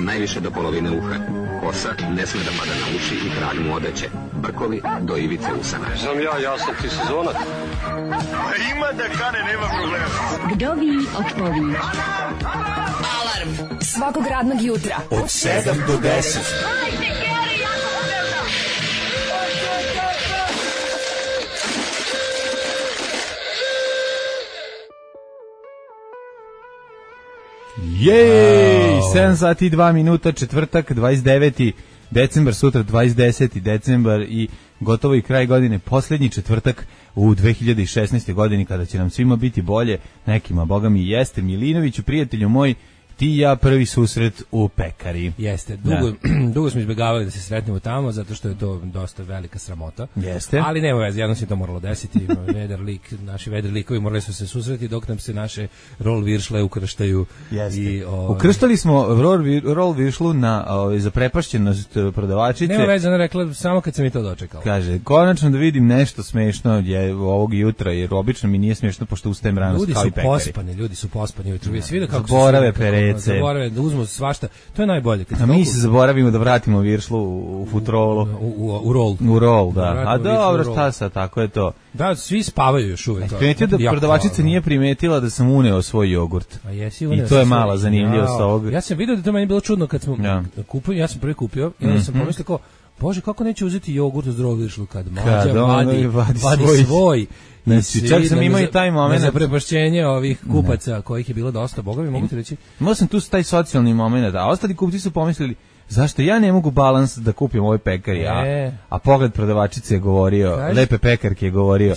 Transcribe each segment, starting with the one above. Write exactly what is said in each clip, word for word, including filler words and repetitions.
najviše do polovine uha. Kosa ne sme da pada na uši i kralj mu odeće. Brkovi do ivice usana. Znam ja, ja sam ti sezonac. Ima da kane, nema problema. Kdo vi odpovi? Alarm svakog radnog jutra od sedam do deset. Jej, sedam sati i dva minuta, četvrtak, dvadeset deveti decembar, sutra dvadeset deseti decembar i gotovo i kraj godine, posljednji četvrtak u dve hiljade šesnaestoj godini kada će nam svima biti bolje, nekima, boga mi jeste. Milinoviću, prijatelju moj, ti i ja prvi susret u pekari. Jeste, dugo, dugo smo izbjegavali da se sretnemo tamo, zato što je to dosta velika sramota. Jeste. Ali nema veze, jedno se to moralo desiti. Vedar lik, naši vedar likovi morali su se susreti dok nam se naše rol viršle ukrštaju. Jeste. I, o, Ukrštali smo rol, rol viršlu na o, zaprepašćenost prodavačice. Nema veze, ona rekla samo kad sam i to dočekala. Kaže, konačno da vidim nešto smešno je ovog jutra, jer obično mi nije smešno pošto ustajem rano kao i pekari. Ljudi su pospani, ljudi su pospani ujutru. Vi svi da kako zaborave perece. Zaborave da uzmu svašta. To je najbolje. Kad a mi se zaboravimo da vratimo viršlu u, u futrolu. U, u, u rol. U rol, da. da a dobro, šta sad, tako je to. Da, svi spavaju još uvijek. Primetio da prodavačica nije primetila da sam uneo svoj jogurt. A jesi uneo. I to je mala zanimljivost ovog. Ja sam vidio da to meni bilo čudno kad smo ja. kupili, ja sam prvi kupio i onda sam mm-hmm. pomislio kao, Bože, kako neće uzeti jogurt u zdravu viršlu kad mađa vadi, vadi, vadi svoj. svoj. Znači, čak sam imao i taj moment za prepašćenje ovih kupaca ne. kojih je bilo dosta, boga mi mogu ti reći. Imao sam tu taj socijalni moment, a ostali kupci su pomislili zašto ja ne mogu balans da kupim ovoj pekari, a, e. a pogled prodavačice je govorio, Kaži, lepe pekarke je govorio,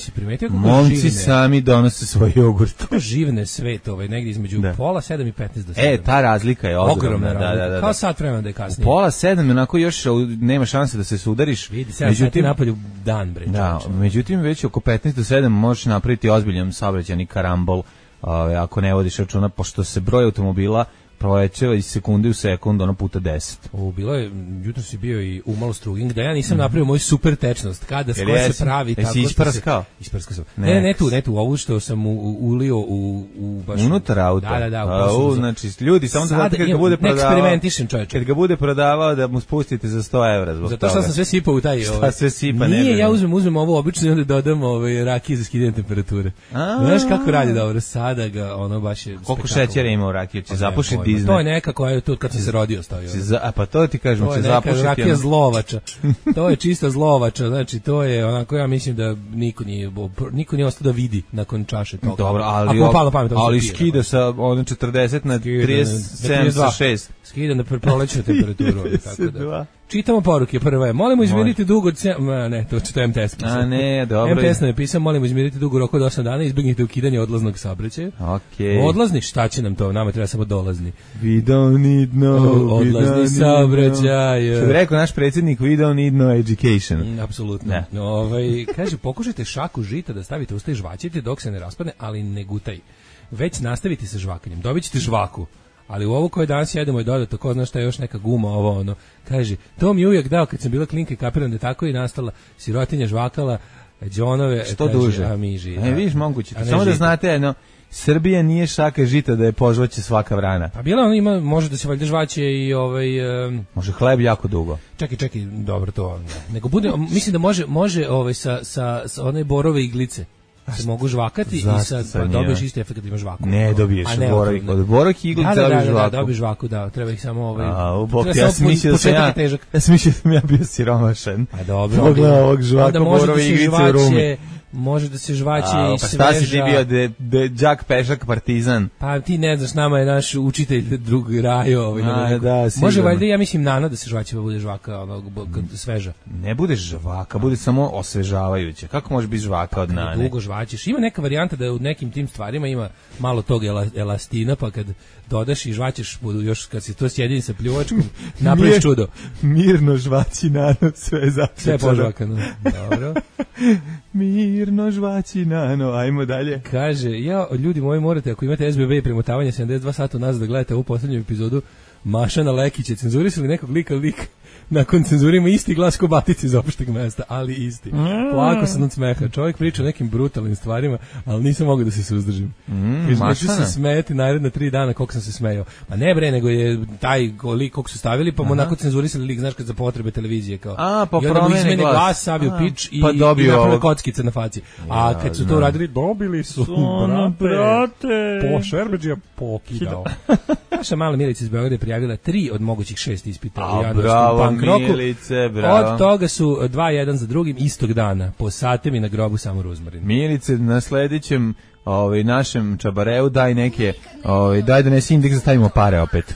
momci živne, sami donose svoj jogurt. To živne svet, ovaj, negdje između da. pola sedam i petnaest do sedam. E, ta razlika je ogromna. Ogromna da, da, da, da. Kao sat vremena da je kasnije. U pola sedam, onako još nema šanse da se sudariš. Vidi, sedam sati napolju dan, bre. Da, međutim, već oko petnaest do sedam možeš napraviti ozbiljan saobraćajni karambol, ove, ako ne vodiš računa, pošto se broj automobila provećava iz sekunde u sekund, ono puta deset. O, bilo je, jutro si bio i umalo struging, da ja nisam mm. napravio moju super tečnost, kada skoro se pravi tako. Jesi isprskao? Isprskao sam. Ne, ne tu, ne tu, ovu što sam u, u, ulio u, u baš... Unutar auta? Da, da, da. A, u, znači, ljudi, samo da znate kad ga bude prodavao... Ne eksperimentišem, čovječe. Kad ga bude prodavao, da mu spustite za sto evra zbog Zato što toga. sam sve sipao u taj... Šta sve sipa? Nije, ja uzmem, uzmem ovo obično i onda dodam ove rakije za skidanje temperature. Znaš kako radi dobro, sada ga, ono baš je... Koliko šećera ima u rakiju, će zapušiti dizne. To je nekako je tu kad sam se rodio stavio. Za, a pa to ti kažem, će zapušiti. Rakija je zlovača. To je čista zlovača, znači to je onako, ja mislim da niko nije niko nije ostao da vidi nakon čaše toga. Dobro, ali pamet, ali skida sa ono četrdeset na trideset sedam sa šest. Skida na prolećnu temperaturu, tako da. Čitamo poruke, prva je, molimo izmiriti dug od... Ma, ne, to je M T S. A ne, dobro. M T S nam je pisao, molimo izmiriti dug u roku od osam dana, izbjegnite ukidanje odlaznog saobraćaja. Okay. Odlazni, šta će nam to? Nama treba samo dolazni. We don't need no... Odlazni saobraćaj. Što bi rekao naš predsjednik, we don't need no education. Mm, apsolutno. No, ovaj, kaže, pokušajte šaku žita da stavite usta i žvaćite dok se ne raspadne, ali ne gutaj. Već nastavite sa žvakanjem, dobit ćete žvaku. Ali u ovo koje danas jedemo je dodato, ko zna šta je još neka guma, ovo ono, kaže, to mi uvijek dao kad sam bila klinka i kapiram da tako i nastala sirotinja žvakala, džonove, što kaže, duže, a mi ži. Ne, vidiš, moguće, samo žita. Da znate jedno, Srbija nije šaka žita da je požvaće svaka vrana. Pa bila ona ima, može da se valjda žvaće i ovaj... Um, može hleb jako dugo. Čekaj, čekaj, dobro to, ne. Nego bude, mislim da može, može ovaj, sa, sa, sa one borove iglice. Se mogu žvakati i sad pa dobiješ isti efekt kad imaš žvaku. Ne dobiješ borovih, od borovih iglica da, da, dobiješ da, žvaku. Da, dobiješ žvaku, da, treba ih samo ovaj. A, u bok, ja sam mislio da sam ja, ja sam mislio da sam ja bio siromašan. A dobro. Pogledaj ovog žvaka borove iglice u Rumi. Može da se žvaće i pa sveža. Šta si ti bio, de, de, đak, pešak, partizan? Pa ti ne znaš, nama je naš učitelj drug Rajo. Ovaj, A, da, može valjda, ja mislim, Nano da se žvaće pa bude žvaka ono, sveža. Ne bude žvaka, bude samo osvežavajuće. Kako može biti žvaka od Nane? Dugo žvaćeš. Ima neka varijanta da u nekim tim stvarima ima malo tog elastina, pa kad dodaš i žvaćeš, budu još kad se to sjedini sa pljuvačkom, napraviš čudo. Mirno žvaći Nano, sve zapečano. Sve požvakano. Dobro. Mirno žvaći Nano, ajmo dalje. Kaže, ja, ljudi moji morate, ako imate S B B i premotavanje sedamdeset dva sata nazad da gledate ovu posljednju epizodu Mašana Lekića, cenzurisali nekog lika, lik nakon cenzure ima isti glas ko Batica iz Opšteg mesta, ali isti. Plako sam od smeha. Čovjek priča o nekim brutalnim stvarima, ali nisam mogao da se suzdržim. Mm, Kaže, neću se smejati naredna tri dana koliko sam se smejao. Ma ne bre, nego je taj lik koliko su stavili, pa mu onako cenzurisali lik, znaš, kad za potrebe televizije kao. A, pa i onda mu promene izmeni glas, glas savio pič i, pa i dobio naprave ovog kockice na faci. A Ja, kad su to znam. uradili, dobili su, Ono, brate. Po Šerbeđija pokidao. Naša mala Milica iz Beograda je prijavila tri od mogućih šest ispita u A, januarskom bravo, punk roku. Milice, bravo. Od toga su dva jedan za drugim istog dana. Po satem i na grobu samo ruzmarin. Milice, na sledećem ovaj, našem čabareu daj neke, ovaj, daj donesi indeks da stavimo pare opet.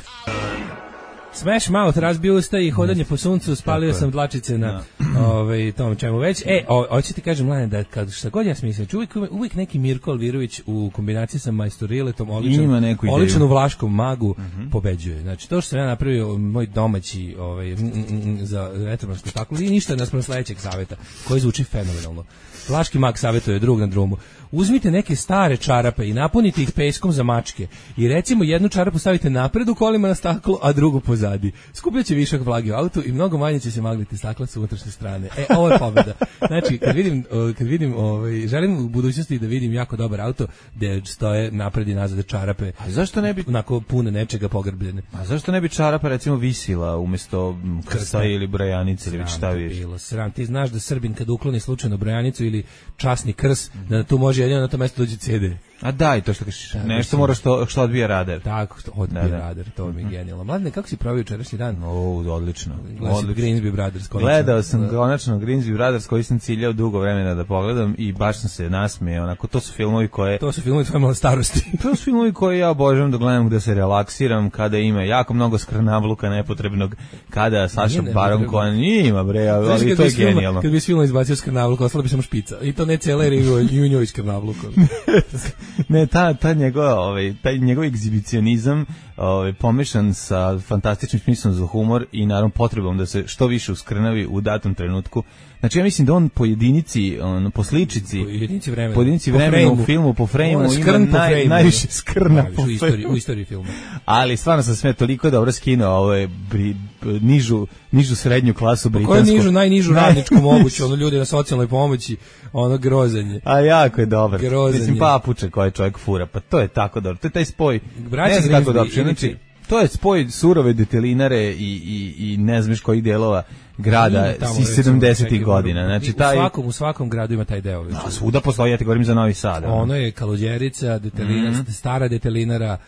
Smash Mouth, razbio usta i hodanje po suncu, spalio sam dlačice na ovaj, tom čemu već. E, o, hoću ti kažem, Mlane, da kad šta god ja smislim, uvijek, uvijek neki Mirko Alvirović u kombinaciji sa Majstoriletom, oličan, oličan u Vlaškom magu, uh-huh. pobeđuje. Znači, to što sam ja napravio, moj domaći ovaj, m, m, m, za retromansko spektakl, nije ništa naspram sledećeg saveta, koji zvuči fenomenalno. Vlaški mag savjetuje drug na drumu. Uzmite neke stare čarape i napunite ih peskom za mačke. I recimo jednu čarapu stavite napred u kolima na staklo, a drugu pozadi. Skupljaće višak vlage u autu i mnogo manje će se magliti stakla sa unutrašnje strane. E, ovo je pobeda. Znači, kad vidim, kad vidim ovaj, želim u budućnosti da vidim jako dobar auto gde stoje napred i nazad čarape. A zašto ne bi onako pune nečega pogrbljene? A zašto ne bi čarapa recimo visila umjesto krsta ili brojanice ili već šta viš? Bilo sram. Ti znaš da Srbin kad ukloni slučajno brojanicu ili časni krs, da tu može jedino na to mesto dođe ce de. A daj, to što kažeš, nešto mora što, što odbija radar. Tako, što odbija da, da. radar, to mi je genijalno. Mladine, kako si provio jučerašnji dan? O, odlično. Gledao si Grimsby Brothers, konačno. Gledao sam konačno Grimsby Brothers, koji sam ciljao dugo vremena da pogledam i baš sam se nasmejao. Onako, to su filmovi koje... To su filmovi tvoje male starosti. To su filmovi koje ja obožavam da gledam, gde se relaksiram, kada ima jako mnogo skrnavluka nepotrebnog, kada Saša Baron Cohen ima, bre, ali, ali to je genijalno. Kad bi s filmom izbacio skrnavluk, ostala bi samo špica. I to ne cijela, jer i u njoj skrnavluk. Ne, ta, ta njegova, ovaj, taj njegov egzibicionizam ovaj, pomešan sa fantastičnim smislom za humor i naravno potrebom da se što više uskrnavi u datom trenutku. Znači ja mislim da on po jedinici, on, po sličici, po jedinici vremena, po jedinici vremena u filmu, po frejmu, ima naj, frame, najviše skrna po u, istoriji, u istoriji filma. Ali stvarno sam sve toliko dobro skinuo ovaj, bri, nižu, nižu srednju klasu britansku. Koju nižu, najnižu radničku moguću, ono ljudi na socijalnoj pomoći, ono grozanje. A jako je dobar. Grozanje. Mislim, papuče koje čovjek fura, pa to je tako dobro. To je taj spoj. Braći ne znam kako dobro. Znači, to je spoj surove detelinare i, i, i ne znaš kojih delova grada iz sedamdesetih godina. Znači, taj... u, svakom, u svakom gradu ima taj deo. No, svuda postoji, ja ti govorim za Novi Sad. Ono je Kaluđerica, detelina, mm-hmm. stara detelinara,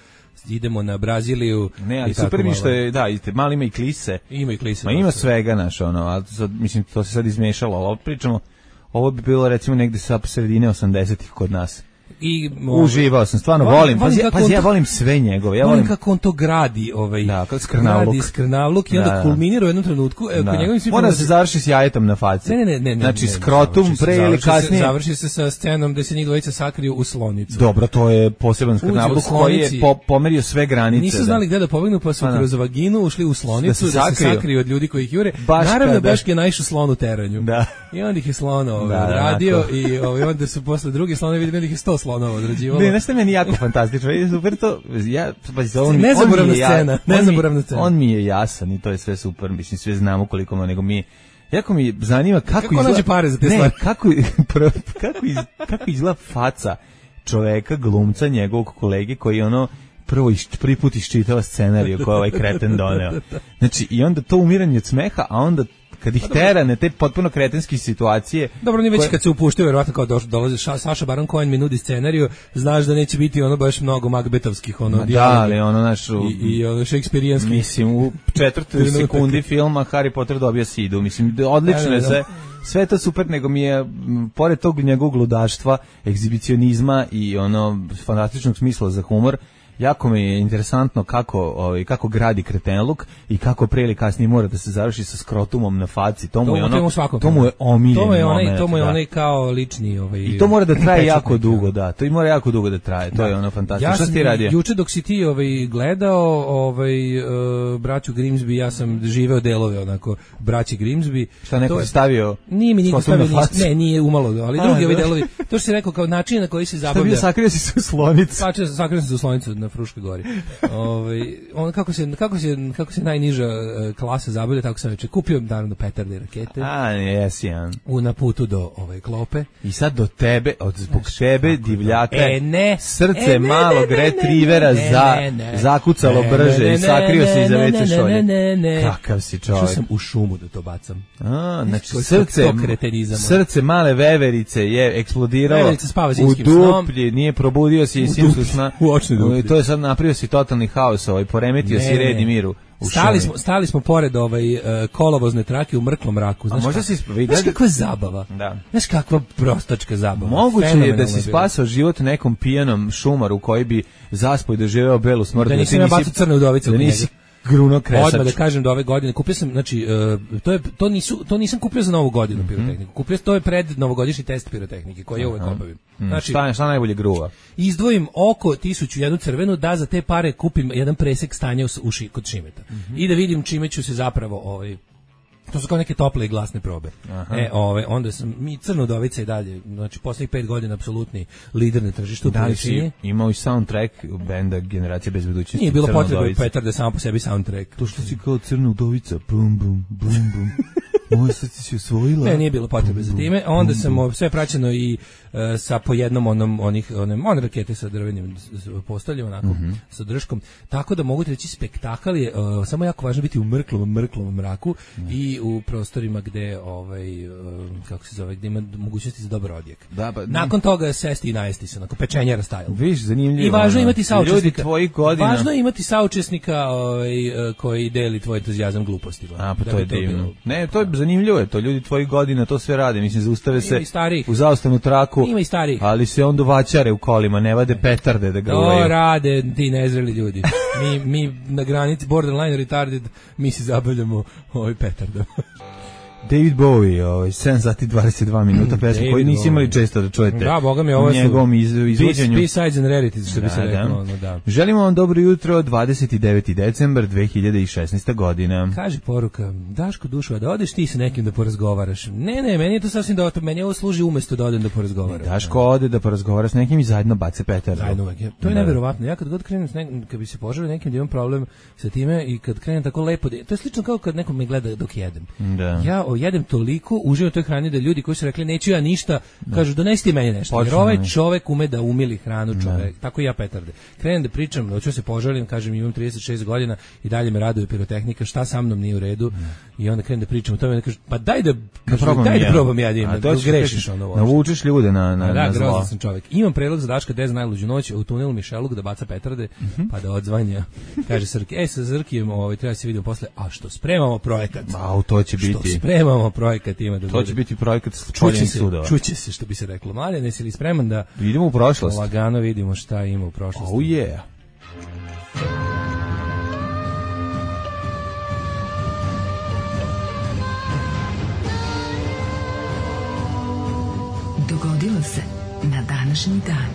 idemo na Braziliju. Ne, ali super mi što je, da, mali ima i klise. Ima i klise. Ma ima svega, naš, ono, ali to, mislim, to se sad izmešalo, ali pričamo, ovo bi bilo recimo negde sa sredine osamdesetih kod nas. I uživao sam, stvarno volim, volim pazi, pazi ja volim sve njegove, ja volim, volim kako on to gradi, ovaj, da, kao skrnavluk, gradi skrnavluk i onda da, kulminira u jednom trenutku, evo, da. Kod njegovim mora se završi s jajetom na faci. Ne, ne, ne, ne, znači ne, skrotum pre ili kasnije. Se, završi se sa scenom gde se njih dvojica sakriju u slonicu. Dobro, to je poseban skrnavluk koji je po, pomerio sve granice. Nisu znali gde da pobegnu, pa su pa, kroz vaginu ušli u slonicu da se, da se sakriju od ljudi koji ih jure. Naravno, Beške je naišao slon u teranju. Da. I onda ih je slon odradio i onda su posle drugi slonovi videli da ih je sto slonova odrađivalo. Ne, nešto meni jako fantastično. Je super to. Ja pa on nezaboravna scena, nezaboravna scena. On mi je jasan i to je sve super. Mislim sve znamo koliko ima, nego mi jako mi zanima kako, kako izgleda pare za te ne, stvari. Kako kako iz, kako izgleda faca čoveka glumca njegovog kolege koji ono prvo iš, prvi put iščitava scenariju koji ovaj kreten doneo. Znači i onda to umiranje od smeha, a onda kad ih tera na te potpuno kretenske situacije. Dobro, ni već koje... kad se upuštaju, verovatno kao došlo, dolaze ša, Saša Baron Cohen mi nudi scenariju, znaš da neće biti ono baš mnogo Macbethovskih ono dijaloga. Da, ali ono naš i, i ono šekspirijanski. Mislim u četvrtoj sekundi filma Harry Potter dobija sidu. Mislim odlično je sve. Sve to super, nego mi je pored tog njegovog ludaštva, egzibicionizma i ono fantastičnog smisla za humor. Jako mi je interesantno kako ovaj kako gradi kretenluk i kako pre ili kasnije mora da se završi sa skrotumom na faci. To mu je ono to mu je omiljeno. To je onaj to mu je onaj kao lični ovaj. I to mora da traje jako dugo, da. To i mora jako dugo da traje. To da. Je ono fantastično. Ja šta ti radi? Juče dok si ti ovaj gledao ovaj uh, braću Grimsby, ja sam živeo delove onako braći Grimsby. Šta neko je stavio? Nije mi niko stavio ništa. Ne, nije umalo, ali drugi ovi delovi. To što si rekao kao način na koji se zabavlja. Stavio sakrio si se u slonicu. Sakrio se u slonicu. na Fruškoj gori. Ovaj on kako se kako se kako se najniža uh, klasa zabavlja, tako sam već kupio naravno petarde i rakete. A, jesi, ja. U na putu do ove klope. I sad do tebe, od zbog Znaš, tebe divljaka. E ne, srce e, ne, malog ne, ne, retrivera ne, za ne, ne, zakucalo ne, brže ne, i sakrio se iza ve ce šolje. Ne, ne, ne. Kakav si čovjek. Išao sam u šumu da to bacam. A, znači Koji srce, srce male veverice je eksplodiralo u duplji, nije probudio si iz zimskog sna. U očni duplji. To je sad napravio si totalni haos, ovaj, poremetio ne, si red i miru. Stali smo, stali smo pored ovaj, uh, kolovozne trake u mrklom mraku. Znaš, možda si vidio, znaš kakva zabava? Da. Znaš kakva prostačka zabava? Moguće je da si spasao život nekom pijanom šumaru koji bi zaspoj doživeo belu smrt. Da nisam ja bacao crne udovice. Da nisi gruno kresač. Odmah da kažem da ove godine kupio sam, znači uh, to je to nisu to nisam kupio za novu godinu mm-hmm. pirotehniku. Kupio to je pred novogodišnji test pirotehnike koji ja uvek obavim. Znači šta, šta najbolje gruva? Izdvojim oko tisuću jednu crvenu da za te pare kupim jedan presek stanja u, u ši, kod Šimeta. Mm-hmm. I da vidim čime ću se zapravo ovaj to su kao neke tople i glasne probe. Aha. E, ove, onda sam, mi Crna udovica i dalje, znači poslednjih pet godina apsolutni lider na tržištu. Da li si imao i soundtrack benda Generacije bez budućnosti? Nije bilo potrebe petarde samo po sebi soundtrack. To što si kao Crna udovica, bum, bum, bum, bum. Moje srce si osvojila. Ne, nije bilo potrebe za time. Onda sam sve praćeno i uh, sa po jednom onom onih onim on rakete sa drvenim postavljom onako mm-hmm. sa držkom. Tako da mogu reći spektakl je uh, samo jako važno biti u mrklom mrklom mraku mm. i u prostorima gde ovaj uh, kako se zove, gde ima mogućnosti za dobar odjek. Da, pa, nakon toga sesti i najesti se, onako pečenjera style. Viš, zanimljivo. I važno je imati saučesnika. Ljudi tvojih godina. Važno je imati saučesnika ovaj, uh, koji deli tvoj entuzijazam glupostima. A, pa da to je divno. Ne, to je zanimljivo je to, ljudi tvojih godina to sve rade, mislim, zaustave se u zaustavnu traku, ima i starih, ali se onda vaćare u kolima, ne vade petarde da gruvaju. To rade ti nezreli ljudi. Mi, mi na granici borderline retarded, mi se zabavljamo ovaj petardom. David Bowie, ovaj sedam sati dvadeset dva minuta pesma koju nisi imali često da čujete. Da, boga mi, ovo su njegovom iz, izvođenju. B-sides and rarities, što da, bi se reklo. Da. No, da. Želimo vam dobro jutro, dvadeset deveti decembar dve hiljade šesnaeste. godina. Kaže poruka, Daško Dušo, da odeš ti sa nekim da porazgovaraš. Ne, ne, meni je to sasvim dovoljno, meni ovo služi umesto da odem da porazgovaram. Daško ode da porazgovara s nekim i zajedno bace petardu. Zajedno uvek. To je da. Neverovatno. Ja kad god krenem s nekim, kad bi se poželio nekim da imam problem sa time i kad krenem tako lepo, to je slično kao kad neko me gleda dok jedem. Da. Ja o, jedem toliko uživam u toj hrani da ljudi koji su rekli neću ja ništa, da. Kažu donesti meni nešto. Počne, jer ovaj čovek ume da umili hranu čovek. Da. Tako i ja petarde. Krenem da pričam, hoću se požalim, kažem imam trideset šest godina i dalje me raduje pirotehnika, šta sa mnom nije u redu. Da. I onda krenem da pričam o tome, da kažem pa daj da kažu, probam daj ja. da probam ja, da, da grešiš ono. Navučeš ljude na na, da, na zlo. Da, sam čovek. Imam predlog za Daška Dez najluđu noć u tunelu Mišeluk da baca petarde, uh-huh. pa da odzvanja. Kaže Srki, ej sa Zrkijem, ovaj treba se vidimo posle, a što spremamo projekat. A to će biti. Što spremamo projekat ima da to će biti projekat čoljenih sudova. Čuće se, što bi se reklo. Mladen, jesi li spreman da idemo u prošlost? Lagano vidimo šta ima u prošlosti. Oh yeah. Dogodilo se na današnji dan.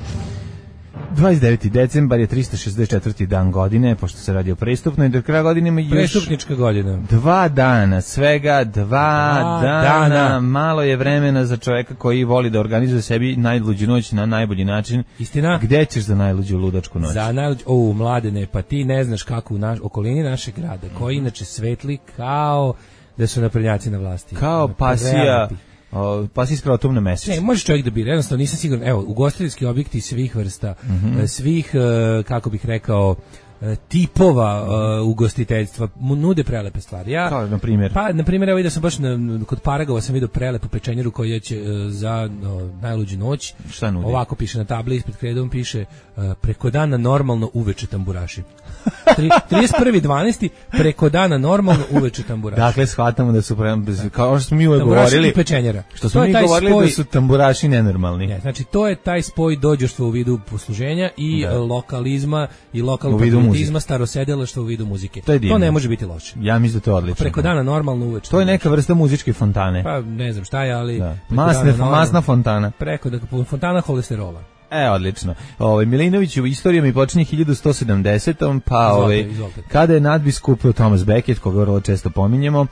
dvadeset deveti decembar je tristo šezdeset četvrti dan godine, pošto se radi o prestupnoj, do kraja godine ima još prestupnička godina. Dva dana, svega dva, dva dana. dana. Malo je vremena za čoveka koji voli da organizuje sebi najluđu noć na najbolji način. Istina? Gde ćeš za najluđu ludačku noć? Za najluđu, o, Mladene, pa ti ne znaš kako u naš, okolini našeg grada, koji inače svetli kao da su naprednjaci na vlasti. Kao pasija. O, pa si iskrao tom na mesec. Ne, može čovjek da bira, jednostavno nisam siguran. Evo, ugostiteljski objekti svih vrsta, mm-hmm. svih, kako bih rekao, tipova uh, ugostiteljstva nude prelepe stvari. Ja, kao na primjer? Pa, na primjer, evo vidio sam baš na, kod Paragova sam vidio prelepu pečenjeru koja će uh, za uh, najluđu noć. Šta nudi? Ovako piše na tabli ispred kredom, piše uh, preko dana normalno uveče tamburaši. trideset prvi decembar preko dana normalno uveče tamburaši. Dakle, shvatamo da su prema, kao što smo mi uvek govorili, i pečenjera. Što smo mi govorili spoj, da su tamburaši nenormalni. Ne, znači, to je taj spoj dođoštva u vidu posluženja i da. lokalizma i lokalnog patriotizma, starosedelaštva u vidu muzike. To, to ne može biti loše. Ja mislim da to je odlično. Preko dana normalno uveče. To je neka vrsta muzičke fontane. Pa ne znam šta je, ali... Da. Masne, normalno, masna fontana. Preko da, fontana holesterola. E, odlično. Ovaj Milinović u istorijama i počinje hiljadu sto sedamdesetom pa ovaj kada je nadbiskup Thomas Becket, koga vrlo često pominjemo,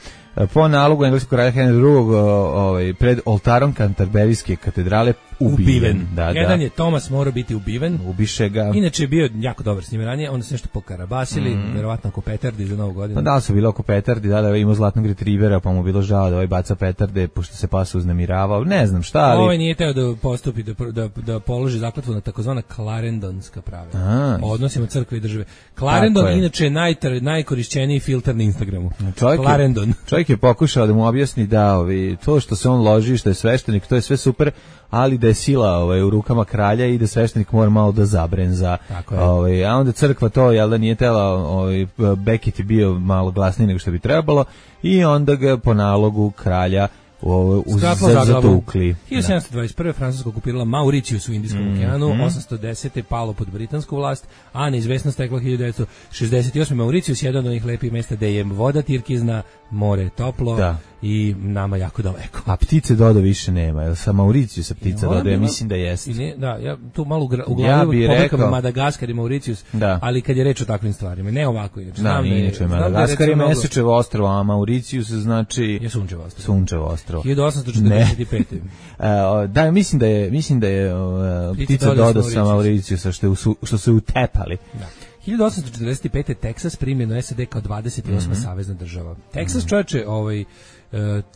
po nalogu engleskog kralja Henry drugog. Ovaj, pred oltarom Kanterberijske katedrale ubiven. ubiven. Da, Jedan da. je Tomas morao biti ubiven. Ubiše ga. Inače je bio jako dobar s njim ranije, onda se nešto pokarabasili, mm. verovatno oko petardi za novu godinu. Pa da, su bilo oko petardi, da, da, imao zlatnog retrivera, pa mu bilo žao da ovaj baca petarde, pošto se pas uznemiravao, ne znam šta, ali... Ovaj nije teo da postupi, da, da, da položi zakletvu na takozvana Clarendonska pravila. A, o odnosima crkve i države. Clarendon je inače najtar, najkorišćeniji filter na Instagramu. Čovjek Clarendon. Je, čovjek je pokušao da mu objasni da ovi, to što se on loži, što je sveštenik, to je sve super, ali da je sila ovaj, u rukama kralja i da sveštenik mora malo da zabrenza. Ovaj, a onda crkva to, jel da nije tela, ovaj, Beckett je bio malo glasniji nego što bi trebalo i onda ga po nalogu kralja uz zatukli. hiljadu sedamsto dvadeset prve. Francuska okupirala Mauricijus u Indijskom mm, okeanu, mm. osamsto desete. palo pod britansku vlast, a neizvesno stekla hiljadu devetsto šezdeset osme. Mauricijus, jedan od onih lepih mesta gde je voda tirkizna, more toplo da. I nama jako daleko. A ptice dodo više nema, jel sa Mauricijusa ptica dodo, ja mislim da jeste. Ne, da, ja tu malo u glavi ja pobrkam Madagaskar i Mauricijus, da. Ali kad je reč o takvim stvarima, ne ovako. Jer, da, nije inače, Madagaskar je Mesečevo ostrvo, a Mauricijus znači... Je Sunčevo ostrvo. Sunčevo ostrvo. hiljadu osamsto četrdeset pete. uh, da, mislim da je, mislim da je uh, ptica dodo sa Mauricijusa što, što su utepali. Da. hiljadu osamsto četrdeset pete. Teksas primljen u S A D kao dvadeset osma Mm-hmm. savezna država. Teksas, čovječe, ovaj,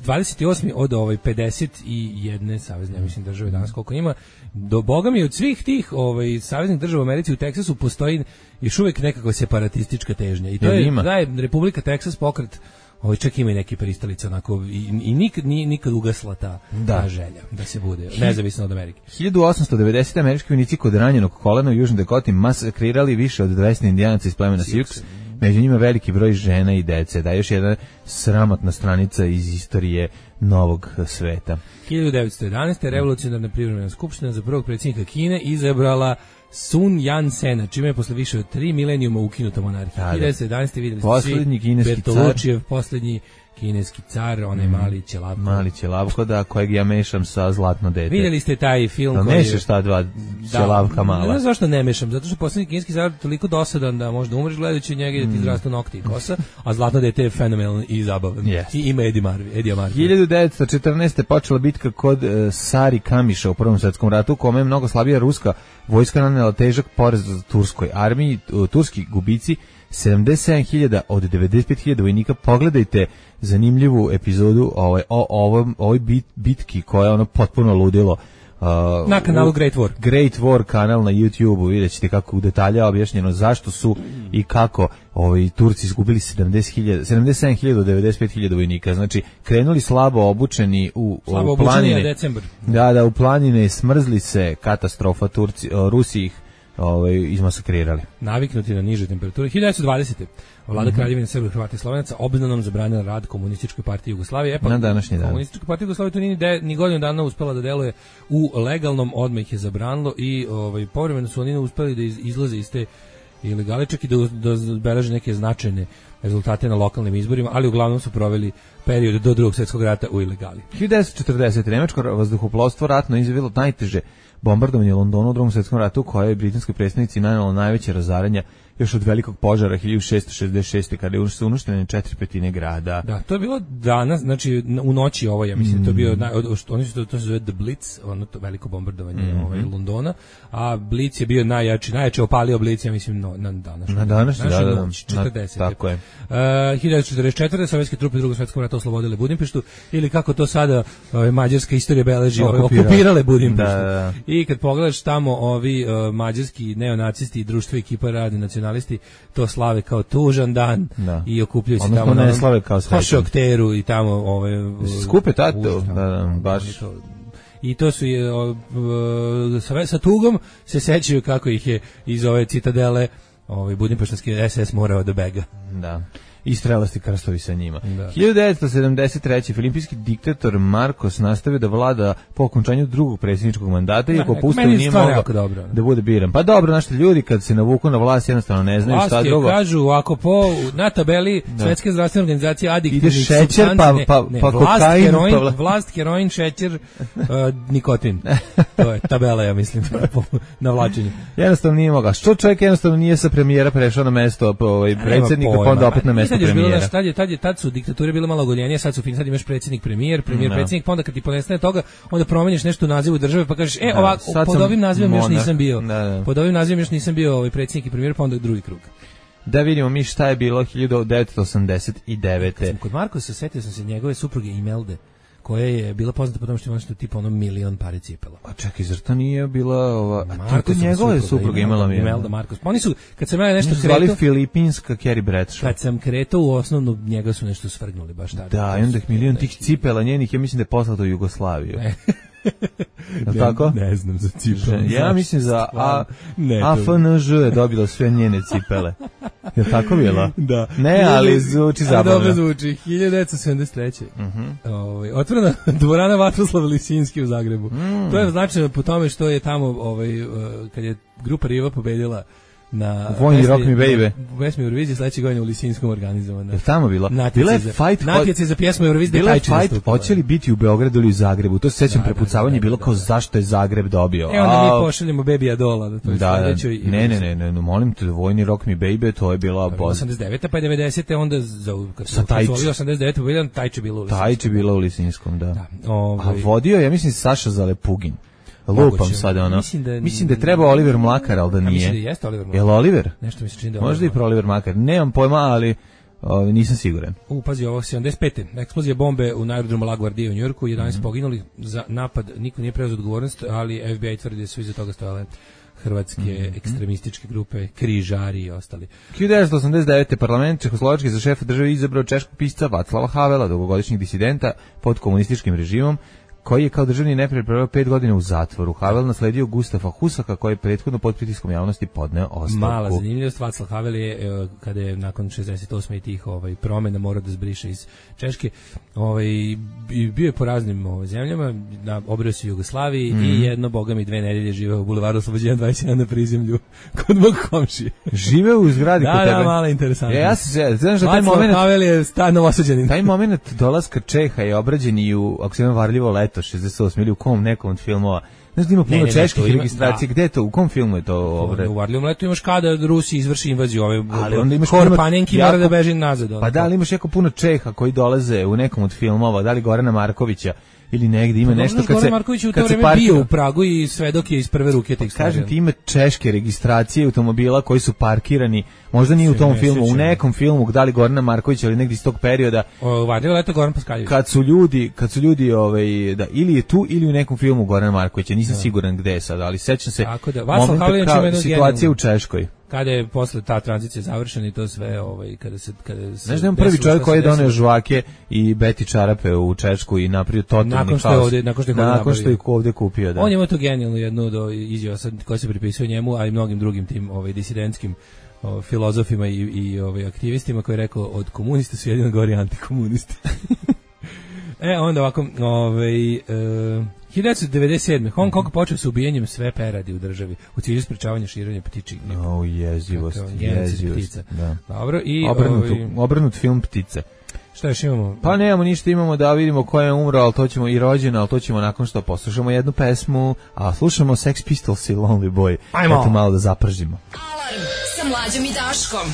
dvadeset osmi od ovaj pedeset jedne savezne, ja mislim, države danas koliko ima. Do boga mi od svih tih ovaj saveznih država u Americi u Teksasu postoji još uvijek nekakva separatistička težnja. I to je, da je Republika Teksas pokret. Ovaj čak ima i neki pristalice onako i, i nikad nije nikad ugasla ta, da. ta želja da se bude nezavisno od Amerike. hiljadu osamsto devedesete. američki vojnici kod ranjenog kolena u Južnoj Dakoti masakrirali više od dvesta indijanaca iz plemena Sioux. Među njima veliki broj žena i dece. Da, još jedna sramotna stranica iz istorije novog sveta. hiljadu devetsto jedanaeste. revolucionarna privremena skupština za prvog predsjednika Kine izabrala Sun Yat-sena, čime je posle više od tri milenijuma ukinuta monarhija. hiljadu devetsto jedanaeste. vidjeli ste poslednji svi kineski Bertolučijev, poslednji kineski car, onaj mm. mali ćelavko. Mali ćelavko, da, kojeg ja mešam sa Zlatno dete. Vidjeli ste taj film da koji... mešaš ta dva ćelavka mala. Ne znam zašto ne mešam, zato što poslednji kineski car toliko dosadan da možda umreš gledajući njega i da ti izrastu nokti i kosa, a Zlatno dete je fenomenalan i zabavan. Yes. I ima Eddie Murphy. Eddie Murphy. hiljadu devetsto četrnaeste. počela bitka kod uh, Sari Kamiša u Prvom svetskom ratu, u kome je mnogo slabija ruska vojska nanela težak poraz turskoj armiji. Uh, turski gubici sedamdeset sedam hiljada od devedeset pet hiljada vojnika. Pogledajte zanimljivu epizodu ovaj, o ovom, ovoj bit, bitki koja je ono potpuno ludilo. Uh, na kanalu Great War. Great War kanal na YouTubeu, vidjet ćete kako u detalja objašnjeno zašto su i kako ovaj, Turci izgubili sedamdeset hiljada, sedamdeset sedam hiljada od devedeset pet hiljada vojnika. Znači, krenuli slabo obučeni u, slabo u planine. Na decembar. Da, da, u planine smrzli se, katastrofa, Turci, uh, Rusi ih ovaj, izmasakrirali. Naviknuti na niže temperature. hiljadu devetsto dvadesete. Vlada mm-hmm. Kraljevine Srba, Hrvata i Slovenaca obznanom zabranila rad Komunističkoj partiji Jugoslavije. E pa, na današnji dan. Komunistička partija Jugoslavije to nije ni, ni godinu dana uspela da deluje u legalnom, odmah ih je zabranilo i ovaj, povremeno su oni uspeli da iz, izlaze iz te ilegale, čak i da, da beleže neke značajne rezultate na lokalnim izborima, ali uglavnom su proveli period do drugog svjetskog rata u ilegali. hiljadu devetsto četrdesete. Nemačko vazduhoplovstvo ratno izvelo najteže bombardovanje Londona u drugom svjetskom ratu, koje je britanskoj predstavnici nanelo najveće razaranja još od velikog požara hiljadu šessto šezdeset šeste. kada je su uništene četiri petine grada. Da, to je bilo danas, znači u noći ovo, ja mislim, mm. to je bio, naj, oni su to, to se zove The Blitz, ono to veliko bombardovanje mm-hmm. ovaj, Londona, a Blitz je bio najjači, najjače opalio Blitz, ja mislim, no, na današnju. Na današnju, da, da, noć, četrdesete. Na, tako je. Uh, hiljadu devetsto četrdeset četvrte. sovjetske trupe u drugom svjetskom ratu oslobodile Budimpeštu, ili kako to sada ovaj, mađarska istorija beleži, ovaj, okupirale Budimpeštu. Da, da. I kad pogledaš tamo ovi uh, mađarski neonacisti i društvo ekipa radi nacionalisti, to slave kao tužan dan da. I okupljaju se tamo ne slave kao Hošokteru i tamo ove skupe tato, da, da, baš i to su je sa, sa tugom se sećaju kako ih je iz ove citadele ovaj budimpeštanski S S morao da bega. Da. I strelasti krstovi sa njima. Da. hiljadu devetsto sedamdeset treće. Filimpijski diktator Marcos nastavio da vlada po okončanju drugog predsjedničkog mandata, iako pustio nije mogao da bude biran. Pa dobro, naši ljudi kad se navuku na vlast jednostavno ne znaju vlast šta drugo. Vlast je, kažu, ako po, na tabeli da. Svetske zdravstvene organizacije adiktivnih šećer, pa, pa, pa vlast, kokain, heroin, pa... vlast, heroin, šećer, uh, nikotin. To je tabela, ja mislim, na vlačenju. Jednostavno nije mogao. Što čovjek jednostavno nije sa premijera prešao na mesto ovaj, predsjednika, pa onda opet na mesto tad je bilo, premijera. tad je, tad je, tad su diktature bile malo ogoljenije, sad su fin, sad imaš predsjednik, premijer, premijer, Da. predsjednik, pa onda kad ti ponestane toga, onda promeniš nešto u nazivu države, pa kažeš, e, Da, ovako, sad pod sam ovim nazivom još monarh. nisam bio. Da, da. Pod ovim nazivom još nisam bio ovaj predsjednik i premijer, pa onda drugi krug. Da vidimo mi šta je bilo hiljadu devetsto osamdeset devete. Sam kod Markosa setio sam se njegove supruge Imelda, koja je bila poznata po tome što ima nešto tipa ono milion pare cipela. A čekaj, zar to nije bila ova... A Markosova to njegove supruga, supruga imala mi je. Imelda Markos. Pa oni su, kad sam ja nešto Nisu zvali kretao, filipinska Carrie Bradshaw. kad sam kretao u osnovnu, njega su nešto svrgnuli baš tada. Da, i onda ih milion tih cipela njenih, ja mislim da je poslato u Jugoslaviju. Ne. Je li tako? Ne znam za cipele. Ja mislim za A, Ne, to- A F N Ž je dobila sve njene cipele. Je li tako bilo? Da. Ne, ali zvuči A, zabavno. dobro zvuči. hiljadu devetsto sedamdeset treće. Ovaj, otvorena dvorana Vatroslav Lisinski u Zagrebu. Mm. To je značajno po tome što je tamo, ovaj, uh, kad je grupa Riva pobedila na Vojni pesmi- Rock Me Baby. na pesmi Eurovizije sledeće godine u Lisinskom organizovana. Je li tamo bila? Bila Natjece je za, fight, natjece za pjesmu Eurovizije bila je Tajči fight, nastupila. hoće li biti u Beogradu ili u Zagrebu? To se sećam, Da, da, prepucavanje da, je bilo da, kao da. zašto je Zagreb dobio. E onda A, mi pošaljemo Baby Adola da to je Da, da, sledećoj. ne, ne, ne, ne, ne, molim te, Vojni Rock Me Baby, to je bila boz. osamdeset devete pa je devedesete onda za kad Sa su Tajči. osvojili osamdeset devete pobedila Tajči bilo u Lisinskom. Tajči bila u Lisinskom, da. Da, A ovaj, vodio, ja mislim, Saša Zalepugin. Lupam Moguće. sad, ono. Mislim da- Mislim da je trebao Oliver Mlakar, ali da ja mislim da nije. jeste Oliver Jel Mlakar. Oliver? Nešto mi se čini da je Možda i Oliver pro Oliver Mlakar. Nemam pojma, ali o, nisam siguran. U, pazi, ovo sedamdeset pete. Eksplozija bombe u aerodromu LaGuardia u Njujorku, jedanaest Mhm. poginuli za napad, niko nije preuzeo odgovornost, ali F B I tvrdi da su iza toga stojale hrvatske Mhm. ekstremističke grupe, križari i ostali. hiljadu devetsto osamdeset devete. parlament Čehoslovačke za šefa države izabrao češkog pisca Vaclava Havela, dugogodišnjeg disidenta pod komunističkim režimom, koji je kao državni neprijatelj proveo pet godina u zatvoru. Havel nasledio Gustafa Husaka, koji je prethodno pod pritiskom javnosti podneo ostavku. Mala zanimljivost, Václav Havel je, e, kada je nakon šezdeset osme i tih ovaj, promjena morao da zbriše iz Češke, ovaj, i bio je po raznim ovaj, zemljama, na, obrio se u Jugoslaviji Mhm. i jedno, boga mi, dve nedelje živeo u bulevaru Oslobođenja dvadeset jedan na prizemlju kod mog komšije. Žive u zgradi Da, kod da, tebe. malo interesantno. Ja, ja se se- znaš da taj Václav moment, Havel je sta novosađanin. taj moment dolaska Čeha je obrađen i u, ako se ima Varljivo leto, šezdeset osme ili u kom nekom od filmova. Znaš da ima puno Ne, ne, ne, čeških to ima- registracija. da. Gde je to? U kom filmu je to obrađeno? U Varljivom letu imaš kada Rusi izvrši invaziju, ove Ali onda imaš Hor puno Panenki jako- mora da beži nazad. ono. Pa da, ali imaš jako puno Čeha koji dolaze u nekom od filmova, da li Gorana Markovića ili negde ima Pa nešto dobro, kad se Goran Marković je u to kad se vreme bio parkira. u Pragu i svedok je iz prve ruke tih stvari. Kažem ti, ima češke registracije automobila koji su parkirani, možda nije u Se tom ne filmu, u sjećam. nekom filmu, da li Gorana Markovića ili negdje iz tog perioda, O, Varljivo leto Goran Paskaljević. kad su ljudi, kad su ljudi ovaj, da, ili je tu ili u nekom filmu Gorana Markovića, nisam siguran gde je sad, ali sećam se Tako da, Václav momenta Havel je kao čime jedno situacije genijalno. u Češkoj. Kada je posle ta tranzicija završena i to sve, ovaj, kada se... Kada se Znaš da je on prvi desilo čovjek šta koji je se doneo desilo? žvake i beti čarape u Češku i napravio totalni Nakon što je haos. ovdje- nakon što je ovdje nakon što je napravio. ovdje kupio, da. On je imao tu genijalnu jednu do izjava sad koja se pripisuje njemu, a i mnogim drugim tim ovaj disidentskim ovaj, filozofima i i ovaj aktivistima, koji je rekao od komunista su jedino gori antikomunisti. E onda ovako, ovaj e, hiljadu devetsto devedeset sedme. Hong Kong počeo sa ubijanjem sve peradi u državi u cilju sprečavanja širenja ptičjih gripa. O, jezivost, Kakav genocid jezivost. ptica. Da. Dobro, i Obrnut, ovaj, obrnut film Ptice. šta još imamo? Pa nemamo ništa, imamo da vidimo ko je umro, ali to ćemo i rođen, ali to ćemo nakon što poslušamo jednu pesmu, a slušamo Sex Pistols i Lonely Boy. Ajmo. Eto malo da zapržimo. Alarm sa mlađom i Daškom.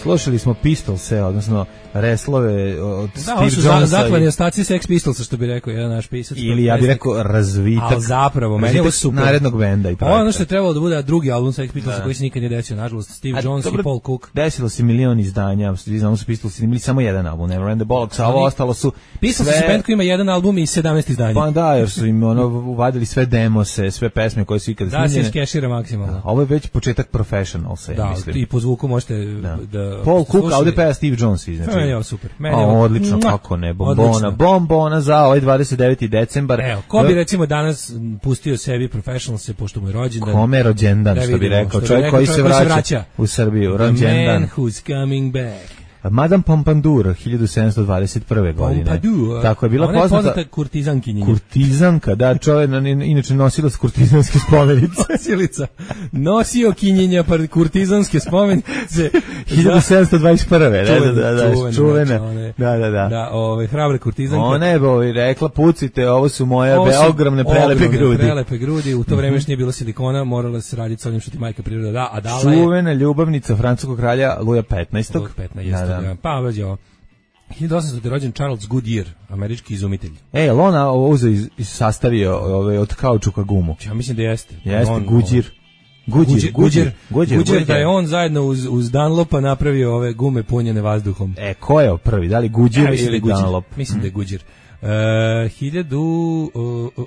Slušali smo Pistolse, odnosno reslove od Da, Steve ovo su za, Jonesa zaklani i- ostaci Sex Pistolsa, što bi rekao jedan naš pisac. ili ja bih pesnik. rekao razvitak. Ali zapravo, meni je ovo razvitak super. narednog benda i Ovo je ono projekta. što je trebalo da bude drugi album Sex Pistolsa Da. koji se nikad nije desio, nažalost. Steve A, Jones dobro, i Paul Cook. Desilo se milion izdanja, svi znamo su Pistolsi imali samo jedan album, Never End the Bollocks, a ovo Ali- ostalo su Pistolsi sve... su band koji ima jedan album i sedamnaest izdanja. Pa da, jer su im ono uvadili sve demose, sve pesme koje su ikada Da se snimljene. iskešira maksimalno. Ovo je već početak Professionalsa, ja Da, mislim. i po zvuku možete da... Da. Paul Cook, a ovdje peva Steve Jones, znači. Meni je ovo super. Meni A, je ovo- odlično, Mua! kako ne, bombona, Odlično. bombona za ovaj dvadeset deveti decembar. Evo, ko bi recimo danas m, pustio sebi Professionalse, pošto mu je rođendan. Kome je rođendan, Da što bi vidimo, rekao, što bi čovjek rekao, koji se čovjek koji se vraća, vraća. u Srbiju, The rođendan. man who's coming back. Madame Pompadour, hiljadu sedamsto dvadeset prve godine. Pompadour. Tako je bila Ona je poznata, poznata kurtizankinja. kurtizanka, da, čovjek, inače nosila s kurtizanske spomenice. Nosilica. Nosio kinjenja par kurtizanske spomenice. hiljadu sedamsto dvadeset prve. Da, da, da, da, Čuvena, čuvena. znači, one- Da, da, da. Da, ove, hrabre kurtizanke. Ona je bovi rekla, pucite, ovo su moje Ovo be, su ogromne prelepe ogromne grudi. Prelepe grudi, u to vreme još nije bilo silikona, morala se raditi sa onim što ti majka priroda da, a dala je Čuvena ljubavnica francuskog kralja Luja petnaestog. Luj petnaest, Da, Da. Pa, već ovo. hiljadu osamstoti rođen Charles Goodyear, američki izumitelj. E, je li on ovo uzeo i i sastavio ove, od kaučuka gumu? Ja mislim da jeste. Jeste, On, Goodyear. Goodyear, Goodyear, Goodyear, Goodyear, da je on zajedno uz, uz Dunlopa napravio ove gume punjene vazduhom. E, ko je prvi? Da li Goodyear Ja, ili Goodyear. Dunlop? Mislim da je Goodyear. Uh, hiljadu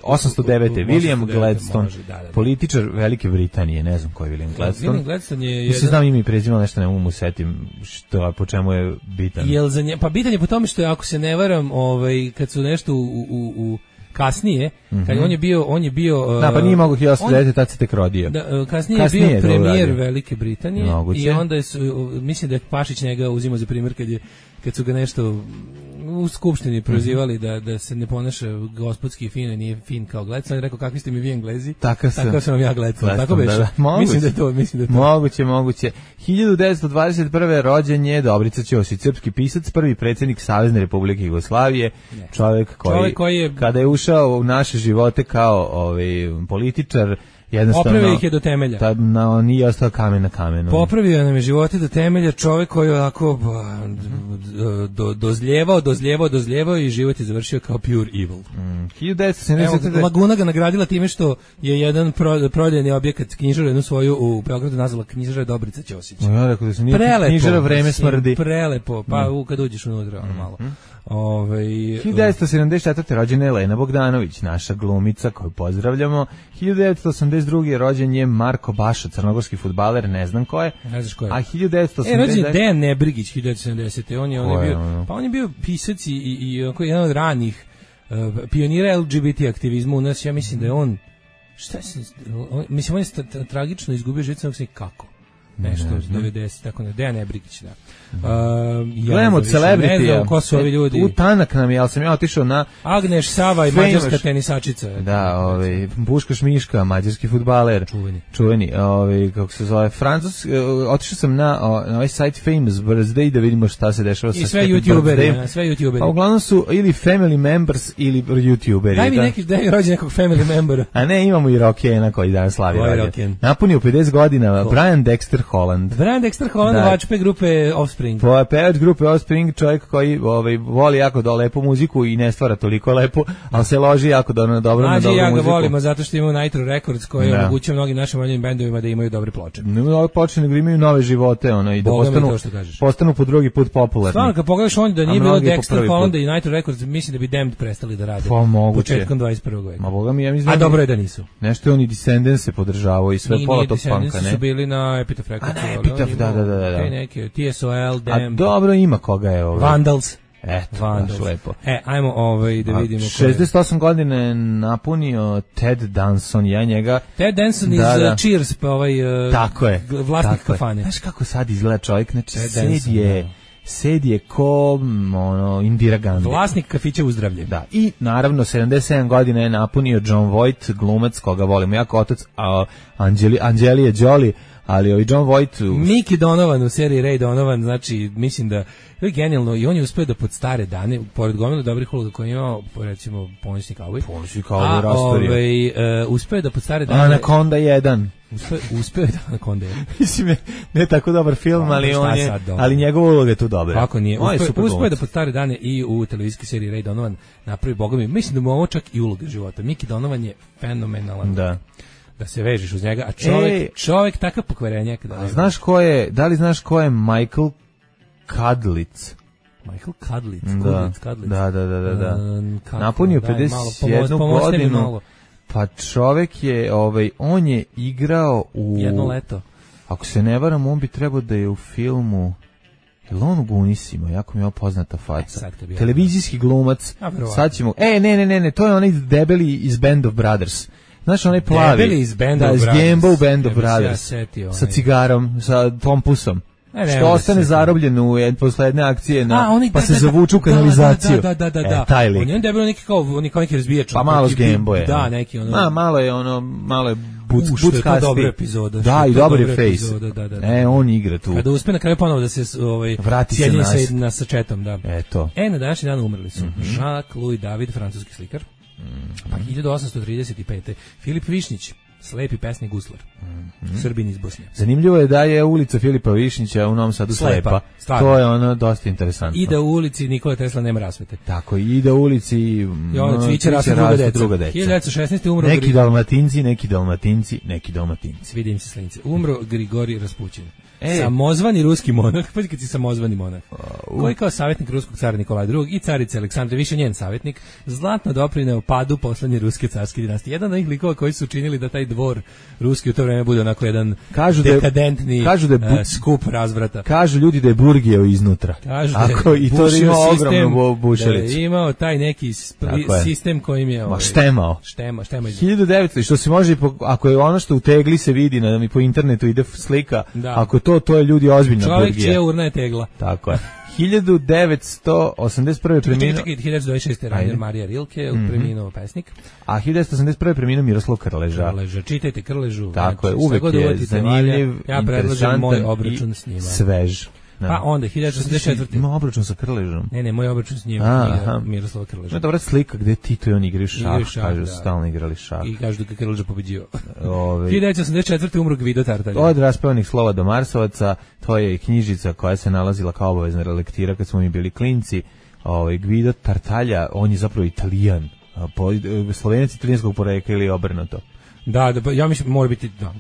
osamsto devete. William Gladstone, može, da, da, da. političar Velike Britanije, ne znam ko je William Gladstone. William Gladstone je Mislim, jedan... znam ime i prezime, ali nešto ne mogu mu setim što, po čemu je bitan. Jel za nje, pa bitan je po tome što je, ako se ne varam, ovaj, kad su nešto u, u, u kasnije, mm-hmm. kad on je bio, on je bio... Uh, da, pa nije mogo hiljadu osamsto devete. tad se tek rodio. Da, kasnije, kasnije je bio premijer Velike Britanije. Moguće. I onda je, mislim da je Pašić njega uzimao za primjer kad je kad su ga nešto u skupštini prozivali da da se ne ponaša gospodski i fino, nije fin kao Gladstone, on je rekao kakvi ste mi vi Englezi, tako sam, tako sam vam ja Gladstone, tako beše. Da, da. Mislim da je to, mislim da je to. Moguće, moguće. hiljadu devetsto dvadeset prve. rođen je Dobrica Ćosić, srpski pisac, prvi predsjednik Savezne Republike Jugoslavije, čovjek koji, čovjek koji je, kada je ušao u naše živote kao ovaj političar, jednostavno popravio ih je do temelja. Ta, no, nije ostao kamen na kamenu. Popravio nam je živote do temelja, čovjek koji je ovako do, dozljevao, dozljevao, dozljevao i život je završio kao pure evil. Mm. hiljadu devetsto sedamdeset. Evo, Laguna ga nagradila time što je jedan pro, prodajni objekat knjižaru jednu svoju u Beogradu nazvala knjižara Dobrica Ćosić. No, ja rekao da se nije knjižara Vreme smrdi. Prelepo, pa mm. kad uđeš unutra, ono malo. Mm. Ove, hiljadu devetsto sedamdeset četvrte. rođena je Elena Bogdanović, naša glumica koju pozdravljamo. hiljadu devetsto osamdeset druge. rođen je Marko Baša, crnogorski fudbaler, ne znam ko je. Ne znaš ko je. A hiljadu devetsto osamdeset. E, rođen je Dejan Nebrigić, hiljadu devetsto sedamdesete. On je, on je bio, ono? pa on je bio pisac i, i, i jedan od ranih uh, pionira L G B T aktivizma u nas. Ja mislim da je on, šta se, on, mislim on je sta, tra, tragično izgubio život, sam kako. Nešto iz devedesetih, tako ne, Dejan Nebrigić, da. Uh, ja gledamo od celebritija. Ne znam ko su ovi ljudi. U tanak nam je, ali sam ja otišao na... Agneš Sava i mađarska tenisačica. Da, ovaj, Buškaš Miška, mađarski fudbaler. Čuveni. Čuveni, ovaj, kako se zove, Francus, otišao sam na, na ovaj site Famous Birthday da vidimo šta se dešava sa i sve youtuberi, sve youtuberi. Pa uglavnom su ili family members ili youtuberi. Daj mi da? neki, daj mi rođen nekog family membera. A ne, imamo i Rockena koji danas slavi rođen. Napunio pedeset godina, Ko? Brian Dexter Holland. Brian Dexter Holland, da. Vačpe grupe Offspring. Po pevač grupe Offspring, čovjek koji ovaj, voli jako da lepu muziku i ne stvara toliko lepu, ali se loži jako do, na dobro, na dobru ja muziku. Ja ga volimo zato što imamo Nitro Records koji da. omogućuje mnogim našim manjim bendovima da imaju dobre ploče. Ne imaju dobre ploče, nego imaju nove živote, ono, i da postanu, postanu po drugi put popularni. Stvarno, kad pogledaš on da nije bilo Dexter Hollanda i Nitro Records, mislim da bi Damned prestali da rade. Pa moguće. Početkom dvadeset prvog veka. Ma boga mi, ja mislim. A dobro je da nisu. Nešto je on i Descendants se podržavao i sve Ni, pola tog punka, ne? Descendants su bili na Epitaph Records. A na Epitaph, da, da, da, da. Kaj neke, T S O L, Damned. A dobro ima koga je ovo. Vandals. Eto, Vandals. Lepo. E, ajmo ovaj da vidimo. šezdeset osam godine napunio Ted Danson, ja njega. Ted Danson iz da, da. Cheers, pa ovaj uh, tako je, vlasnik tako kafane. Znaš kako sad izgleda čovjek, znači sed je, sed je ko ono, Indira Gandhi. Vlasnik kafića u zdravlje. Da, i naravno sedamdeset sedam godina je napunio John Voight, glumac koga volimo jako, otac a, Anđeli, Anđelije Jolie, ali ovi John Voight... Mickey Donovan u seriji Ray Donovan, znači, mislim da to je genijalno i on je uspeo da pod stare dane, pored gomila dobrih uloga koje je imao, recimo, Ponosni kauboj. Ponosni kauboj rastorio. A ovaj, uh, uspeo da pod stare dane... Anaconda jedan. Uspeo, uspeo da Anaconda jedan. Mislim, ne tako dobar film, ali on je, ali njegova uloga je tu dobra. Kako nije? Uspeo, uspeo da pod stare dane i u televizijskoj seriji Ray Donovan napravi, boga mi, mislim da mu ovo čak i uloga života. Mickey Donovan je fenomenalan. Da. Da se vežeš uz njega, a čovjek, Ej, čovjek takav pokvarenjak. Da znaš ko je, da li znaš ko je Michael Kadlic? Michael Kadlic, da, Kadlic. Da, da, da, da. da. Um, Napunio pedeset jednu godinu, pa čovjek je, ovaj, on je igrao u... Jedno leto. Ako se ne varam, on bi trebao da je u filmu... Je li on u Gunisima? Jako mi je poznata faca. E, televizijski glumac. Sad ćemo... E, ne, ne, ne, ne, to je onaj debeli iz Band of Brothers. Znaš, onaj plavi. Debeli iz Band da, of Brothers. Da, iz Band of Brothers. Ja setio, sa cigarom, sa pompusom. Ne, ne, što ostane zarobljen u jedne poslednje akcije na, A, oni, pa da, se da, zavuču u kanalizaciju. Da, da, da, da. E, taj lik. On je debelo neki kao, oni kao neki razbijač. Pa malo s Gameboya. Da, neki ono. Ma, malo je ono, malo je buc, U, što je to dobra epizoda. Da, i dobar je face. Epizoda, da, da, da. E, on igra tu. Kada uspe na kraju ponovo da se ovaj, vrati se nas. Sa, na sačetom, da. Eto. E, na današnji dan umrli su. Mm-hmm. Jacques Louis David, francuski slikar. Mm-hmm. Pa hiljadu osamsto trideset pete. Filip Višnjić, slepi pesnik guslar. Mm-hmm. Srbin iz Bosne. Zanimljivo je da je ulica Filipa Višnjića u Novom Sadu slepa. slepa. To je ono dosta interesantno. I da u ulici Nikola Tesla nema rasvete. Tako, i da u ulici I ono cviće rastu druga deca. druga deca. hiljadu devetsto šesnaeste umro neki Dalmatinci, neki Dalmatinci, neki Dalmatinci. Vidim se slinice. Umro Grigorij Raspućin. E. Samozvani ruski monah, pa kad si samozvani monah, uh, koji kao savjetnik ruskog cara Nikolaja drugog i carice Aleksandre, više njen savjetnik, zlatno doprineo padu poslednje ruske carske dinastije. Jedan od njih likova koji su učinili da taj dvor ruski u to vreme bude onako jedan kažu dekadentni kažu da je bu, uh, skup razvrata. Kažu ljudi da je burgijeo iznutra. Kažu da Ako, i to da ima ogromnu bušalicu. Da je imao taj neki spri, sistem kojim je... Ma štemao. Štema, štema hiljadu devetsto što se može, ako je ono što u tegli se vidi, na, po internetu ide slika, da. Ako to, to je ljudi ozbiljna burgija. Čovjek čija urna je tegla. Tako je. hiljadu devetsto osamdeset prve preminuo... Čekaj, čekaj, hiljadu devetsto dvadeset šeste Rainer Marija Rilke, mm-hmm. preminuo pesnik. A hiljadu devetsto osamdeset prve preminuo Miroslav Krleža. Krleža, čitajte Krležu. Tako je, uvek je zanimljiv, ja predlažem moj obračun s njima. Svež. No. Pa onda hiljadu devetsto osamdeset četvrte Ima obračun sa Krležom. Ne, ne, moj obračun s njim, Miroslava Krleža. No, dobra slika gde Tito i on igraju šah, šah kažu, da. Stalno igrali šah. I kažu da je Krleža pobeđio. hiljadu devetsto osamdeset četvrte umro Gvido Tartaglia. Od raspevanih slova do Marsovaca, to je knjižica koja se nalazila kao obavezna lektira kad smo mi bili klinci. Ovaj Gvido Tartaglia, on je zapravo Italijan, po, Slovenac italijanskog porekla ili obrnuto. Da, da, ja mislim mora biti da,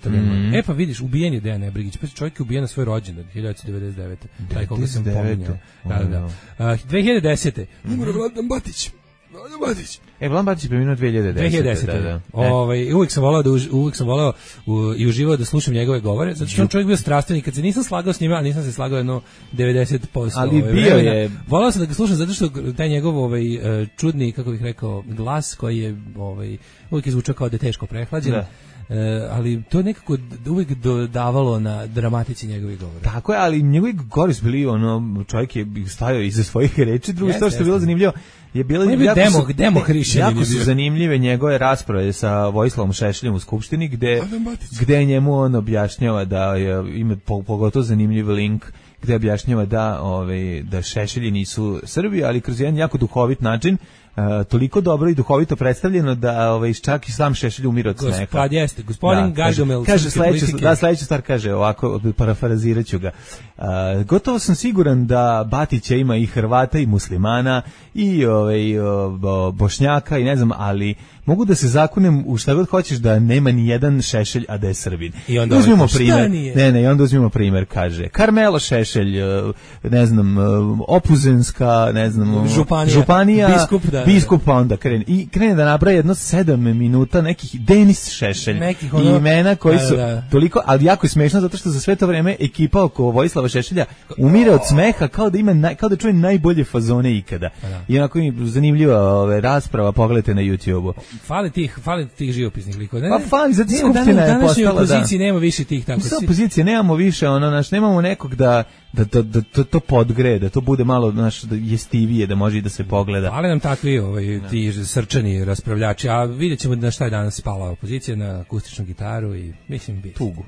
mm. E pa vidiš, ubijen je Dejan Nebrigić, pa čovjek je ubijen na svoj rođendan hiljadu devetsto devedeset devete Taj koga sam pominjao. Da, da. Uh, dve hiljade desete umro Vladan Batić. Vladan Batić. E, Vladan Batić je preminuo dve hiljade desete dve hiljade desete Da, da. Ovaj, uvijek sam volao da už, uvijek sam volao u, i uživao da slušam njegove govore, zato što on čovjek bio strastven, kad se nisam slagao s njima, a nisam se slagao jedno devedeset posto Ali ovaj, bio je. Volao sam da ga slušam zato što taj njegov ovaj čudni, kako bih rekao, glas koji je ovaj uvijek je zvučao kao da je teško prehlađen. Da. Uh, ali to je nekako uvijek dodavalo na dramatici njegovih govora. Tako je, ali njegovi govori su bili, ono, čovjek je stajao iza svojih reči, drugo što je bilo zanimljivo, je bilo je jako, demo, su, demo jako su zanimljive njegove rasprave sa Vojislavom Šešeljem u Skupštini, gde, gde njemu on objašnjava da je, ima pogotovo zanimljiv link, gde objašnjava da, ovaj, da Šešelji nisu Srbi, ali kroz jedan jako duhovit način, Uh, toliko dobro i duhovito predstavljeno da ovaj čak i sam Šešelj umire od smeha. Gospod jeste, gospodin Gargamel. Kaže sledeća, da sledeća stvar kaže ovako, parafraziraću ga. Uh, gotovo sam siguran da Batića ima i Hrvata i muslimana i ovaj Bošnjaka i ne znam, ali mogu da se zakunem u šta god hoćeš da nema ni jedan Šešelj a da je Srbin. I onda uzmimo primer. Ne, ne, i onda uzmimo primer, kaže Karmelo Šešelj, ne znam, Opuzenska, ne znam, Županija, županija biskup, da, biskup pa onda krene. I krene da nabraja jedno sedam minuta nekih Denis Šešelj. Nekih ono, i imena koji su da, da. toliko, ali jako je smešno zato što za sve to vreme ekipa oko Vojislava Šešelja umire od smeha kao da ima naj, kao da čuje najbolje fazone ikada. Da. I onako mi zanimljiva ove rasprava, pogledajte na YouTubeu. Fali tih, fali tih živopisnih likova. Pa fali, zato skupština je postala da. U opoziciji nema više tih tako. U opoziciji nemamo više, ono, naš, nemamo nekog da da, da, da to, to podgre, da to bude malo naš da jestivije, da može i da se pogleda. Ali nam takvi ovaj, ti srčani raspravljači, a vidjet ćemo na šta je danas spala opozicija, na akustičnu gitaru i mislim bi tugu.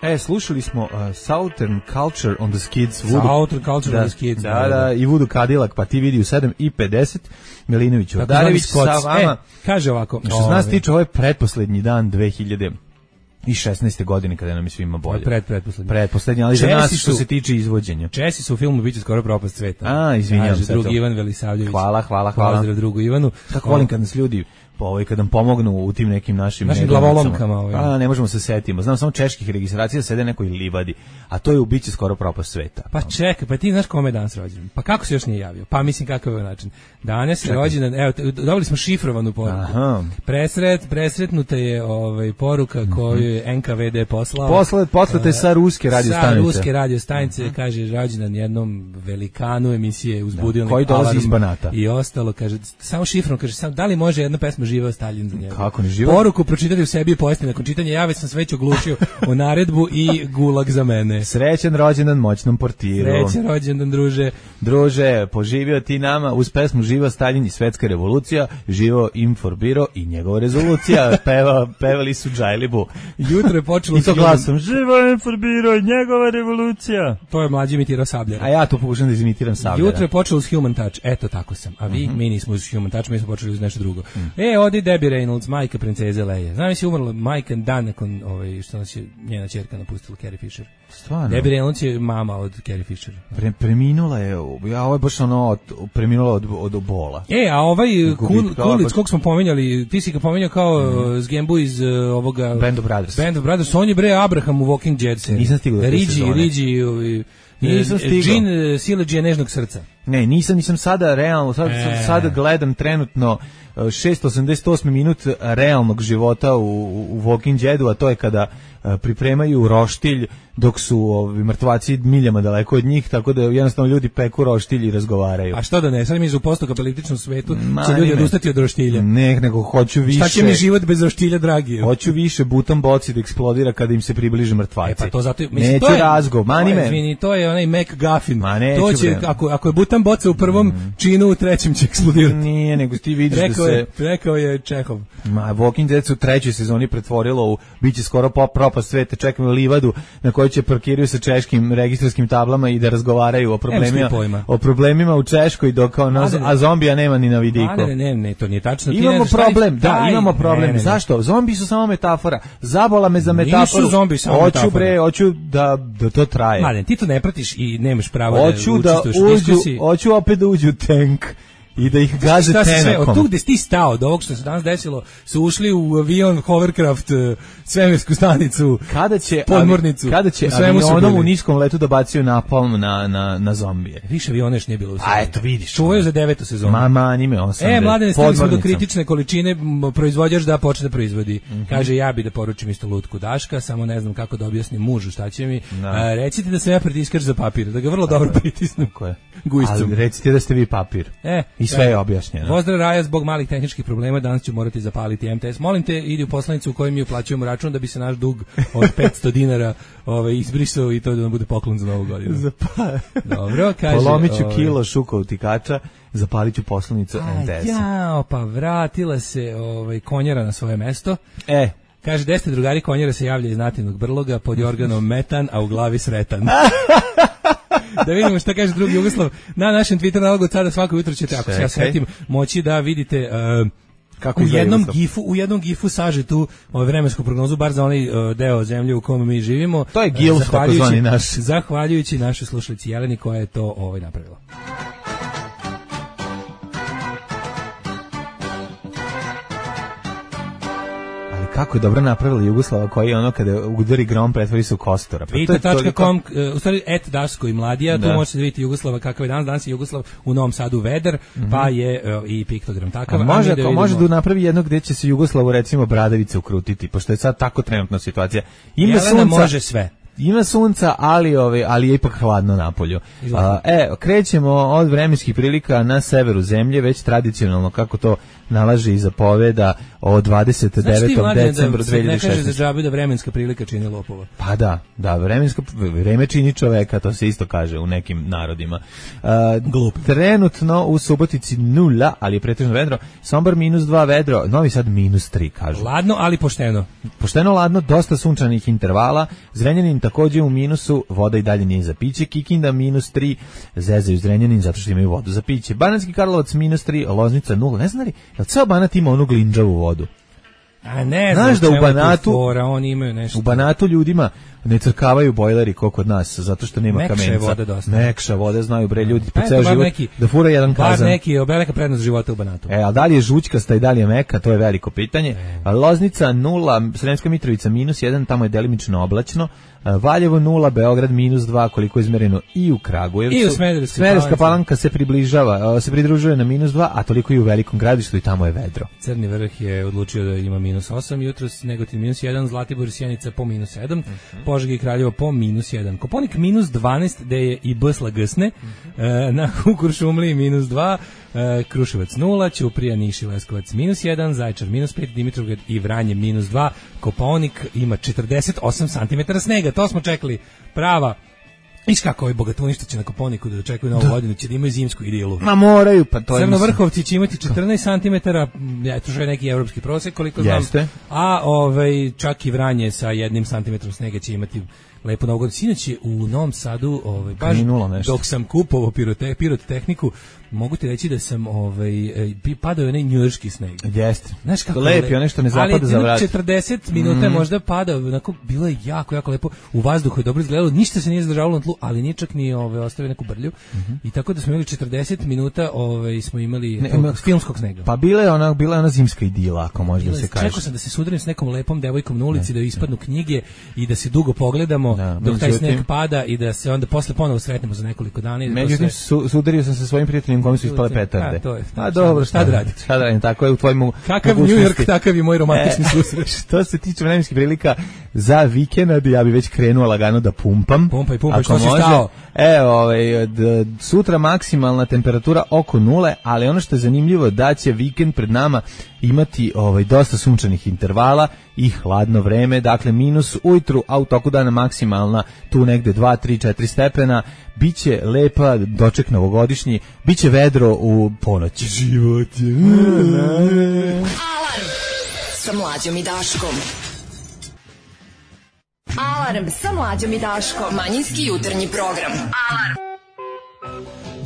E, slušali smo uh, Southern Culture on the Skids. Voodoo. Southern Culture da, on the Skids. Da, da, i Voodoo Cadillac, pa ti vidi u sedam i pedeset Milinović Vodarević sa vama. E, kaže ovako. Što se nas tiče, ovo je pretposlednji dan dve hiljade šesnaeste godine kada nam je svima bolje. Pred, pretposlednji. Pretposlednji, ali Česi za nas što su, se tiče izvođenja. Česi su u filmu Biće skoro propast sveta. A, izvinjam se. Drugi Ivan Velisavljević. Hvala, hvala, hvala. Pozdrav drugu Ivanu. Kako volim kad nas ljudi ovaj kad nam pomognu u tim nekim našim našim glavolomkama, ovaj. A ne možemo se setimo. Znam samo čeških registracija sede nekoj livadi, a to je u Biće skoro propast sveta. Pa čekaj, pa ti znaš kome je danas rođendan? Pa kako se još nije javio? Pa mislim kakav je način. Danas je rođendan, evo, dobili smo šifrovanu poruku. Aha. Presret, presretnuta je ovaj poruka koju je N K V D poslao. Posle poslate sa ruske radio stanice. Sa ruske radio stanice, uh-huh. kaže rođendan jednom velikanu emisije Uzbudio koji dolazi iz Banata. I ostalo, kaže samo šifrom, kaže samo da li može jedna pesma Živeo Staljin za njega. Kako ne živo? Poruku pročitati u sebi i pojesti nakon čitanja, ja već sam sve već oglušio o naredbu i gulag za mene. Srećan rođendan moćnom portiru. Srećan rođendan, druže. Druže, poživio ti nama uz pesmu Živeo Staljin i Svetska revolucija, živo Inforbiro i njegova rezolucija. Peva, pevali su Džajlibu. Jutro je počelo I to s glasom, živo je Farbiro, njegova revolucija. To je mlađi imitirao Sabljera. A ja to pokušam da izimitiram Sabljera. Jutro je počelo s Human Touch, eto tako sam. A vi, mm-hmm. mi nismo uz Human Touch, mi smo počeli uz nešto drugo. Mm. E, odi Debbie Reynolds, majka princeze Leje. Znam si umrla majka dan nakon ovaj, što nas je njena ćerka napustila, Carrie Fisher. Stvarno? Debbie Reynolds je mama od Carrie Fisher. Pre, preminula je, ja ovo je baš ono, od, preminula od, od bola. E, a ovaj Kul, Kulic, kog smo pominjali, ti si ga pominjao kao mm. Zgembu iz uh, ovoga... Band of Brothers. Band of Brothers, on je bre Abraham u Walking Dead seriji. Nisam stigao da Rigi, Rigi, nisam stigao. Jean Sileđija nežnog srca. Ne, nisam, nisam sada realno, sad, e. sada gledam trenutno šesto osamdeset osmi minut realnog života u, u Walking Deadu, a to je kada pripremaju roštilj dok su ovi mrtvaci miljama daleko od njih, tako da jednostavno ljudi peku roštilj i razgovaraju. A što da ne, sad mi u postapokapalističnom svetu će ljudi odustati od roštilja. Ne, nego hoću više. Šta će mi život bez roštilja, dragi? Hoću više butan boci da eksplodira kada im se približe mrtvaci. E pa to zato, mislim, neću to je, razgov, mani me. Izvini, to je onaj McGuffin. Ma neću, to će, ako, ako je butan boca u prvom mm. činu, u trećem će eksplodirati. Nije, nego ti vidiš rekao da se... Je, rekao je Čehov. Ma, Walking Dead su u trećoj sezoni pretvorilo u, biće skoro pop propast sveta, čekamo livadu na kojoj će parkiraju sa češkim registarskim tablama i da razgovaraju o problemima, o problemima u Češkoj, dok ono, a zombija nema ni na vidiku. Ne, ne, ne, to nije tačno. Imamo problem, da, taj, imamo problem. Ne, ne, zašto? Zombi su samo metafora. Zabola me za metaforu. Nisu zombi samo hoću, metafora. Bre, hoću da, da to traje. Mladen, ti to ne pratiš i nemaš pravo hoću da učestvuješ u diskusiji. Hoću opet da uđu u tank i da ih gaze tenakom. Od tu gde si ti stao, od ovog što se danas desilo, su ušli u avion, hovercraft, svemirsku stanicu, kada će, podmornicu. Avi, kada će avionom u niskom letu da baciju napalm na, na, na zombije? Više aviona još nije bilo u sezonu. A eto vidiš. Čuvaju za devetu sezonu. Mama, anime osam. E, Mladene, stali smo do kritične količine, proizvođač da počne da proizvodi. Mm-hmm. Kaže, ja bi da poručim isto lutku Daška, samo ne znam kako da objasnim mužu šta će mi. No. A, recite da sam ja pritiskač za papir, da ga vrlo dobro pritisnem. Ali recite da ste vi papir. E, i sve je objašnjeno. Pozdrav Raja, zbog malih tehničkih problema danas ću morati zapaliti M T S. Molim te, idi u poslanicu u kojoj mi uplaćujemo račun da bi se naš dug od petsto dinara ovaj, izbrisao i to da nam bude poklon za novu godinu. Zapa... Dobro, kaže... Polomit ću ovaj... kilo šuka utikača, zapalit ću poslanicu M T S. Jao, pa vratila se ovaj, konjara na svoje mesto. E, kaže, deset drugari konjara se javlja iz nativnog brloga pod organom metan, a u glavi sretan. Da vidimo šta kaže drugi Jugoslav. Na našem Twitter nalogu od sada svako jutro ćete, ako se ja setim, moći da vidite uh, kako u jednom gifu, u jednom gifu saže tu ovaj, vremensku prognozu, bar za onaj uh, deo zemlje u kome mi živimo. To je Gil, takozvani naš. Zahvaljujući našoj slušalici Jeleni koja je to ovaj napravila. Kako je dobro napravila Jugoslava koji je ono kada udari grom pretvori se u kostora. Pa Vita tačka com, u stvari et Daško i Mladija, da. Tu možete vidjeti Jugoslava kakav je danas, danas je Jugoslav u Novom Sadu vedar, mm-hmm. pa je uh, i piktogram takav. A može, a da može da napravi jedno gdje će se Jugoslavu recimo bradavice ukrutiti, pošto je sad tako trenutna situacija. Ima Jelena sunca, može sve. Ima sunca, ali ove, ali je ipak hladno napolju. A, e, krećemo od vremenskih prilika na severu zemlje, već tradicionalno kako to nalaže i zapoveda o dvadeset devetom decembru dve hiljade šesnaeste. Ne kaže za džabe da vremenska prilika čini lopova. Pa da, da, vremensko vreme čini čoveka, to se isto kaže u nekim narodima. A, Glup. Trenutno u Subotici nula, ali je pretežno vedro. Sombor minus dva vedro, Novi Sad minus tri, kažu. Ladno, ali pošteno. Pošteno, ladno, dosta sunčanih intervala. Zrenjanin također u minusu, voda i dalje nije za piće. Kikinda minus tri, zezaju Zrenjanin zato što imaju vodu za piće. Banatski Karlovac minus tri, Loznica nula. Ne znam li, jel ceo Banat ima onu glinđavu vodu? A ne, znaš da u Banatu, fora, oni imaju nešto. U Banatu ljudima ne crkavaju bojleri kao kod nas, zato što nema Mekša kamenca. Voda dosta. Mekša voda, znaju bre ljudi pa po ceo život neki, da fura jedan kazan. Bar neki, velika prednost života u Banatu. E, a da li je žućkasta i da li je meka, to je veliko pitanje. E. Loznica nula, Sremska Mitrovica minus jedan, tamo je delimično oblačno. Valjevo nula, Beograd minus dva, koliko je izmereno i u Kragujevcu. I u Smederevskoj Smederevska Palanka se približava, se pridružuje na minus dva, a toliko i u Velikom Gradištu i tamo je vedro. Crni vrh je odlučio da ima minus osam, jutros Negotin minus jedan, Zlatibor i Sjenica po minus sedam, uh-huh. Požega i Kraljevo po minus jedan. Koponik minus dvanaest, gde je i Bsla Gsne, uh-huh. e, na Kuršumliji minus dva, e, Kruševac nula, Ćuprija, Niš i Leskovac minus jedan, Zaječar minus pet, Dimitrovgrad i Vranje minus dva, Koponik ima četrdeset osam santimetara snega. To smo čekali, prava Iš kako ovi bogatuništa na Koponiku da očekuju novu godinu, će da imaju zimsku idilu. Ma moraju, pa to je... Crnovrhovci će imati četrnaest centimetara, ja, to je neki evropski prosek, koliko znam. Jeste. A ovaj, čak i Vranje sa jednim centimetrom snega će imati lepo novu godinu. Sinoć je u Novom Sadu, ovaj, baš dok sam kupovao pirote, pirotehniku, mogu ti reći da sam ovaj, padao onaj njujorški sneg. Jeste. Znaš kako lepi, ono što ne zapada za vrat. Ali četrdeset minuta mm. možda padao, onako, bilo je jako, jako lepo. U vazduhu je dobro izgledalo, ništa se nije zadržavalo na tlu, ali nije čak ni ovaj, ostavio neku brlju. Mm-hmm. I tako da smo imali četrdeset minuta, ovaj, smo imali ne, tog, filmskog snega. Pa bila je ona, bila je ona zimska idila, ako može bila da se kaže. Čekao sam da se sudarim s nekom lepom devojkom na ulici, ne, da ispadnu ne. knjige i da se dugo pogledamo da, dok taj sneg pada i da se onda posle ponovo sretnemo za nekoliko dana. Međutim, su, sudario sam se svojim prijateljem kome su ispale petarde. A, to je, a dobro, šta da radim? Šta da radim, tako je u tvojim kakav New York, takav je moj romantični e, susret. Što se tiče vremenskih prilika za vikend, ja bi već krenuo lagano da pumpam. Pumpaj, pumpaj, što si stao? Evo, ovaj, d, sutra maksimalna temperatura oko nule, ali ono što je zanimljivo da će vikend pred nama imati ovaj, dosta sunčanih intervala i hladno vreme, dakle minus ujutru, a u toku dana maksimalna tu negde dva, tri, četiri stepena, biće lepa doček novogodišnji, biće vedro u ponoć. Život je... Alarm sa Mlađom i Daškom. Alarm sa Mlađom i Daškom. Manjinski jutarnji program. Alarm.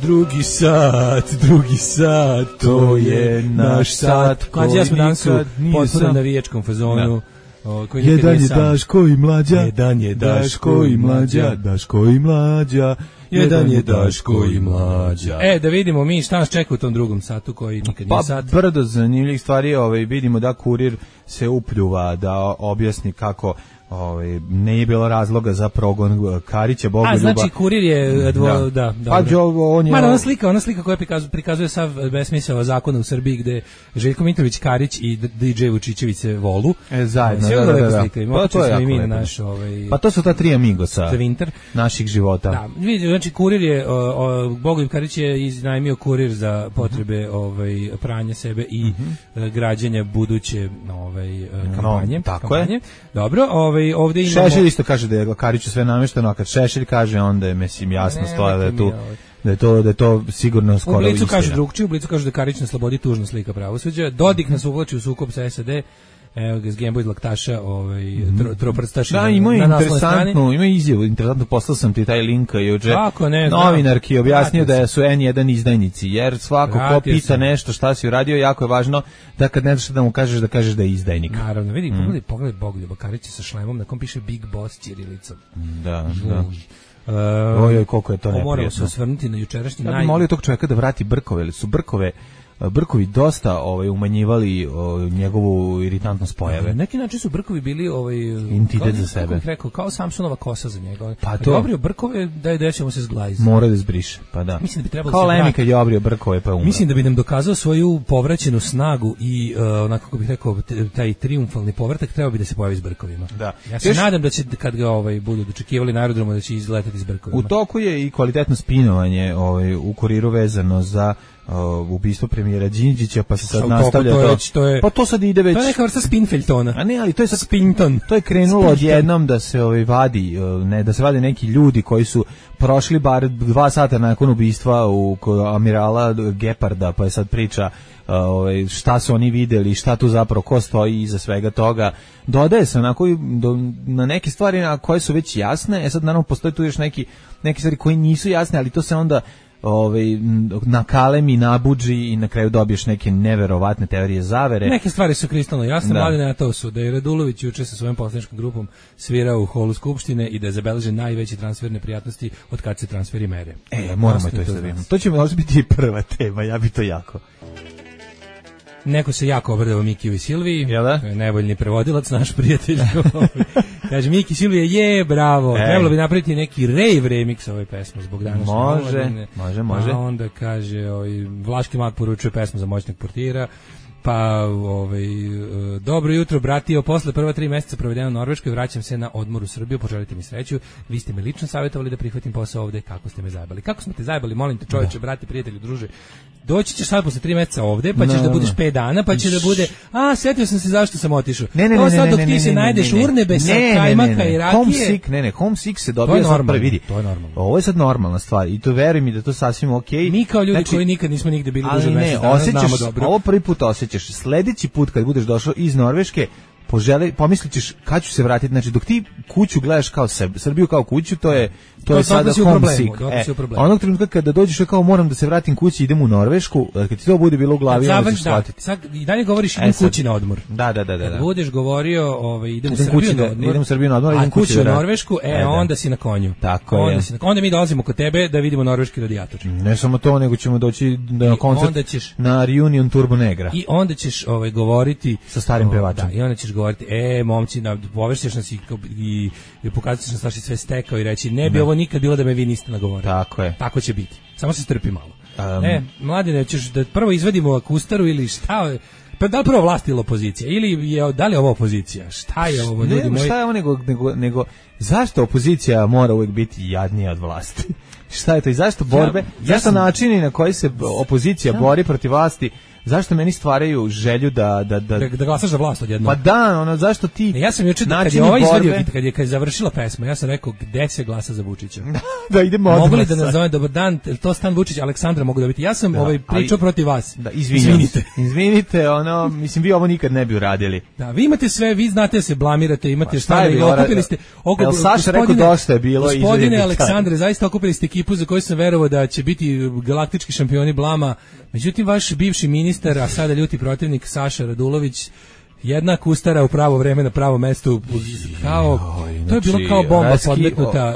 Drugi sat, drugi sat, to je naš sat. Mlađi, ja smo danas u potpuno navijačkom fazonu. O, koji jedan je Daško i Mlađa, jedan je Daško i Mlađa, Daško i Mlađa, jedan je Daško i Mlađa. E, da vidimo mi šta nas čeka u tom drugom satu koji nikad nije sat. Pa brdo zanimljivih stvari, ovaj, vidimo da kurir se upljuva da objasni kako ovaj nije bilo razloga za progon Karića Bogoljuba. A znači kurir je dvo, da, da, da. Pa jo, on je Ma, ona slika, ona slika koja prikazuje, prikazuje sav besmisao zakona u Srbiji gde Željko Mitrović Karić i D J Vučićević se volu. E, zajedno, da, da, da, da. Slika. Pa to je i mi na naš ovaj Pa to su ta tri amigosa naših života. Da, vidi, znači kurir je o, o, Bogoljub Karić je iznajmio kurir za potrebe ovaj pranja sebe i mm-hmm. građenja buduće ovaj kampanje, no, tako kampanje. Je. Dobro, ovaj ovde imamo Šešelj isto kaže da je Kariću sve namešteno, a kad Šešelj kaže onda je mislim jasno stoja da je tu da je to da je to sigurno skoro istina. U Blicu kaže drugčije, u Blicu kaže da Karić na slobodi tužna slika pravosuđa. Dodik nas uvlači u sukob sa S A D. Evo ga, Zgembo iz Laktaša, ovaj, tro, troprstaši da, na, ima na interesantnu, ima izjavu, interesantno, poslao sam ti taj link juče. Kako ne, novinarki je objasnio da su N jedan izdajnici, jer svako ko pita sam. nešto šta si uradio, jako je važno da kad ne znaš da mu kažeš, da kažeš da je izdajnik. Naravno, vidi, mm. pogledaj, pogledaj Bogoljuba Karića sa šlemom, na kom piše Big Boss ćirilicom. Da, da. Uh, Ojoj, koliko je to neprijatno. Moramo se osvrnuti na jučerašnji ja naj... bih molio tog čovjeka da vrati brkove, ili su brkove Brkovi dosta ovaj umanjivali o, njegovu iritantnost pojave. Na neki način su brkovi bili ovaj entitet za sebe. Kako rekao, kao Samsonova kosa za njega. Pa to obrio brkove da je dećemo se zglajzi. Mora da zbriše, pa da. Mislim da bi trebalo kao Lemi kad je obrio brkove pa umro. Mislim da bi nam dokazao svoju povraćenu snagu i uh, onako kako bih rekao taj trijumfalni povratak trebao bi da se pojavi s brkovima. Da. Ja se Još... nadam da će kad ga ovaj budu dočekivali na aerodromu da će izletati s brkovima. U toku je i kvalitetno spinovanje ovaj u kuriru vezano za Uh, ubistvo premijera Đinđića, pa se sad nastavlja to, to, već, to je, pa to sad ide već, to je neka vrsta Spinfeltona. A ne, ali to je sad Spinton. To je krenulo odjednom da se ovaj vadi, ne, da se vade neki ljudi koji su prošli bar dva sata nakon ubistva u amirala Geparda, pa je sad priča ovaj šta su oni videli, šta tu zapravo ko stoji iza svega toga. Dodaje se onako do, na neke stvari na koje su već jasne. E sad naravno postoji tu još neki neke stvari koje nisu jasne, ali to se onda ovaj nakalemi, nabuđi i na kraju dobiješ neke neverovatne teorije zavere. Neke stvari su kristalno jasne, mladine, a to su da je Radulović juče sa svojom poslaničkom grupom svirao u holu Skupštine i da je zabeležen najveći transfer neprijatnosti od kad se transferi mere. E, moramo to isto. To će možda biti prva tema, ja bi to jako. Neko se jako obradao Mikiju i Silviji, da? Nevoljni prevodilac, naš prijatelj. Kaže, Miki Silvije, je, bravo, Ej. trebalo bi napraviti neki rave remix ove pesme zbog današnje Može, može, može. A onda kaže, oj, Vlaški mag poručuje pesmu za moćnog portira. Pa, ovaj, dobro jutro, bratio, posle prva tri meseca provedeno u Norveškoj, vraćam se na odmor u Srbiju, poželite mi sreću. Vi ste me lično savjetovali da prihvatim posao ovde, kako ste me zajebali? Kako smo te zajebali, molim te čoveče, brati, prijatelju, druže. Doći ćeš sad posle tri meseca ovde, pa ćeš no, da budeš pet dana, pa će da bude, a, setio sam se zašto sam otišao. Ne, ne, to ne, sad dok ne, ti ne, se ne, najdeš ne, ne, urnebe sa ne, kajmaka ne, ne, i rakije. Homesick, ne, ne, homesick se dobija sad prvi, vidi. To je normalno. Ovo je sad normalna stvar i to veruj mi da to sasvim okej. Okay. Mi kao ljudi znači, koji nikad nismo nigde bili duže mesec mesec dana, znamo dobro. Ovo prvi put osjećaš. Sledeći put kad budeš došao iz Norveške, poželi, pomislit ćeš kad ću se vratiti, znači dok ti kuću gledaš kao sebe, Srbiju kao kuću, to je to, to je sada homesick. E, onog trenutka kada dođeš kao moram da se vratim kući, idem u Norvešku, kad ti to bude bilo u glavi, onda ćeš shvatiti. Sad i dalje govoriš idem e, kući na odmor. Da, da, da, da. Kad budeš govorio, ovaj idem u Srbiju na odmor. Idem u Srbiju na odmor, idem kući u Norvešku, e, e onda si na konju. Tako onda je. Si na, onda mi dolazimo kod tebe da vidimo norveški radijator. Ne samo to, nego ćemo doći na koncert na Reunion Turbo Negra. I onda ćeš ovaj govoriti sa starim pevačem. Da, i onda ćeš govoriti e momci, na povešćeš nas i, i, i pokazat ćeš nas šta sve stekao i reći ne bi ne. Ovo nikad bilo da me vi niste nagovorili. Tako je. Tako će biti. Samo se strpi malo. Um, e, mladine, ćeš da prvo izvadimo akustaru ili šta, pa da li prvo vlast ili opozicija? Ili je, da li je ovo opozicija? Šta je ovo, ljudi ne, moji? Šta je ovo nego, nego, nego, zašto opozicija mora uvijek biti jadnija od vlasti? Šta je to i zašto borbe, ja, ja zašto sam, načini na koji se opozicija ja. bori protiv vlasti, zašto meni stvaraju želju da da da da, da glasaš za vlast odjednom. Pa da, ono zašto ti e, ja sam juče kad je ovaj izvadio kad je kad je završila pesma, ja sam rekao gde se glasa za Vučića. Da idemo odmah. Mogli da nazovem dobar dan, to stan Vučić Aleksandra mogu da biti. Ja sam da, ovaj pričao protiv vas. Da, izvinite. Izvinite, ono, mislim vi ovo nikad ne bi uradili. Da, vi imate sve, vi znate se blamirate, imate šta i okupili ste. El Saša rekao dosta je bilo izvinite. Gospodine Aleksandre, zaista okupili ste ekipu za koju sam verovao da će biti galaktički šampioni blama. Međutim, vaš bivši ministar, a sada ljuti protivnik Saša Radulović, jedna kustara u pravo vreme na pravom mestu, kao, to je bilo kao bomba podmetnuta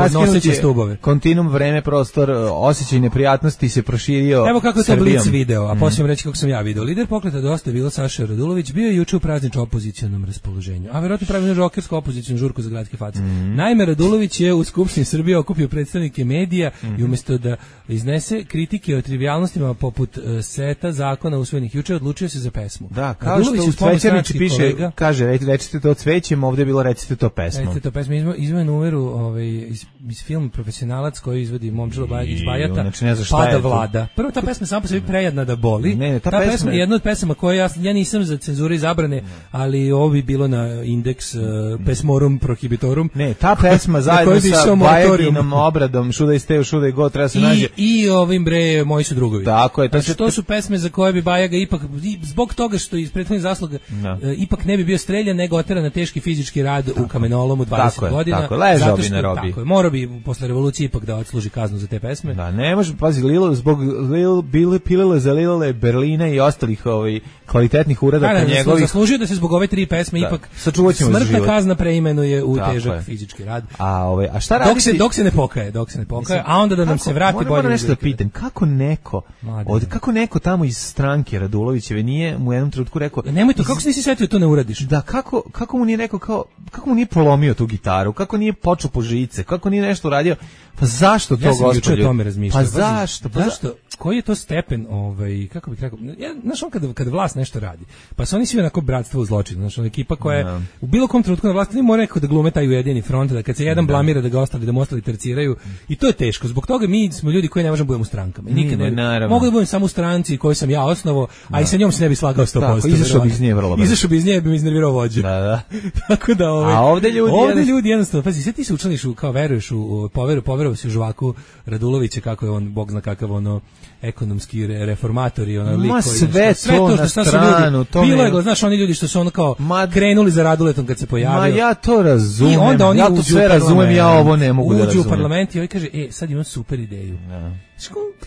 pod noseće stubove. Kontinuum vreme, prostor, osjećaj neprijatnosti se proširio. Evo kako je to Blic video, a poslije reći kako sam ja video. Lider pokreta Dosta je bilo Saša Radulović, bio je juče u prazničnom opozicionom raspoloženju, a verovatno pravi jednu žokersku opozicijnu žurku za gradske face. Mm. Naime, Radulović je u Skupštini Srbije okupio predstavnike medija mm. i umjesto da iznese kritike o trivijalnostima poput uh, seta zakona usvojenih juče, odlučio se za pesmu. Da, kao što u Cvećanici piše, kolega, kaže, recite to cvećem, ovdje je bilo recite to pesmom. Recite to pesmom, izveo numeru ovaj, iz, iz film Profesionalac koji izvodi Momčilo Bajagić Bajata, znači ne Pada je Vlada. Prvo, ta pesma sama po sebi prejedna da boli. Ne, ne, ta, ta pesma, pesma je jedna od pesama koje ja, ja nisam za cenzure i zabrane, ali ovo bi bilo na indeks uh, pesmorum prohibitorum. Ne, ta pesma zajedno sa Bajaginom obradom Šuda i Steo, Šuda i Go, treba se nađe. I ovim bre, Moji su drugovi. Tako je. To, znači, to su pesme za koje bi Bajaga ipak, zbog toga što iz prethodnih zasluga, no. ipak ne bi bio streljan, nego oteran na teški fizički rad tako u kamenolomu dvadeset tako godina. Tako je, ležao bi na robi. Tako je, morao bi posle revolucije ipak da odsluži kaznu za te pesme. Da, ne može, pazi, Lilo, zbog Lil, Bile, Pilile za Lilele, Berlina i ostalih ovaj, kvalitetnih uradaka da, njegovih. Zaslužio da se zbog ove tri pesme da, ipak smrtna kazna preimenuje u tako težak je. Fizički rad. A, ovaj, a šta raditi? Dok se, dok se ne pokaje, dok se ne pokaje, a onda da nam kako, se vrati bolje. Moram nešto da pitam, kako neko, od, kako neko tamo iz stranke Radulovićeve nije mu u jednom trenutku rekao, ja, nemoj to, kako se nisi setio to ne uradiš? Da, kako, kako mu nije rekao, kao, kako mu nije polomio tu gitaru, kako nije počeo po žice, kako nije nešto uradio, pa zašto to, ja sam gospođo? O tome razmišljao. Pa zašto? Pa zašto? Koji je to stepen, ovaj, kako bih rekao, ja, znaš on kada, kada vlast nešto radi, pa su oni svi onako bratstvo u zločinu, znaš on ekipa koja je no. u bilo kom trenutku na vlasti, ne mora rekao da glume taj ujedini front, da kad se jedan no. blamira da ga ostali, da mu ostali terciraju, i to je teško, zbog toga mi smo ljudi koji ne možemo budemo u strankama, i nikad ne, ne mogu da budem samo u stranci koju sam ja osnovao, a no. i sa njom se ne bi slagao sto posto. Tako, izašao bi iz nje vrlo brzo. Izašao bi iz nje, bi mi iznervirao vođu. Da, da. Tako da, ovaj, a ovde ljudi, ovde jednostavno, ljudi jednostavno, pazi, sve ti se učlaniš u, kao veruješ u, poveru, poverovao si u Žvaku Radulovića, kako je on, bog zna kakav ono, ekonomski reformatori, ona lik koji sve, sve to, to na stranu, ljudi, to bilo je, znaš, oni ljudi što su ono kao ma, krenuli za Raduletom kad se pojavio. Ma ja to razumem. I onda oni ja to sve razumem, ja ovo ne mogu da razumem. Uđu u parlament i ovaj kaže, e, sad imam super ideju. Ja.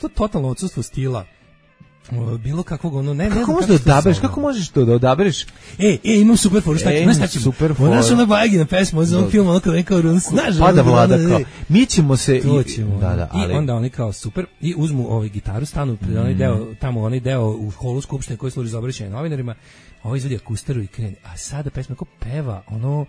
To totalno odsustvo stila. Bilo kakvog ono ne kako možeš da odabereš kako možeš to da odabereš e e imam super foru šta ćemo šta ćemo super foru ona su na Bajagina pesma za on film onako rekao run snažno Pada Vlada kao mi ćemo se i da da ali i onda oni kao super i uzmu ovaj gitaru stanu pred onaj deo tamo onaj deo u holu skupštine koji služi za obraćanje novinarima ovaj izvadi akustaru i krene a sada pesma ko peva ono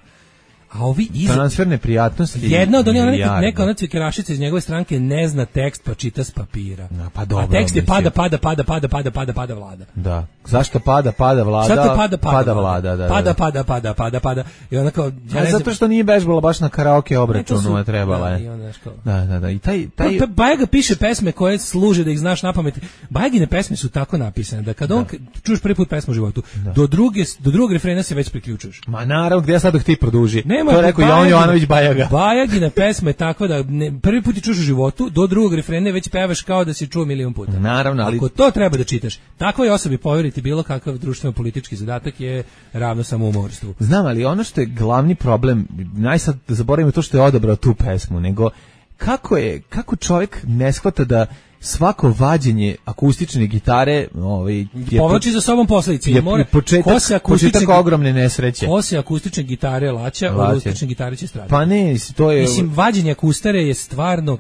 A ovi iz... transferne prijatnosti. Jedna od onih neka, neka ona cvikerašica iz njegove stranke ne zna tekst pa čita s papira. No, pa dobro, a tekst je mislim. pada, pada, pada, pada, pada, pada, pada vlada. Da. Zašto pada, pada vlada? Zašto pada, pada, pada vlada, da, pada, da. pada, pada, pada, pada. I ona kao, ja ne zato što nije bežbala baš na karaoke obračunu, je trebala. Da, je. i onda kao. Da, da, da. I taj taj Pa, Bajaga piše pesme koje služe da ih znaš napamet. Bajagine pesme su tako napisane da kad on da. čuješ prvi put pesmu u životu, da. do druge do drugog refrena se već priključuješ. Ma naravno, gdje ja sad dok ti produži. Nema, to je rekao Jovan Jovanović Bajaga. Bajagina pesma je takva da ne, prvi put ti čuješ u životu, do drugog refrena već pevaš kao da si čuo milion puta. Naravno, ali ako to treba da čitaš, takvoj osobi poveriti bilo kakav društveno politički zadatak je ravno samoumorstvu. Znam, ali ono što je glavni problem, najsad zaboravimo to što je odabrao tu pesmu, nego kako je, kako čovjek ne shvata da svako vađenje akustične gitare ovaj, povlači za sobom posledice. Je mora, početak, početak ogromne nesreće. Ko se akustične gitare laća, od akustične gitare će stradati. Pa ne, to je... Mislim, vađenje akustare je stvarno...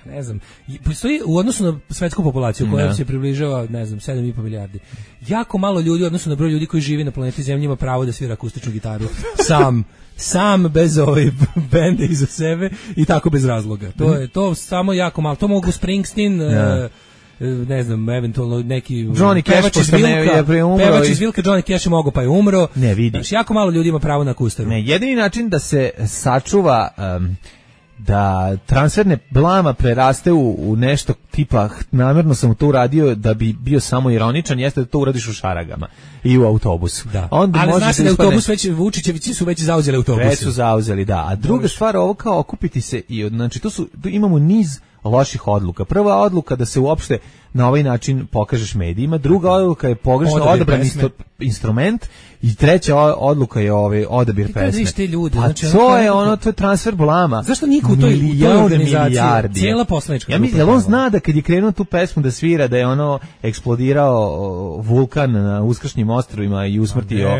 ne znam, postoji u odnosu na svetsku populaciju koja se približava, ne znam, sedam i po milijardi. Jako malo ljudi u odnosu na broj ljudi koji žive na planeti Zemlji ima pravo da svira akustičnu gitaru sam, sam bez ove bende iza sebe i tako bez razloga. To je to samo jako malo. To mogu Springsteen, ja. ne znam, eventualno neki Johnny Cash iz Vilka, je preumro. Pevač iz Vilka, Johnny Cash je mogao pa je umro. Ne vidi. Znači, jako malo ljudi ima pravo na akustaru. Ne, jedini način da se sačuva um, da transferne blama preraste u, u nešto tipa namjerno sam to uradio da bi bio samo ironičan, jeste da to uradiš u šaragama i u autobusu. Da. Onda ali znaš da je ispadne... autobus već, Vučićevići su već zauzeli autobus. Već su zauzeli, da. A druga Dobre. stvar, ovo kao okupiti se i znači to su, tu imamo niz loših odluka. Prva odluka da se uopšte na ovaj način pokažeš medijima, druga odluka je pogrešno odabran instru, instrument i treća odluka je ovaj odabir pesme. Ljude, a znači, to je ono, to je transfer blama. Zašto niko u toj, u toj organizaciji, cijela poslanička ja mislim, jel on zna da kad je krenuo tu pesmu da svira, da je ono eksplodirao vulkan na Uskršnjim ostrvima i usmrtio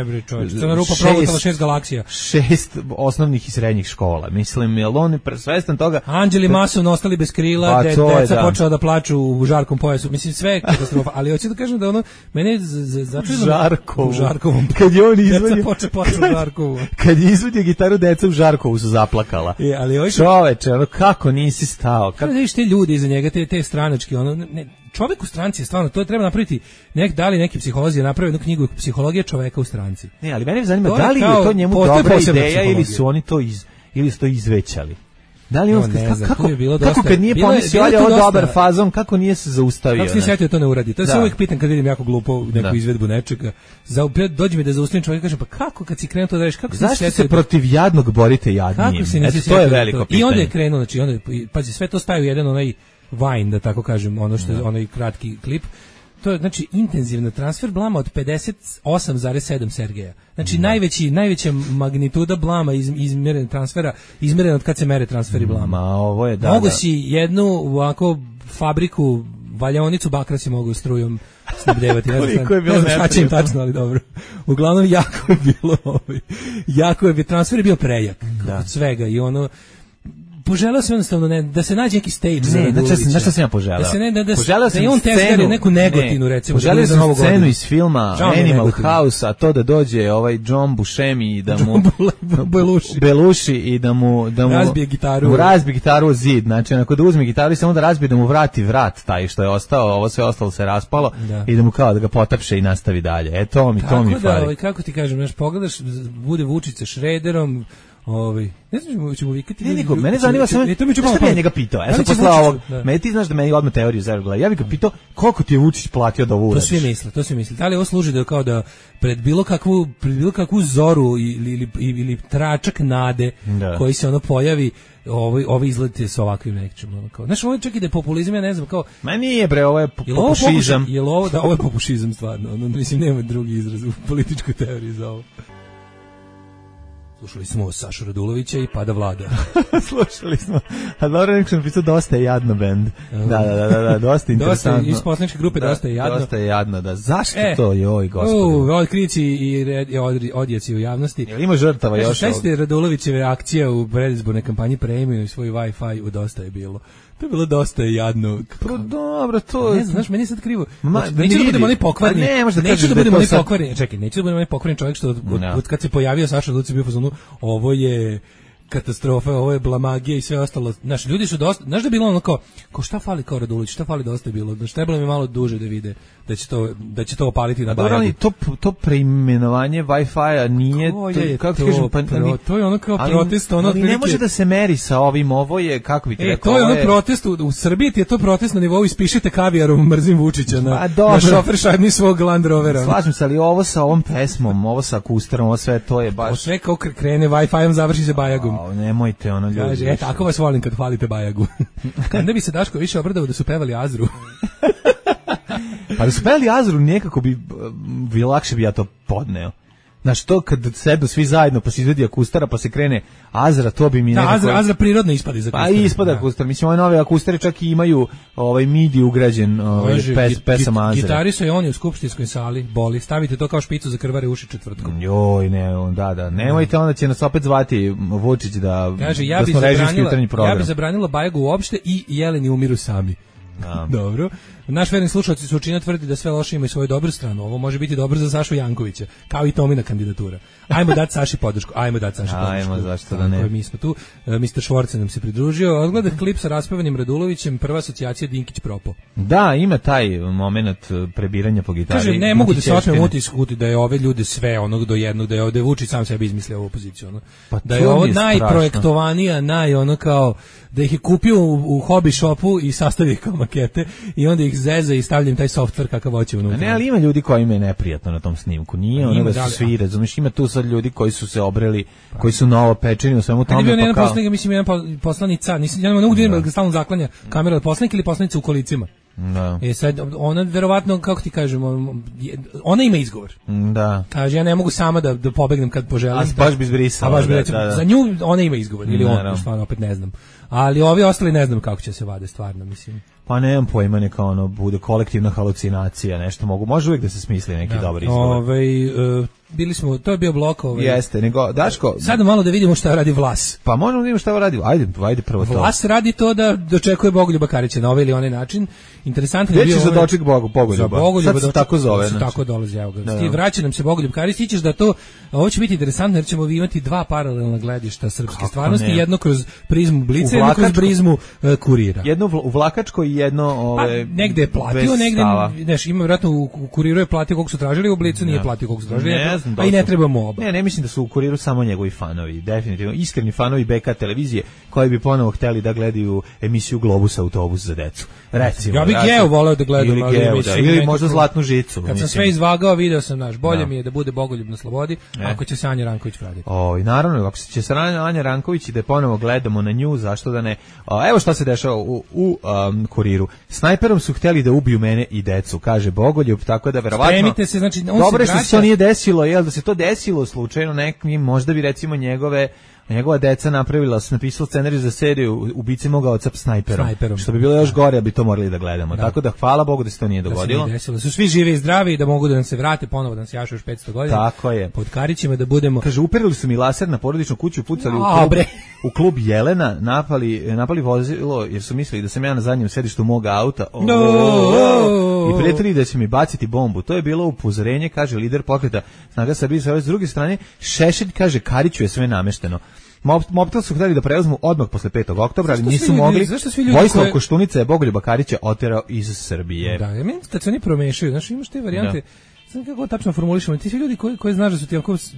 šest, šest galaksija. Šest osnovnih i srednjih škola. Mislim, jel on je svestan toga... Anđeli masovno ostali bez krila, pa, de, deca da. počela da plaču u žarkom pojasu. Mislim, sve je katastrofa. Ali hoću da kažem da ono, mene je začuđeno... Žarkovu. U Žarkovom. Kad je on izvadio... Deca poče plaču u Žarkovu. Kad je izvadio gitaru, deca u Žarkovu su zaplakala. Je, ali hoću... Čoveče, ono, kako nisi stao? Kako da vidiš te ljudi iza njega, te, te stranački, ono... Ne, čovjek u stranci je stvarno, to je treba napraviti, nek, da li neki psiholozi napravi jednu knjigu Psihologija čoveka u stranci. Ne, ali mene zanima, da li je to njemu dobra ideja ili su oni to iz, ili su to izvećali? Da li on, no, kako, kako, kako dosta, kad nije pomislio, ali je ovo dobar fazon, kako nije se zaustavio? Kako se sjetio to ne uradi? To se uvijek pitam kad vidim jako glupo neku da. izvedbu nečega. Za, dođe mi da zaustavim čovjek i kažem, pa kako kad si krenuo to da radiš? Kako zašto se, se protiv jadnog borite jadnijim? Kako se nisi to je veliko to? pitanje. I onda je krenuo, znači, onda, pazi, sve to staje u jedan onaj Vine, da tako kažem, ono što je onaj kratki klip. To je znači intenzivna transfer blama od pedeset osam zarez sedam Sergeja. Znači mm. najveći najveća magnituda blama iz izmjerene transfera, izmjerena od kad se mere transferi blama. Ma ovo je da. Mogu da. si jednu ovako fabriku valjaonicu bakra si mogu strujom snabdevati. Ne znam, je bilo ne znam šta će im tačno, ali dobro. Uglavnom jako je bilo ovaj, jako je, transfer je bio prejak da. od svega i ono poželeo sam jednostavno ne, da se nađe neki stage za Radulovića. Ne, znači sam ja poželeo. Da se ne, da, da, poželeo da je on tezgari neku negotinu, ne, recimo. Poželeo za sam scenu godinu. iz filma Žao Animal House, a to da dođe ovaj John Buscemi i da mu Belushi. Belushi i da mu, da mu razbije gitaru. Mu razbije gitaru o zid. Znači, onako da uzme gitaru i samo da razbije, da mu vrati vrat taj što je ostao, ovo sve ostalo se raspalo da. i da mu kao da ga potapše i nastavi dalje. E, to mi, to mi da, fali. Ovaj, kako ti kažem, znaš, pogledaš, bude Vučić sa Šrederom, Ovaj, ne znam, ćemo vikati. Ne, nego, mene zanima samo, e, to mi ću šta bi ja njega pitao? Ja sam posle ovog, meni ti znaš da meni odmah teoriju zavrgla. Ja bih ga pitao, koliko ti je Vučić platio da ovo uradiš? To svi misle, to svi misle. Da li ovo služi da kao da pred bilo kakvu, pred bilo kakvu zoru ili, ili, ili, ili tračak nade da. koji se ono pojavi, ovaj ovaj izletite sa ovakvim nečim, ono kao. Znaš, ovo je čak i da je populizam, ja ne znam, kao. Ma nije bre, ovo je popušizam. Je li ovo, da, ovo je popušizam stvarno, ono, mislim, nema drugi izraz u političkoj teoriji za ovo. Slušali smo Sašu Radulovića i Pada vlada. Slušali smo. A dobro, nek sam pisao Dosta je jadno bend. Da, da, da, da, da dosta interesantno. Dosta, iz poslaničke grupe da, Dosta je jadno. Dosta je jadno, da. Zašto e, to, joj, gospodine? Oj, krici i red, od, odjeci u javnosti. Jel ima žrtava još? Šta ste Radulovićeve akcije u predizbornoj kampanji premiju i svoj Wi-Fi u Dosta je bilo? To je bilo dosta jadno. Pro, dobro, to... Ne znam, znaš, meni je sad krivo. Ma, Znači, neću da budemo oni pokvarni. Ne, možda neću kažeš da da je budemo to oni sad- pokvarni. Čekaj, neću da budemo oni pokvarni čovjek što od, od, No. od kad se pojavio Saša Luci bio u fazonu, ovo je katastrofa, ovo je blamagija i sve ostalo. Znaš, ljudi su dosta, znaš da je bilo ono kao, kao šta fali kao Radulović, šta fali dosta je bilo, znaš, trebalo mi malo duže da vide da će to, da će to opaliti na Dobro, Bajagu. ali to, to preimenovanje Wi-Fi-a nije... Ko to, je kako ti to kažem, pa, pro- to je ono kao ali- protest, ono ali ne otprilike- može da se meri sa ovim, ovo je, kako bi ti E, rekao, to je ono ovo protest u, u Srbiji, ti je to protest na nivou ispišite kavijarom, mrzim Vučića na, Pa dobro. na šofer šajbni svog Land Rovera. Slažem se, ali ovo sa ovom pesmom, ovo sa akustarom, ovo sve, to je O baš... sve kao kr- krene Wi-Fi-om, završi se Bajagom. Ao, nemojte, ono, ljudi... Kaže, e, više. tako vas volim kad hvalite Bajagu. Onda bi se Daško više obradao da su pevali Azru. Pa da su peli Azru, nekako bi, bi lakše bi ja to podneo. Znaš, to kad sednu svi zajedno, pa se izvedi akustara, pa se krene Azra, to bi mi Da, nekako... Azra, Azra prirodno ispadi za Pa kustar. ispada Da. akustar. Mislim, ove nove akustare čak i imaju ovaj midi ugrađen ovaj, Može, pes, git- pesama git- Azra. Gitaristo je on je u skupštinskoj sali, boli. Stavite to kao špicu za krvare uši četvrtkom. Joj, ne, on, da, da. Nemojte, onda će nas opet zvati Vučić da, Kaže, ja da bi smo režimski zabranila, jutarnji program. ja bi zabranila Bajagu uopšte i Jeleni umiru sami. Da. Dobro. Naš verni slušalci su učinio tvrdi da sve loše ima i svoju dobru stranu. Ovo može biti dobro za Sašu Jankovića, kao i Tomina kandidatura. Ajmo dati Saši podršku. Ajmo dati Saši podršku. Ajmo, zašto da Tako ne. je, mi smo tu. E, mister Švorce nam se pridružio. Odgleda klip sa raspevanim Radulovićem, prva asocijacija Dinkić Propo. Da, ima taj moment prebiranja po gitari. Kaže, ne mogu da se Dinkićevštine. otmem utisak da je ove ljude sve onog do jednog, da je ovde Vučić sam sebi izmislio ovu poziciju. Ono. Pa Da to je ovo mi je strašno. najprojektovanija, naj ono kao, da ih je kupio u, u hobby shopu i sastavio ih kao makete i onda ih zeza i stavljam taj software kakav hoće A unutra. ne, ali ima ljudi koji im je neprijatno na tom snimku. Nije Pa ono ima, da da li- su svi, razumiješ, ima tu sad ljudi koji su se obreli, koji su novo pečeni u svemu Ajde tome, bio pa jedan kao... poslanik, mislim jedan po- poslanica, nisam, ja ne mogu da vidim da ga stalno zaklanja kamera od poslanika ili poslanica u kolicima. Da, E sad, ona verovatno, kako ti kažemo, je- ona ima izgovor. da. Kaže, ja ne mogu sama da, da pobegnem kad poželim. A baš bi zbrisala, A baš bi da, recimo, da, da. za nju ona ima izgovor, ili on, Naravno. stvarno, opet ne znam. Ali ovi ostali ne znam kako će se vade, stvarno, mislim. Pa nemam pojma, neka ono bude kolektivna halucinacija, nešto mogu. Može uvijek da se smisli neki dobar izgovor. Ovaj, e, bili smo, to je bio blok. Ovaj. Jeste, nego, Daško, Sada malo da vidimo šta radi Vlas. pa možemo da vidimo šta radi. Ajde, ajde prvo to. Vlas radi to da dočekuje Bogoljuba Karića na ovaj ili onaj način. Interesantno je Gde bio će za ovaj- doček Bogu, Bogoljuba? Za Bogoljuba Sad se doček- tako zove, se znači. tako dolazi, evo ga. Da, Sti, da. vraća nam se Bogoljub Karić, ti ćeš da to, ovo će biti interesantno jer ćemo imati dva paralelna gledišta srpske Kako stvarnosti, ne? jedno kroz prizmu Blica, U jedno kroz Vlakačko- prizmu e, Kurira. Jedno u u Vlakačko i jedno Pa, ove negde je platio, bez negde, stava. znaš, ima vjerojatno u u Kuriru je platio koliko su tražili, u Blicu nije platio koliko su tražili, Ne znam da a i li ne su- trebamo oba. Ne, ne mislim da su u Kuriru samo njegovi fanovi, definitivno iskreni fanovi B K televizije koji bi ponovo hteli da gledaju emisiju Globus autobus za decu. Recimo. Ja bih razum- Geo voleo da gledam, ili, ali Geo, da, mislim, ili nekako- možda Zlatnu žicu. Kad sam mislim. sve izvagao, video sam, naš, bolje Da. mi je da bude Bogoljub na slobodi, ako će se Anja Ranković vratiti. O, i naravno, ako će se Anja Anja Ranković i da je ponovo gledamo na nju, zašto da ne? O, evo šta se dešava u, u um, Kuriru. Snajperom su hteli da ubiju mene i decu, kaže Bogoljub, tako da verovatno... Spremite se, znači, on Dobro je se što se vraća... to nije desilo, jel, da se to desilo slučajno nekim, možda bi recimo njegove njegova deca napravila, sam napisao scenarij za seriju Ubice moga oca snajperom, Snajperom. što bi bilo još gore, bi to morali da gledamo. Tako da hvala Bogu da se to nije Da se dogodilo. nije desilo, da su svi živi i zdravi i da mogu da nam se vrate ponovo, da nam se jašu još petsto godina. Tako je. Pod Karićima da budemo... Kaže, uperili su mi laser na porodičnu kuću, pucali u A, klub, bre. u klub Jelena, napali, napali vozilo jer su mislili da sam ja na zadnjem sedištu mog auta. O, No. I prijetili da će mi baciti bombu. To je bilo upozorenje, kaže lider pokreta Snaga Srbije. S druge strane, Šešelj kaže, Kariću je sve namešteno. Mob- Mobitel su htjeli da preuzmu odmah posle petog oktobra, ali Zašto nisu svi ljudi- mogli. zašto svi ljudi Vojislav koje- Koštunica je Bogoljuba Karića oterao iz Srbije. Da, ja meni kad se oni promešaju, znaš, imaš te varijante, znam kako tačno formulišemo, ti svi ljudi koji, koji znaš da su ti onako s-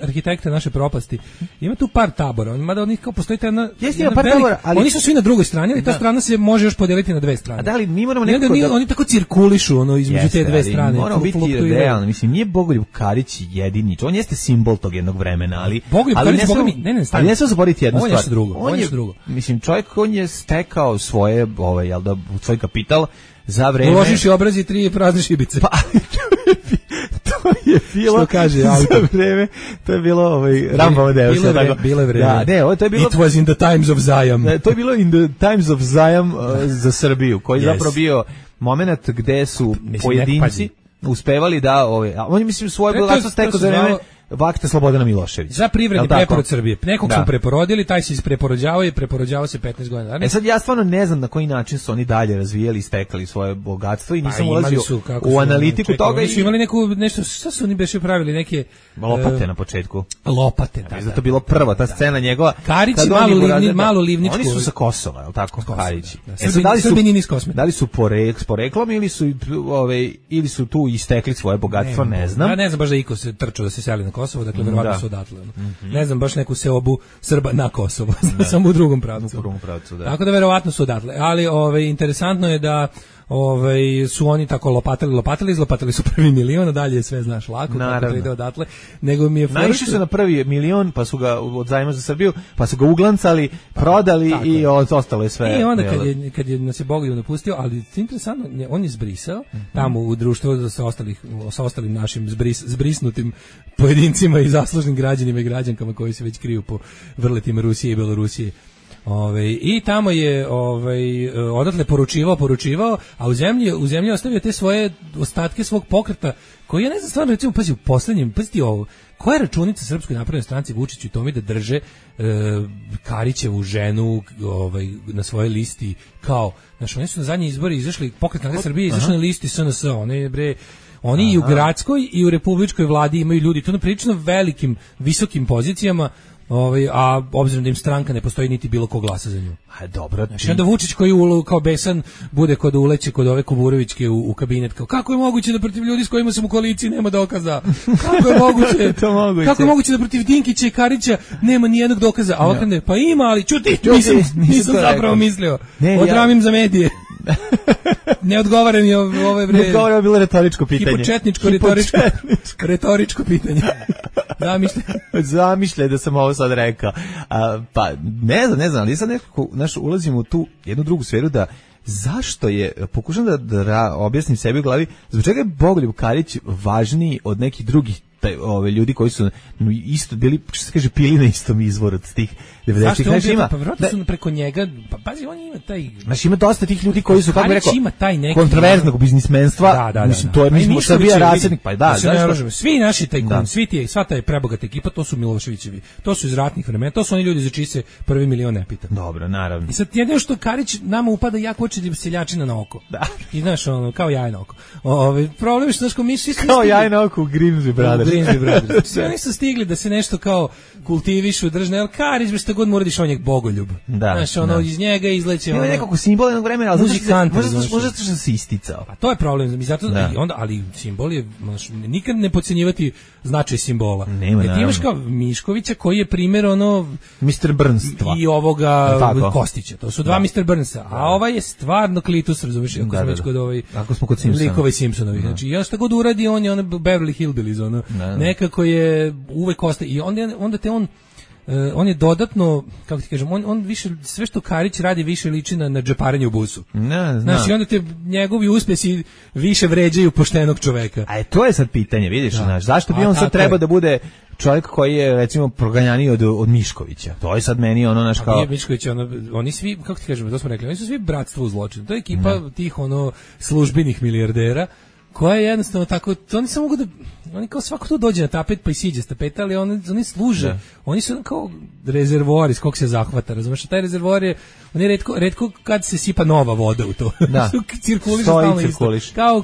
arhitekte naše propasti, ima tu par tabora, mada od njih kao postoji ta jedna, Jeste, jedna ima par velika- tabora, ali- oni su svi na drugoj strani, ali ta Da. strana se može još podeliti na dve strane. A da li mi moramo I onda nekako oni, da- oni tako cirkulišu ono, između Jeste, te dve ali strane. moramo flu- biti fluktuiraju. realni, mislim, nije Bogoljub Karić jedini, on jeste simbol tog jednog vremena, ali... Bogoljub ali Karić, ne Boga smemo- mi- ne, ne, stani. ali ne smemo zaboraviti jednu On je stvar. nešto drugo, on je nešto drugo. Mislim, čovjek, on je stekao svoje, ovaj, jel da, svoj kapital za vreme... Uložiš i obrazi tri prazne šibice. Pa, to je bilo... Što kaže za autor. vreme, to je bilo, ovaj, Rambova deo. Bilo je sad vreme, tako. bilo je vreme. Da, ne, ovo, to je bilo... It was in the times of Zajam. Ne, to je bilo in the times of Zajam uh, za Srbiju, koji je Yes. zapravo bio moment gde su Mislim, pojedinci neko uspevali da, ove, a on je mislim svoje E, to je- bogatstvo to stekao se za vreme zvalo- vakta Slobodana Miloševića. Za privredni preporod Srbije. Nekog da. su preporodili, taj se ispreporođavao i preporođavao se petnaest godina. E sad ja stvarno ne znam na koji način su oni dalje razvijali i stekali svoje bogatstvo i nisam pa, ulazio su, u su, analitiku čekaj, toga. Oni su imali neku, nešto, šta su oni beše pravili, neke... Lopate uh, na početku. Lopate, da. Zato bilo prva ta scena njegova. Karić malo, livni, malo livničku. Oni su sa Kosova, je li tako? Karići. Da, da. Srbini, da li su, Srbini niz Kosmeta. Da li su porek, s poreklom ili su, ove, ili su tu istekli svoje bogatstvo, ne, ne znam. Ja ne znam baš da iko se trčao da se seli na Kosovo, dakle verovatno da. su odatle. Mm-hmm. Ne znam baš neku seobu Srba na Kosovo, samo u drugom pravcu. U drugom pravcu, da. Tako da verovatno su odatle. Ali ove, interesantno je da ovaj su oni tako lopatali, lopatali, izlopatali su prvi milion, a dalje sve znaš lako, kako to ide odatle. Nego mi je naišli su na prvi milion, pa su ga od zajma za Srbiju, pa su ga uglancali, prodali tako i od, ostalo je sve. I onda kad je, kad je nas je Bogoljub napustio, ali interesantno, on je zbrisao mm-hmm. tamo u društvu sa ostalih sa ostalim našim zbris, zbrisnutim pojedincima i zaslužnim građanima i građankama koji se već kriju po vrletima Rusije i Belorusije. Ove, i tamo je ovaj odatle poručivao, poručivao, a u zemlji u zemlji ostavio te svoje ostatke svog pokreta, koji ja ne znam stvarno, recimo, pazi, u poslednjem, pazi ovo, koja je računica Srpskoj naprednoj stranci Vučiću i Tomi da drže e, Karićevu ženu ovaj, na svojoj listi, kao, znaš, oni su na zadnji izbori izašli, pokret Narodne Srbije izašli na listi S N S, one bre, oni Aha. i u gradskoj i u republičkoj vladi imaju ljudi, to na prilično velikim, visokim pozicijama. Ovaj, a obzirom da im stranka ne postoji niti bilo ko glasa za nju. A dobro, znači onda Vučić koji u, kao besan bude kod uleće kod ove Kuburovićke u, u kabinet, kao kako je moguće da protiv ljudi s kojima sam u koaliciji nema dokaza? Kako je moguće? to moguće. Kako je moguće da protiv Dinkića i Karića nema ni jednog dokaza? A ovakve pa ima, ali čuti, nisam, nisam zapravo mislio. Ne, Odramim ja... za medije. Ne odgovara mi ove bre. Ne odgovara, bilo retoričko pitanje. Hipočetničko retoričko retoričko pitanje. Zamišljaj. Zamišljaj da sam ovo sad rekao. A, pa ne znam, ne znam, ali sad nekako naš ulazimo u tu jednu drugu sferu da zašto je, pokušam da, da objasnim sebi u glavi, zbog čega je Bogoljub Karić važniji od nekih drugih taj, ove ljudi koji su isto bili, što se kaže, pili na istom izvoru od tih devedesetih. Zašto on bio, pa vjerojatno su preko njega, pa pazi, on ima taj... Znači ima dosta tih ljudi koji su, kako bi rekao, ima taj neki kontroverznog biznismenstva, da, da, da, mislim, to je, mi smo Srbija rasadnik, pa da, da, svi naši tajkuni, svi ti, sva ta je prebogata ekipa, to su Miloševićevi, to su iz ratnih vremena, to su oni ljudi za čiji se prvi milion ne pita. Dobro, naravno. I sad jedino što Karić nama upada jako oči seljačina na oko. Da. I znaš, ono, kao jaje na oko. Ove, problem je što, znaš, ko mi svi smo kao jaje na oko u Grimsby Brothers. Grimsby Brothers. Svi oni su stigli da se nešto kao kultivišu, držne, ali Karić, bi što god mu uradiš, on je Bogoljub. Da, znaš, ono, da. iz njega izleće ono... Ima nekako simbol jednog vremena, ali muzikant, možda možda što se isticao. Pa to je problem, i zato da. I onda, ali simbol je, znaš, nikad ne podcenjivati značaj simbola. Nema, jer ti imaš kao Miškovića koji je primjer ono mister Burns i ovoga Kostića. To su dva da. mister Burnsa, a da. ovaj je stvarno Klitus, razumiješ, ako da, smo već kod ovaj ako smo kod Simpsona. Likova Simpsonovi. Da. Znači, ja šta god uradi, on je ono Beverly Hillbillies, ono. Da, da. Nekako je uvek ostaje i onda onda te on Uh, on je dodatno, kako ti kažem, on, on više, sve što Karić radi više liči na, na džeparenje u busu. Ne, znaš, i onda te njegovi uspjesi više vređaju poštenog čoveka. A je, to je sad pitanje, vidiš, da. Znaš, zašto bi A, on sad treba je. da bude čovjek koji je, recimo, proganjaniji od, od Miškovića? To je sad meni ono, naš kao... Nije Mišković, ono, oni svi, kako ti kažem, to smo rekli, oni su svi bratstvo u zločinu. To je ekipa ne. tih, ono, službenih milijardera, koja je jednostavno tako, oni samo mogu da, oni kao svako to dođe na tapet pa i siđe s tapeta, ali oni, oni služe, da. Oni su kao rezervoar iz kog se zahvata, razumiješ, taj rezervoar je, on je retko, retko kad se sipa nova voda u to, da. cirkuliš stalno isto, kao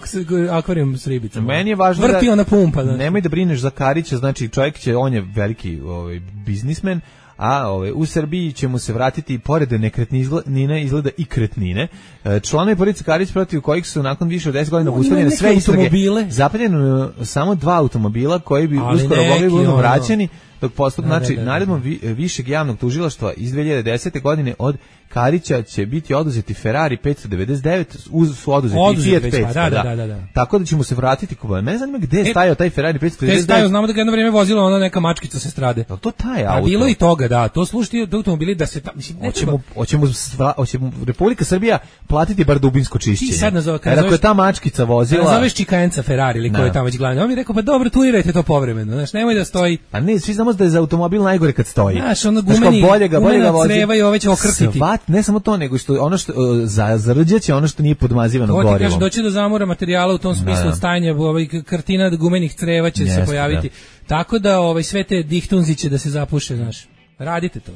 akvarijum s ribicama. Meni je važno vrti da, ona pumpa. Znači. Nemoj da brineš za Karića, znači čovjek će, on je veliki ovaj, biznismen, a ove, u Srbiji ćemo se vratiti pored nekretnine izgleda i kretnine. E, članovi porodice Karić protiv kojih su nakon više od deset godina obustavljene sve istrage, zapaljeno samo dva automobila koji bi ali uskoro mogli biti ono... vraćeni, dok postup, znači, naredbom vi, višeg javnog tužilaštva iz dve hiljade desete. godine od Karića će biti oduzeti Ferrari petsto devedeset devet, uz su oduzeti i Fiat petsto. Da, da, da, da, da. Tako da ćemo se vratiti kupovati. Mene zanima gde je stajao taj Ferrari petsto devedeset devet. Gde je stajao, znamo da ga jedno vrijeme vozila ona neka mačkica sa strade. Je to taj auto? A bilo i toga, da. To slušati do automobili da se... Ta, mislim, ne hoćemo, hoćemo, sva, hoćemo Republika Srbija platiti bar dubinsko čišćenje. Ti sad nazove, kad ako je ta mačkica vozila... Nazoveš Čikajenca Ferrari ili ko je tamo već glavni. On mi rekao, pa dobro, turirajte to povremeno. Znaš, nemoj da stoji... Pa ne, svi znamo samo da je za automobil najgore kad stoji. Znaš, ono gumeni, bolje ga, bolje ga gumena vozi. creva i ove će okrtiti. Svat, ne samo to, nego što ono što za zarđeće ono što nije podmazivano gorivom. To ti kaže, doći do zamora materijala u tom smislu od stajanja, ovaj kartina gumenih creva će Jeste, se pojaviti. Da. Tako da ovaj sve te dihtunzi će da se zapuše, znaš. Radite to.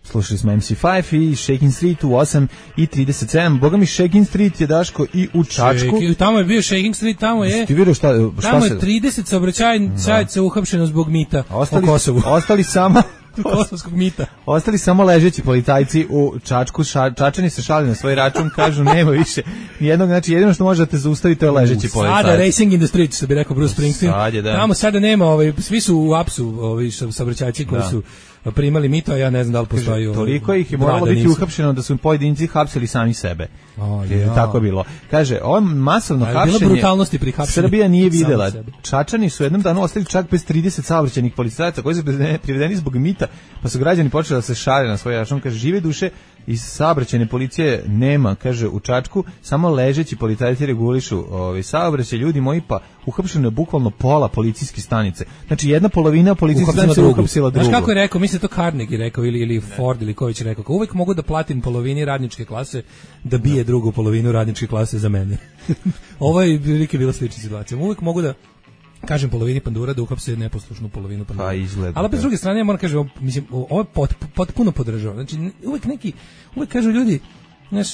Slušali smo em si pet i Shaking Street u osam i trideset sedam. Boga mi Shaking Street je, Daško, i u Čačku. Šeki, tamo je bio Shaking Street, tamo je. Ti vidio šta, šta tamo se... je trideset saobraćajnica uhapšeno zbog mita ostali, u Kosovu. Ostali samo... Kosovskog mita. Ostali samo ležeći policajci u Čačku. Ša, Čačani se šali na svoj račun, kažu nema više nijednog, znači jedino što možete zaustaviti to je ležeći policajci. Sada racing in the street, što bi rekao Bruce Springsteen. Sad je, da. Tamo sada nema, ovaj, svi su u apsu, ovaj, saobraćajci koji da. su primali mito, a ja ne znam da li postoji. Kaže, toliko ih je moralo biti uhapšeno da su im pojedinci hapsili sami sebe. O, ja. Tako je bilo. Kaže, ovo masovno ali hapšenje. Bilo brutalnosti pri hapšenju. Srbija nije videla. Čačani su jednom danu ostali čak bez trideset saobraćajnih policajaca koji su privedeni zbog mita, pa su građani počeli da se šale na svoj račun. Kaže, žive duše iz saobraćajne policije nema, kaže, u Čačku, samo ležeći policajci regulišu ovaj saobraćaj, ljudi moji, pa uhapšeno je bukvalno pola policijske stanice. Znači jedna polovina policijske stanice uhapsila drugu. Znaš kako je rekao, mislim to Carnegie rekao ili ili Ford ili Ković rekao, kao uvek mogu da platim polovini radničke klase da bije drugu polovinu radničke klase za mene. Ovo je prilike bila slična situacija. Uvek mogu da kažem polovini pandura da uhapse neposlušnu polovinu pandura. Pa izgleda. Ali bez druge strane ja moram kažem, mislim, ovo je pot, potpuno podržavam. Znači uvek neki, uvek kažu ljudi, znaš,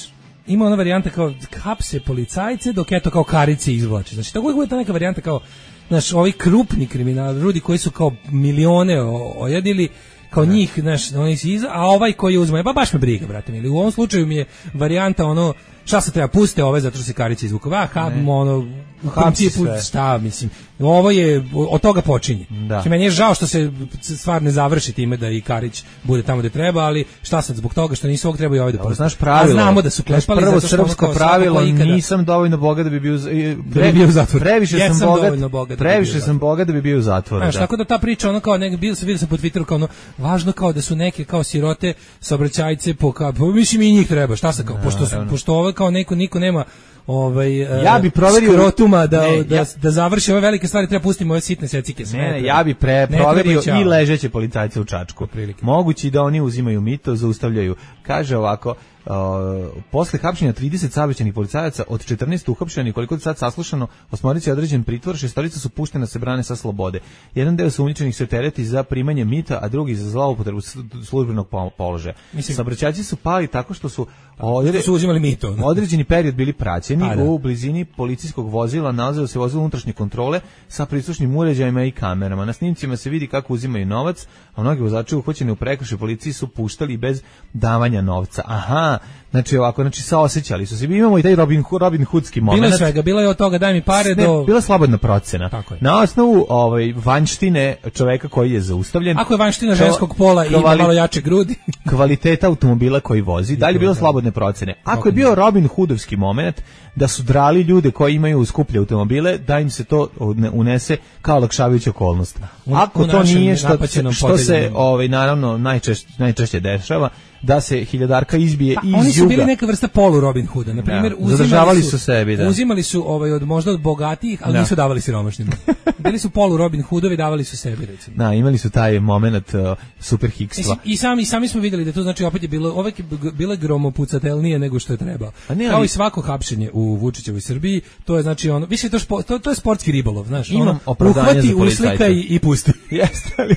ima ona varijanta kao hapse policajce dok eto kao karice izvlače. Znači tako uvek ta neka varijanta kao, znaš, ovi krupni kriminalni ljudi koji su kao milione ojedili, kao ne. Njih, znaš, oni se iza, a ovaj koji uzme, pa baš me briga, brate mili. U ovom slučaju mi je varijanta ono, šta se treba, puste ove zato što se karice izvuku. Va, ha, ono, u principu, šta, mislim, ovo je, od toga počinje. Znači, meni je žao što se stvar ne završi time da i Karić bude tamo gde treba, ali šta sad, zbog toga što nisu ovog treba i ovaj da puste. Znaš pravilo, a znamo da su klepali prvo zato što srpsko ono pravilo, nisam dovoljno bogat da bi bio, da bi bio u zatvoru. Previše ja sam bogat, bogat da previše bi sam bogat da bi bio u zatvoru. Znaš, tako da ta priča, ono kao, nek, bil sam, vidio sam po Twitteru kao ono, važno kao da su neke kao sirote saobraćajce po, kao, po, mislim i njih treba, šta se kao, no, pošto, su, pošto ovo kao neko, niko nema ovaj ja bi proverio skrotuma da, ne, da, ja, da završi ove velike stvari, treba pustiti ove sitne secike sve. Ne, ne, ja bi pre proverio i ležeće policajce u Čačku. Mogući da oni uzimaju mito, zaustavljaju. Kaže ovako, Uh, posle hapšenja trideset saobraćajnih policajaca od četrnaest uhapšenih, koliko je sad saslušano, osmorica je određen pritvor, šestorica su puštena se brane sa slobode. Jedan deo sumnjičenih se tereti za primanje mita, a drugi za zloupotrebu službenog položaja. Saobraćajci su pali tako što su odre... su uzimali mito. Određeni period bili praćeni, a, u blizini policijskog vozila nalazilo se vozilo unutrašnje kontrole sa prislušnim uređajima i kamerama. Na snimcima se vidi kako uzimaju novac, a mnogi vozači uhvaćeni u prekršaju policiji su puštali bez davanja novca. Aha, znači ovako, znači saosećali su se. Imamo i taj Robin, Robin Hoodski moment. Bilo je svega, bilo je od toga daj mi pare ne, do... Bila slobodna procena. Na osnovu ovaj, vanštine čoveka koji je zaustavljen. Ako je vanština ženskog pola i ima malo jače grudi. Kvaliteta automobila koji vozi. Da li je bilo slobodne procene? Ako je bio Robin Hoodovski moment da su drali ljude koji imaju skuplje automobile, da im se to unese kao olakšavajuća okolnost. Ako to nije što, što se ovaj, naravno najčešće, najčešće dešava, da se hiljadarka izbije pa, iz juga. Oni su bili neka vrsta polu Robin Hooda. Na primjer, ja, zadržavali su, su sebi, da. Uzimali su ovaj, od, možda od bogatijih, ali da. Nisu davali siromašnima. Bili su polu Robin Hoodovi, davali su sebi, recimo. Da, imali su taj moment uh, super hikstva. I, i, sami, sami smo vidjeli da to znači opet je bilo, ovek je bilo gromopucatelnije nego što je trebao. Ne, ali, kao i svako hapšenje u Vučićevoj Srbiji, to je znači ono, više to, špo, to, to je sportski ribolov, znaš. Imam ono, opravdanje za policajce. Uslika i, i pusti. Jeste, ali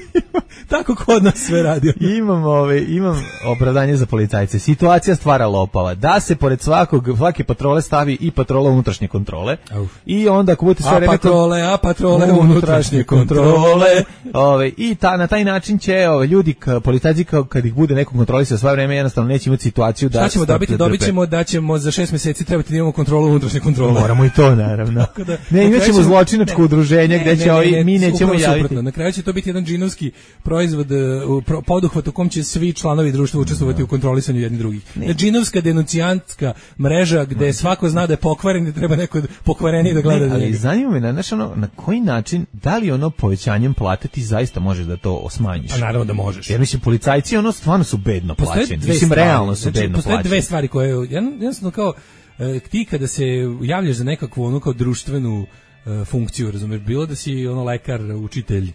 tako kod nas sve radi. Imam, ove, imam opravdanje za policajce. Situacija stvara lopava. Da se pored svakog, svake patrole stavi i patrola unutrašnje kontrole. Uf. I onda ako budete sve vreme... A patrole, a patrole unutrašnje kontrole. Ove, I ta, na taj način će ove, ljudi, k, policajci kao kad ih bude neko kontrolisao sve vreme, jednostavno neće imati situaciju da... Šta ćemo dobiti? Dobit ćemo da ćemo za šest mjeseci trebati da imamo kontrolu unutrašnje kontrole. Moramo i to, naravno. da, ne, imat ćemo zločinačko ne, udruženje gdje će ovi, mi nećemo javiti. Suprotno. Na kraju će to biti jedan džinovski proizvod, uh, poduhvat u kom će svi članovi društva učestvovati no. u kontrolisanju jednih drugih. Džinovska denucijantska mreža gde no. svako zna da je pokvaren i treba neko pokvareniji da gleda. Ne, ali zanima me na, znaš, ono, na koji način, da li ono povećanjem plate ti zaista možeš da to smanjiš? A naravno da možeš. Jer mislim, policajci ono stvarno su bedno plaćeni. Mislim, stvari. realno su znači, bedno postoje plaćeni. Dve stvari koje, jednostavno kao, e, ti kada se javljaš za nekakvu ono kao društvenu e, funkciju, razumeš, bilo da si ono lekar, učitelj,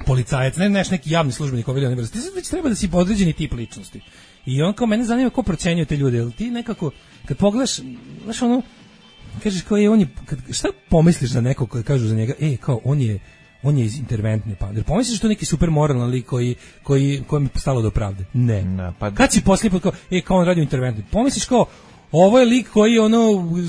policajac, ne neš neki javni službenik ovaj ili onaj vrste. Ti već treba da si podređeni tip ličnosti. I on kao mene zanima ko procenjuje te ljude, jel ti nekako kad pogledaš, znaš ono, kažeš kao je on je, kad, šta pomisliš za nekog koji kažu za njega, ej kao on je on je iz interventne pa. Jer pomisliš što neki super moralan lik koji koji kojem je stalo do pravde. Ne. No, pa kad si poslije kao ej kao on radi u interventnoj. Pomisliš kao ovo je lik koji ono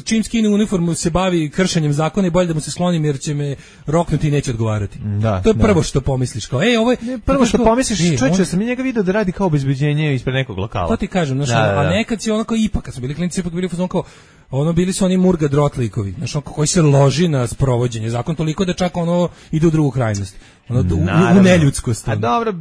čim skine uniformu se bavi kršenjem zakona i bolje da mu se sklonim jer će me roknuti i neće odgovarati. Da, to je prvo da. što pomisliš kao ej ovo je ne, prvo što kao, pomisliš e, čoveče on... sam njega video da radi kao obezbeđenje ispred nekog lokala. To ti kažem, znači, da, da, da. a nekad si ono kao ipak kad su bili klinci ipak bili fuzon kao ono bili su oni murga drot likovi, znači koji se loži na sprovođenje zakon toliko da čak ono ide u drugu krajnost. Ono u, u neljudskost. A dobro,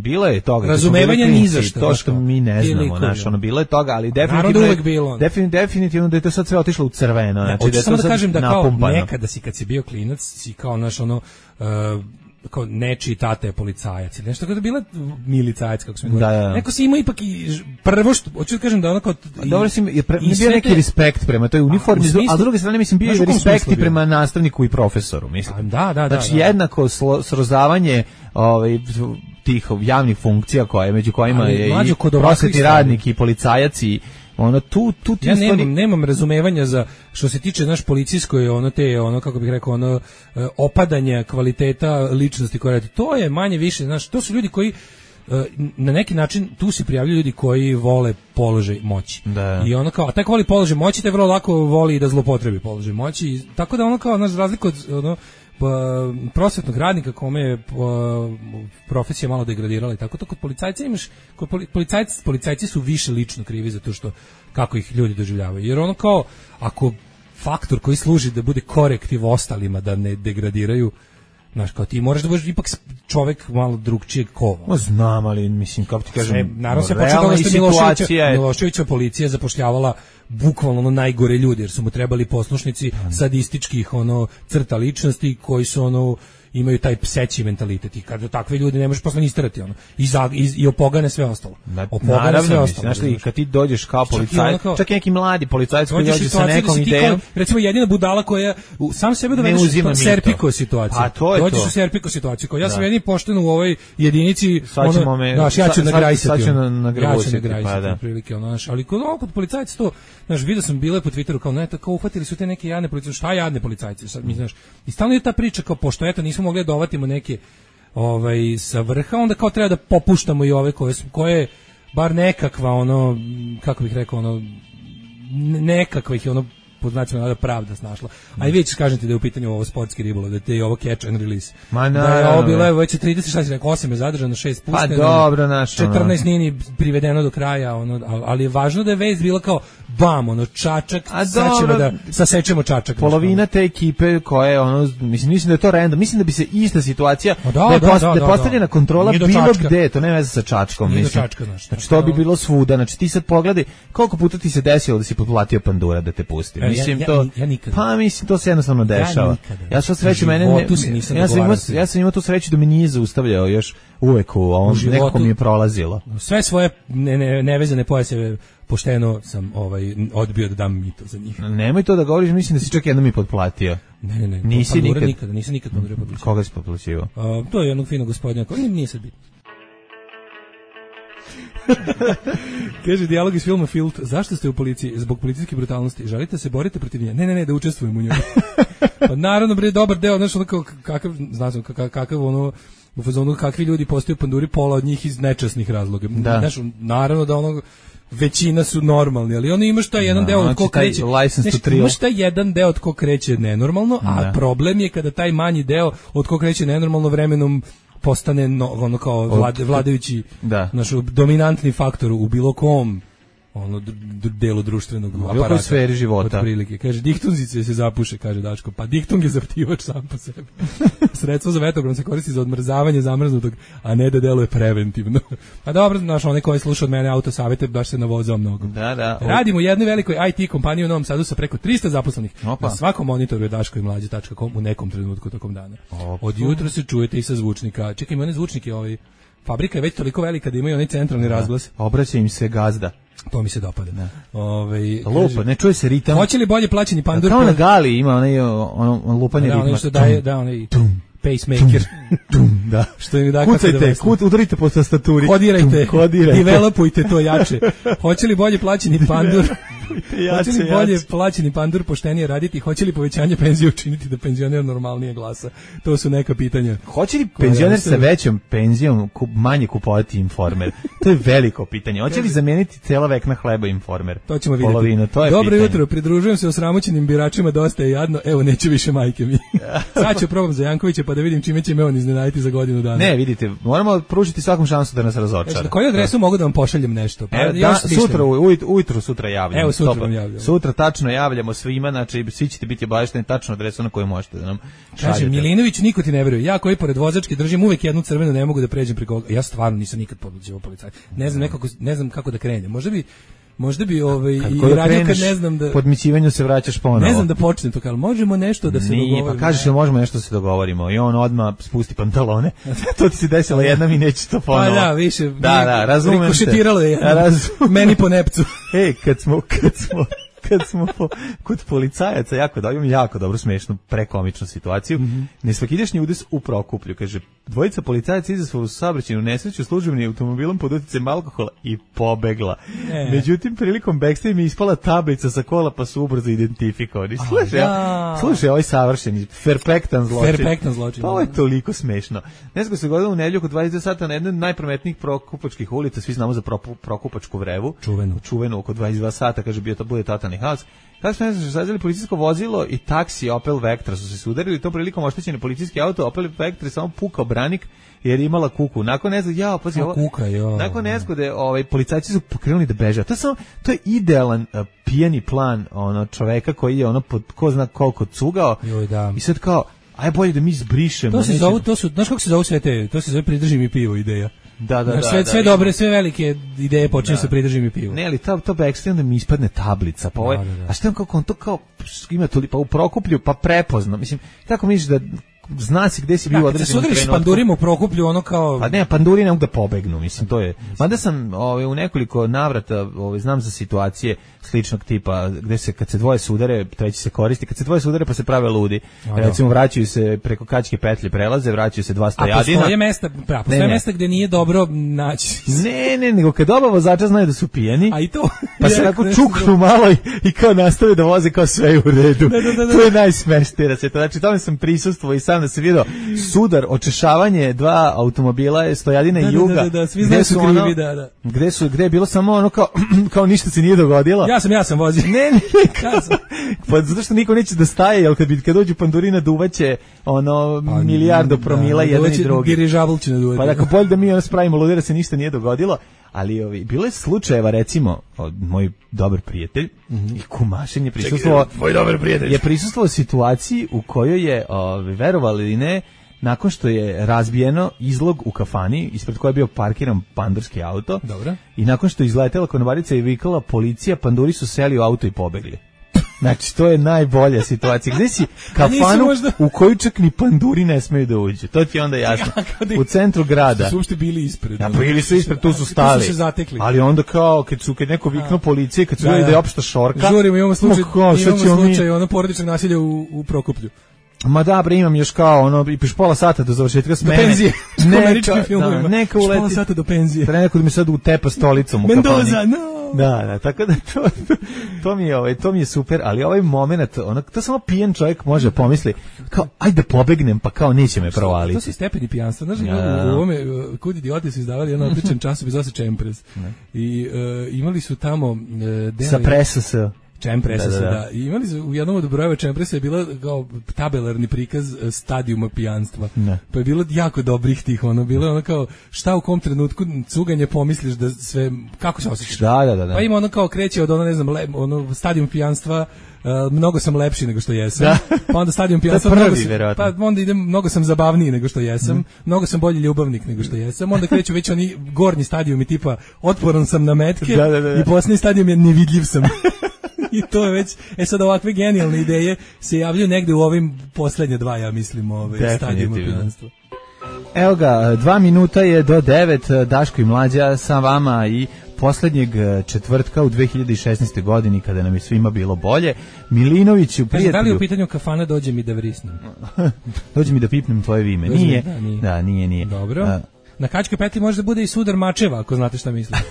bilo je toga. Razumevanje ni za šta. To što mi ne znamo, znači ono bilo je toga, ali definitivno je uvek bilo. Definitivno, definitivno da je to sad sve otišlo u crveno, znači da je samo to da kažem da kao napumpano. nekada si kad si bio klinac, si kao naš ono uh, kao nečiji tata je policajac ili nešto, kada je bila milicajac, kako smo da, govorili. da. Neko si imao ipak i prvo što, hoću da kažem da onako... Dobro si, je pre, bio neki te, respekt prema toj uniformi, a, a s druge strane mislim bio je respekt i prema nastavniku i profesoru, mislim. A, da, da, znači da, da. jednako slo, srozavanje ovaj, tih javnih funkcija koje, među kojima ali, je i prosvetni radnik i policajac i ono tu tu ti ja stvari... nemam nemam razumevanja za što se tiče naš policijsko je ono te ono kako bih rekao ono opadanje kvaliteta ličnosti koje radi. To je manje više, znaš, to su ljudi koji na neki način tu se prijavljuju ljudi koji vole položaj moći. Da. I ono kao, a taj ko voli položaj moći, taj vrlo lako voli da zloupotrebi položaj moći. I, tako da ono kao, znaš, razliku od ono, pa, prosvetnog radnika kome je pa, profesija malo degradirala i tako, to kod policajca imaš, kod policajci, policajci su više lično krivi za to što, kako ih ljudi doživljavaju. Jer ono kao, ako faktor koji služi da bude korektiv ostalima, da ne degradiraju, znaš, kao ti moraš da budeš ipak čovek malo drugčijeg kova. Ma znam, ali mislim, kako ti kažem, sve, naravno se počeo da što Miloševića, Miloševića policija zapošljavala bukvalno ono najgore ljudi, jer su mu trebali poslušnici sadističkih ono crta ličnosti koji su ono imaju taj pseći mentalitet i kada takve ljude ne možeš posle ni isterati ono i za i, i opogane sve ostalo. Opogane sve ostalo. Znaš, i kad ti dođeš kao policajac, čak, čak i neki mladi policajac koji dođe sa nekom da idejom, kao, recimo jedina budala koja u, sam sebe dovedeš u serpiko situaciju. Pa to je dođeš to. u serpiko situaciju. Kao ja sam jedini pošten u ovoj jedinici, ono, me, znaš, ja ću nagrajsati. Ja ću nagrajati, pa da. Prilike, ono, znaš, ali kod kod policajca to, znaš, video sam bile po Twitteru kao ne, tako uhvatili su te neke jadne policajce, šta jadne policajci, sad mi znaš. I stalno je ta priča kao pošto eto nismo mogli da dovatimo neke ovaj sa vrha, onda kao treba da popuštamo i ove koje su koje bar nekakva ono kako bih rekao ono nekakva ih je ono pod znacima da pravda snašla. A i već kažem ti da je u pitanju ovo sportski ribolov, da te je ovo catch and release. Ma na, da je ovo bilo evo već trideset šest, rekao osam je zadržano, šest pušteno. Pa dobro, naš. četrnaest nije ni privedeno do kraja, ono, ali je važno da je vest bila kao bam, ono čačak, sad ćemo da sasečemo čačak. Polovina te ekipe koje ono mislim mislim da je to random, mislim da bi se ista situacija da, da je da, post, da, da, da, postavljena kontrola bilo gde, to nema veze sa čačkom, nije mislim. Čačka, znaš, znači to bi bilo svuda, znači ti sad pogledaj koliko puta ti se desilo da si potplatio pandura da te pusti. E, mislim ja, to ja, ja nikada. Pa mislim to se jednostavno dešava. Ja, ja što sreću mene ne, ja sam imao ja sam imao tu sreću da me nije zaustavljao još uvek u ovom nekako mi je prolazilo. Sve svoje ne, ne, nevezane pojaseve pošteno sam ovaj odbio da dam mito za njih. Nemoj to da govoriš, mislim da si čak jednom i potplatio. Ne, ne, ne. Nisi nikad, nikada, nisam nikad pandure potplaćivao. Koga si potplaćivao? Uh, to je jednog finog gospodina, koji nije sad bitno. Kaže dijalog iz filma Filt, zašto ste u policiji? Zbog policijske brutalnosti. Želite se borite protiv nje? Ne, ne, ne, da učestvujem u njoj. Pa naravno, bre, dobar deo, znaš, ono kao, kakav, znaš, kakav, kakav, ono, u fazonu kakvi ljudi postaju panduri, pola od njih iz nečasnih razloga. Da. Znaš, naravno da ono, većina su normalni, ali ono imaš taj jedan no, deo od ko kreće, znaš, imaš taj jedan deo od ko kreće nenormalno, a da. Problem je kada taj manji deo od ko kreće nenormalno vremenom postane no, ono kao vlad, vladajući da. Naš dominantni faktor u bilo kom ono d- d- delu društvenog u aparata, sferi života. Otprilike, kaže diktunzice se zapuše, kaže Daško, pa diktung je zaptivač sam po sebi. Sredstvo za vetrobran se koristi za odmrzavanje zamrznutog, a ne da deluje preventivno. A dobro, znaš, onaj koji sluša od mene autosavete baš se navozao mnogo. Da, da. Radimo u jednoj velikoj I T kompaniji u Novom Sadu sa preko trista zaposlenih. Opa. Na svakom monitoru je daško i mlađe tačka com u nekom trenutku tokom dana. Opa. Od jutra se čujete i sa zvučnika. Čekaj, ima one zvučnike, ovaj, fabrika je već toliko velika da imaju onaj centralni da. Razglas. Obraća im se gazda. To mi se dopada. Ovaj lupa, ne čuje se ritam. Hoće li bolje plaćeni pandur? Kao na gali ima onaj ono lupanje da, ritma. Ono što daje, da, onaj pacemaker. Da. Što im da kako Kucajte, da kut, udarite po tastaturi. Kodirajte, Kodirajte. developujte to jače. Hoće li bolje plaćeni pandur? Jače, Hoće li bolje jače. plaćeni pandur poštenije raditi? Hoće li povećanje penzije učiniti da penzioner normalnije glasa? To su neka pitanja. Hoće li penzioner sa većom penzijom kup, manje kupovati Informer? To je veliko pitanje. Hoće li zameniti cela vekna hleba Informer? To ćemo vidjeti. Polovinu, to je Dobro pitanje. jutro, pridružujem se osramoćenim biračima, dosta je jadno, evo neće više majke mi. Sad ću probam za Jankovića pa da vidim čime će me on iznenaditi za godinu dana. Ne, vidite, moramo pružiti svakom šansu da nas razočara. Na koju adresu mogu da vam pošaljem nešto? Pa, Evo, da, sutra, ujutru, ujutru sutra javljamo. Evo, sutra Stopa. vam javljamo. Sutra tačno javljamo svima, znači svi ćete biti obavešteni tačno adresu na koju možete da nam šaljete. Kaže, Milinović, niko ti ne veruje. Ja koji pored vozačke držim uvek jednu crvenu, ne mogu da pređem preko. Ja stvarno nisam nikad podleđivao policajca. Ne znam nekako, ne znam kako da krenem. Možda bi Možda bi ovaj Kad i koju radio kad kreneš, ne znam da podmićivanju se vraćaš ponovo. ne znam da počnem to, kao možemo nešto da se Nije, dogovorimo. pa kažeš da možemo nešto da se dogovorimo i on odmah spusti pantalone. To ti se desilo jednom i neće to ponovo. Pa da, više. Da, da, razumem te. Rikošetiralo je jednom. Razumem. Meni po nepcu. Ej, kad smo, kad smo, kad smo po, kod policajaca, jako da imam jako dobro smešnu, prekomičnu situaciju. Mm-hmm. Nesvakidašnji udes u Prokuplju, kaže, dvojica policajaca izazvali u saobraćajnu nesreću službenim automobilom pod uticajem alkohola i pobegla. E. Međutim, prilikom backstage mi ispala tablica sa kola, pa su ubrzo identifikovani. Slušaj, ja. slušaj, ovaj savršeni, perfektan zločin. Perfektan zločin. Pa ovo je toliko smešno. Ne znam se godilo u nedelju oko dvadeset sata na jednoj od najprometnijih prokupačkih ulica, svi znamo za Propu, Prokupačku vrevu. Čuvenu. Čuvenu oko dvadeset dva sata, kaže, bio to bude totalni haos. Kako što ne znaš, sazeli policijsko vozilo i taksi Opel Vectra su se sudarili, tom prilikom oštećeni policijski auto, Opel Vectra je samo pukao branik jer je imala kuku. Nakon nezgode, ja, pazi, ovo, kuka, jo. nakon nezgode, ovaj, policajci su pokrenuli da beže. To je samo, to je idealan uh, pijani plan ono čoveka koji je ono pod ko zna koliko cugao. Joj, da. I sad kao, aj bolje da mi izbrišemo. To se zove, to su, znaš kako se zove sve te, to se zove pridrži mi pivo ideja. Da, da, da, sve, da, sve da, dobre, sve velike ideje počinju sa pridrži mi pivo. Ne, ali to, to backstage onda mi ispadne tablica. Pa ovaj, da, da, da. A što je kako on to kao, ima to pa u Prokuplju, pa prepozno. Mislim, kako misliš da zna si gde si bio određen trenutku. Da, kad se sudariš pandurima u Prokuplju, ono kao... Pa ne, panduri ne mogu da pobegnu, mislim, to je... Mada sam ovaj, u nekoliko navrata, ovaj, znam za situacije sličnog tipa, gde se, kad se dvoje sudare, treći se koristi, kad se dvoje sudare pa se prave ludi. A, recimo, vraćaju se preko Kačke petlje prelaze, vraćaju se dva stojadina. A postoje mesta, pra, postoje mesta gde nije dobro naći. Ne, ne, nego kad oba vozača znaju da su pijeni, a i to, pa se onako čuknu malo i, i kao nastave da voze kao sve u redu. Da, da, da, da. To je najsmešnije. Znači, tome sam prisustvovao i sam da se vidio sudar, očešavanje dva automobila je Stojadina i Juga. Da, da, da, svi znaju su krivi, ono, da, da. Gde su, gde je bilo samo ono kao, kao ništa se nije dogodilo. Ja sam, ja sam vozio. Ne, ne, ne, ja sam. Pa zato što niko neće da staje, jer kad, bi, kad dođu pandurina duvaće ono pa, milijardo promila da, jedan i drugi. Dirižabl će naduvati. Pa dakle, bolje da mi ono spravimo ludira se ništa nije dogodilo. Ali ovi, bilo je slučajeva, recimo, od, moj dobar prijatelj mm-hmm. i kumašin je prisustvovao moj dobar prijatelj je prisustvovao situaciji u kojoj je, ovi, verovali ili ne, nakon što je razbijeno izlog u kafani, ispred koje je bio parkiran pandurski auto, dobro. I nakon što je izletela konobarica i vikala policija, panduri su seli u auto i pobegli. Znači, to je najbolja situacija. Gde si kafanu možda... u koju čak ni panduri ne smeju da uđu. To ti je onda jasno. U centru grada. Su uopšte bili ispred. Ja, bili su ispred, tu su stali. Tu su se zatekli. Ali onda kao, kad su kad neko viknuo policije, kad su vidjeli da je opšta šorka. Žurimo, imamo slučaj, kao, imamo slučaj mi... ono porodičnog nasilja u, u Prokuplju. Ma da, bre, imam još kao, ono, i piš pola sata do završetka smene. Do penzije. Neka, da, neka uleti. Pola sata do penzije. Treba neko da mi sad utepa stolicom u Mendoza, kafani. no! Da, da, tako da to, to, mi je, ovaj, to mi je super, ali ovaj moment, ono, to samo pijen čovjek može pomisli, kao, ajde da pobegnem, pa kao neće me provaliti. To su stepeni pijanstva, znaš, ja. u, u ovome, Kud idioti su izdavali jedan odličan časopis, zove se Čempres. I uh, imali su tamo... Uh, Sa presa se... Čempresa da, da, da. da. I imali su u jednom od brojeva Čempresa je bila kao tabelarni prikaz stadijuma pijanstva. Ne. Pa je bilo jako dobrih tih, ono bilo ono kao šta u kom trenutku cuganje pomisliš da sve kako se osjećaš. Da, da, da, da. Pa ima ono kao kreće od ono ne znam le, ono stadijum pijanstva. Uh, mnogo sam lepši nego što jesam. Da. Pa onda stadijum pijanstva prvi, mnogo sam, pa onda idem mnogo sam zabavniji nego što jesam. Mm. Mnogo sam bolji ljubavnik nego što jesam. Onda kreću već oni gornji stadijumi tipa otporan sam na metke da, da, da. i posljednji stadijum je nevidljiv sam. I to je već, e sad ovakve genijalne ideje se javljaju negde u ovim poslednje dva, ja mislim, ove stadijuma pijanstva. Evo ga, dva minuta je do devet, Daško i Mlađa sa vama i poslednjeg četvrtka u dve hiljade šesnaeste. godini kada nam je svima bilo bolje. Milinoviću, prijatelju... Da li je u pitanju kafana dođe mi da vrisnem? Dođe mi da pipnem tvoje vime. Nije. Da, nije. Da, nije, nije. Dobro. A, na Kačkoj petlji može da bude i sudar mačeva, ako znate šta mislim.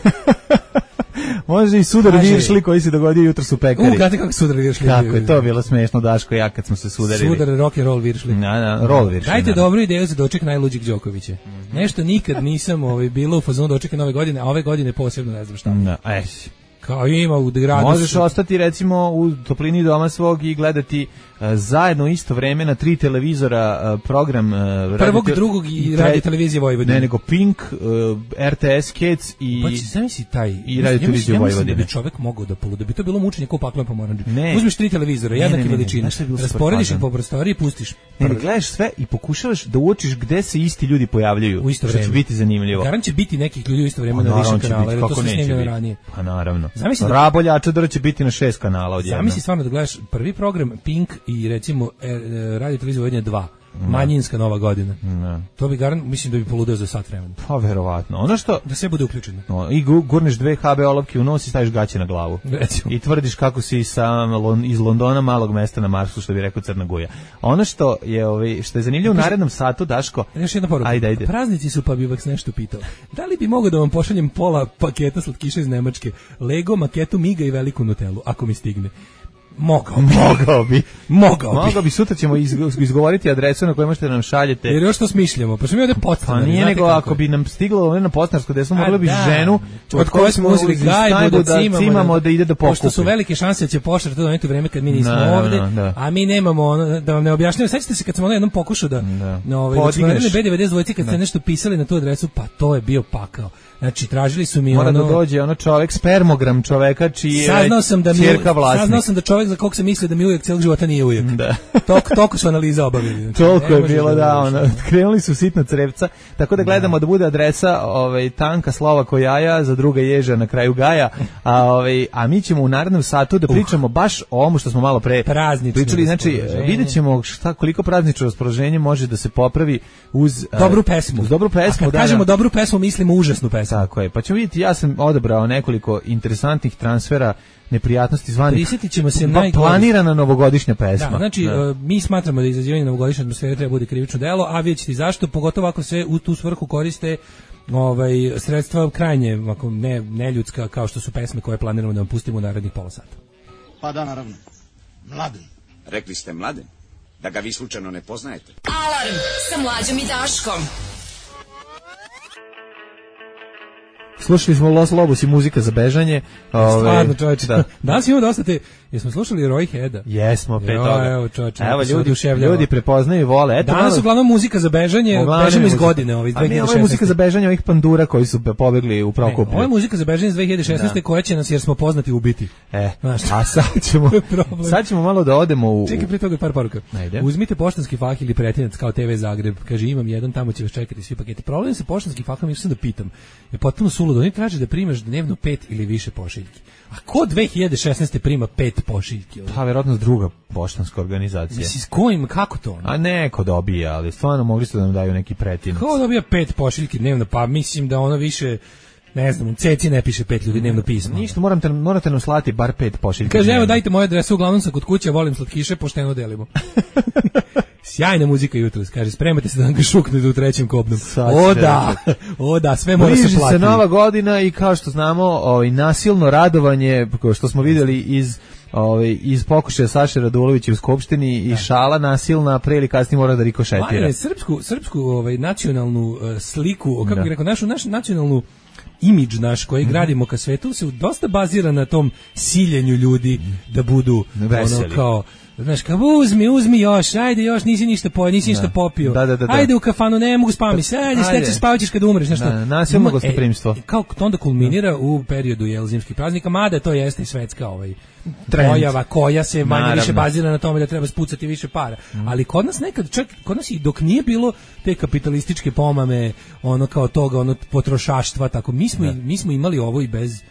Može i sudar viršli koji se dogodio jutros u pekari. U, gledajte kako sudar viršli. Kako je to bilo smešno, Daško, ja kad smo se sudarili. Sudar, rock and roll viršli. Na, na, roll viršli. Dajte na. dobru ideju za doček najluđeg Đokovića. Mm-hmm. Nešto nikad nisam ovaj, bilo u fazonu dočeka nove godine, a ove godine posebno ne znam šta. Na, aj. Kao ima u gradu. Možeš ostati recimo u toplini doma svog i gledati uh, zajedno isto vreme na tri televizora uh, program uh, prvog, radio, drugog i radio televizije Vojvodine. Ne, nego Pink, uh, R T S Kids i pa će zamisli taj i radio televiziju Vojvodine. Ja mislim da bi čovjek mogao da poluda, bi to bilo mučenje kao paklom pomoranđe. Uzmeš tri televizora, jednake veličine, rasporediš ih po prostoriji i pustiš. Ne, ne, gledaš sve i pokušavaš da uočiš gde se isti ljudi pojavljuju. U isto vreme. Što će biti zanimljivo. Garant će biti nekih ljudi u isto vreme na više kanala, jer to se snimljeno ranije. Pa naravno. Zamisli da Rabolja Čadora će biti na šest kanala odjednom. Zamisli stvarno da gledaš prvi program Pink i recimo e, radio televizija Vojvodine dva. Manjinska nova godina. Ne. To bi garant, mislim da bi poludeo za sat vremena. Pa verovatno. Ono što da sve bude uključeno. No, i gurneš dve ha be olovke u nos i staviš gaće na glavu. Recimo. I tvrdiš kako si sa iz Londona, malog mesta na Marsu, što bi rekao Crna Guja. Ono što je ovaj što je zanimljivo u narednom satu, Daško. Još jedna poruka. Ajde, ajde. Praznici su, pa bih vas nešto pitao. Da li bi mogao da vam pošaljem pola paketa slatkiša iz Nemačke, Lego, maketu Miga i veliku Nutellu, ako mi stigne? Mogao bi. Mogao bi. Mogao bi. Mogao bi. Sutra ćemo izgovoriti adresu na koju možete da nam šaljete. Jer još to smišljamo. Pa što mi ovde podstanari. Pa nije nego ako bi nam stiglo na podstanarsko desno, mogla bi da. ženu od koje smo uzeli gajbu da cimamo, cimamo da ide da pokupi. Pošto su velike šanse da će poštar to doneti u vreme kad mi nismo no, ovde, no, da. a mi nemamo ono, da vam ne objašnjavam. Sećate se kad smo ono jednom pokušao da, da. na ovaj, da be devedeset dvojici kad ste nešto pisali na tu adresu, pa to je bio pakao. Znači, tražili su mi Mora ono... Mora da dođe ono čovek, spermogram čoveka čiji je saznao sam da mi, ćerka vlasnik. Saznao sam da čovek za kog se misli da mi ujek celog života nije ujek. Da. Tok, toliko su analiza obavili. Znači, toliko je bilo, da, ono, krenuli su sitna crevca, tako da gledamo da, da bude adresa ovaj, tanka slova ko jaja, za druga ježa na kraju gaja, a, ovaj, a mi ćemo u narednom satu da pričamo uh. baš o ovom što smo malo pre praznično pričali, znači vidjet ćemo šta, koliko praznično raspoloženje može da se popravi uz dobru pesmu. Uz dobru pesmu, a kad da, kažemo da. dobru pesmu, mislimo užasnu pesmu. Tako je, pa ćemo vidjeti, ja sam odabrao nekoliko interesantnih transfera neprijatnosti zvanih. Prisjetit ćemo se najgore. Planirana novogodišnja pesma. Da, znači da. Uh, mi smatramo da izazivanje novogodišnje atmosfere treba bude krivično delo, a vidjet ćete zašto, pogotovo ako se u tu svrhu koriste ovaj sredstva krajnje ako ne neljudska kao što su pesme koje planiramo da vam pustimo u narednih pola sata. Pa da, naravno. Mladen. Rekli ste Mladen? Da ga vi slučajno ne poznajete? Alarm sa Mlađom i Daškom. Slušali smo Los Lobos i muzika za bežanje. Stvarno, čovječe. Da. Danas imamo dosta te... Jesmo slušali Roy Heada? Jesmo, pet toga. Evo, čovječe. Evo, ljudi, ljudi prepoznaju i vole. Eto, danas uglavnom muzika za bežanje, bežimo iz godine. Ovaj, a mi ovo je muzika za bežanje ovih pandura koji su pobegli u Prokuplju. Ovo je muzika za bežanje iz dve hiljade šesnaeste da. Koja će nas, jer smo poznati ubiti. E, znaš, a sad ćemo, sad ćemo malo da odemo u... Čekaj, prije toga par poruka. Ajde. Uzmite poštanski fah ili pretinac kao te ve Zagreb. Kaže, imam jedan, tamo će vas čekati svi paketi. Problem sa poštanskim fahom, još sam da pitam, je potpuno suludo. Oni traže da primaš dnevno pet ili više pošiljki. A ko dve hiljade šesnaeste prima pet pošiljki? Pa, verovatno druga poštanska organizacija. Mislim, s kojim, kako to? A neko dobija, ali stvarno mogli su da nam daju neki pretinac. Ko dobija pet pošiljki dnevno? Pa mislim da ono više... Ne znam, u ceci ne piše pet ljudi dnevno pismo. Ništa, morate, morate nam slati bar pet pošiljki. Kaže, evo dajte moju adresu, uglavnom sam kod kuće, volim slatkiše, pošteno delimo. Sjajna muzika jutros, kaže, spremate se da nam ga šuknete u trećem kopnom. O da, o da, sve mora se platiti. Bliži se nova godina i kao što znamo, ovaj, nasilno radovanje, što smo vidjeli iz... Ovaj iz pokušaja Saše Radulovića u skupštini i šala nasilna pre ili kasnije mora da rikošetira. Pa srpsku srpsku ovaj nacionalnu uh, sliku, kako bih rekao, našu našu nacionalnu imidž naš koji mm-hmm. gradimo ka svetu se dosta bazira na tom siljenju ljudi da budu veseli. Ono kao znaš, kao uzmi, uzmi još, ajde još, nisi ništa pojeo, nisi ništa popio, da, da, da, da. ajde u kafanu, ne mogu spaviti se, ajde, ajde. Steći spavaćeš kad umreš, nešto. Da, nasilno gostoprimstvo. E, kao to onda kulminira u periodu jel, zimskih praznika, mada to jeste i svetska ovaj, pojava koja se manje više bazira na tome da treba spucati više para. Mm. Ali kod nas nekad, čak kod nas i dok nije bilo te kapitalističke pomame, ono kao toga, ono potrošaštva, tako, mi smo, mi smo imali ovo i bez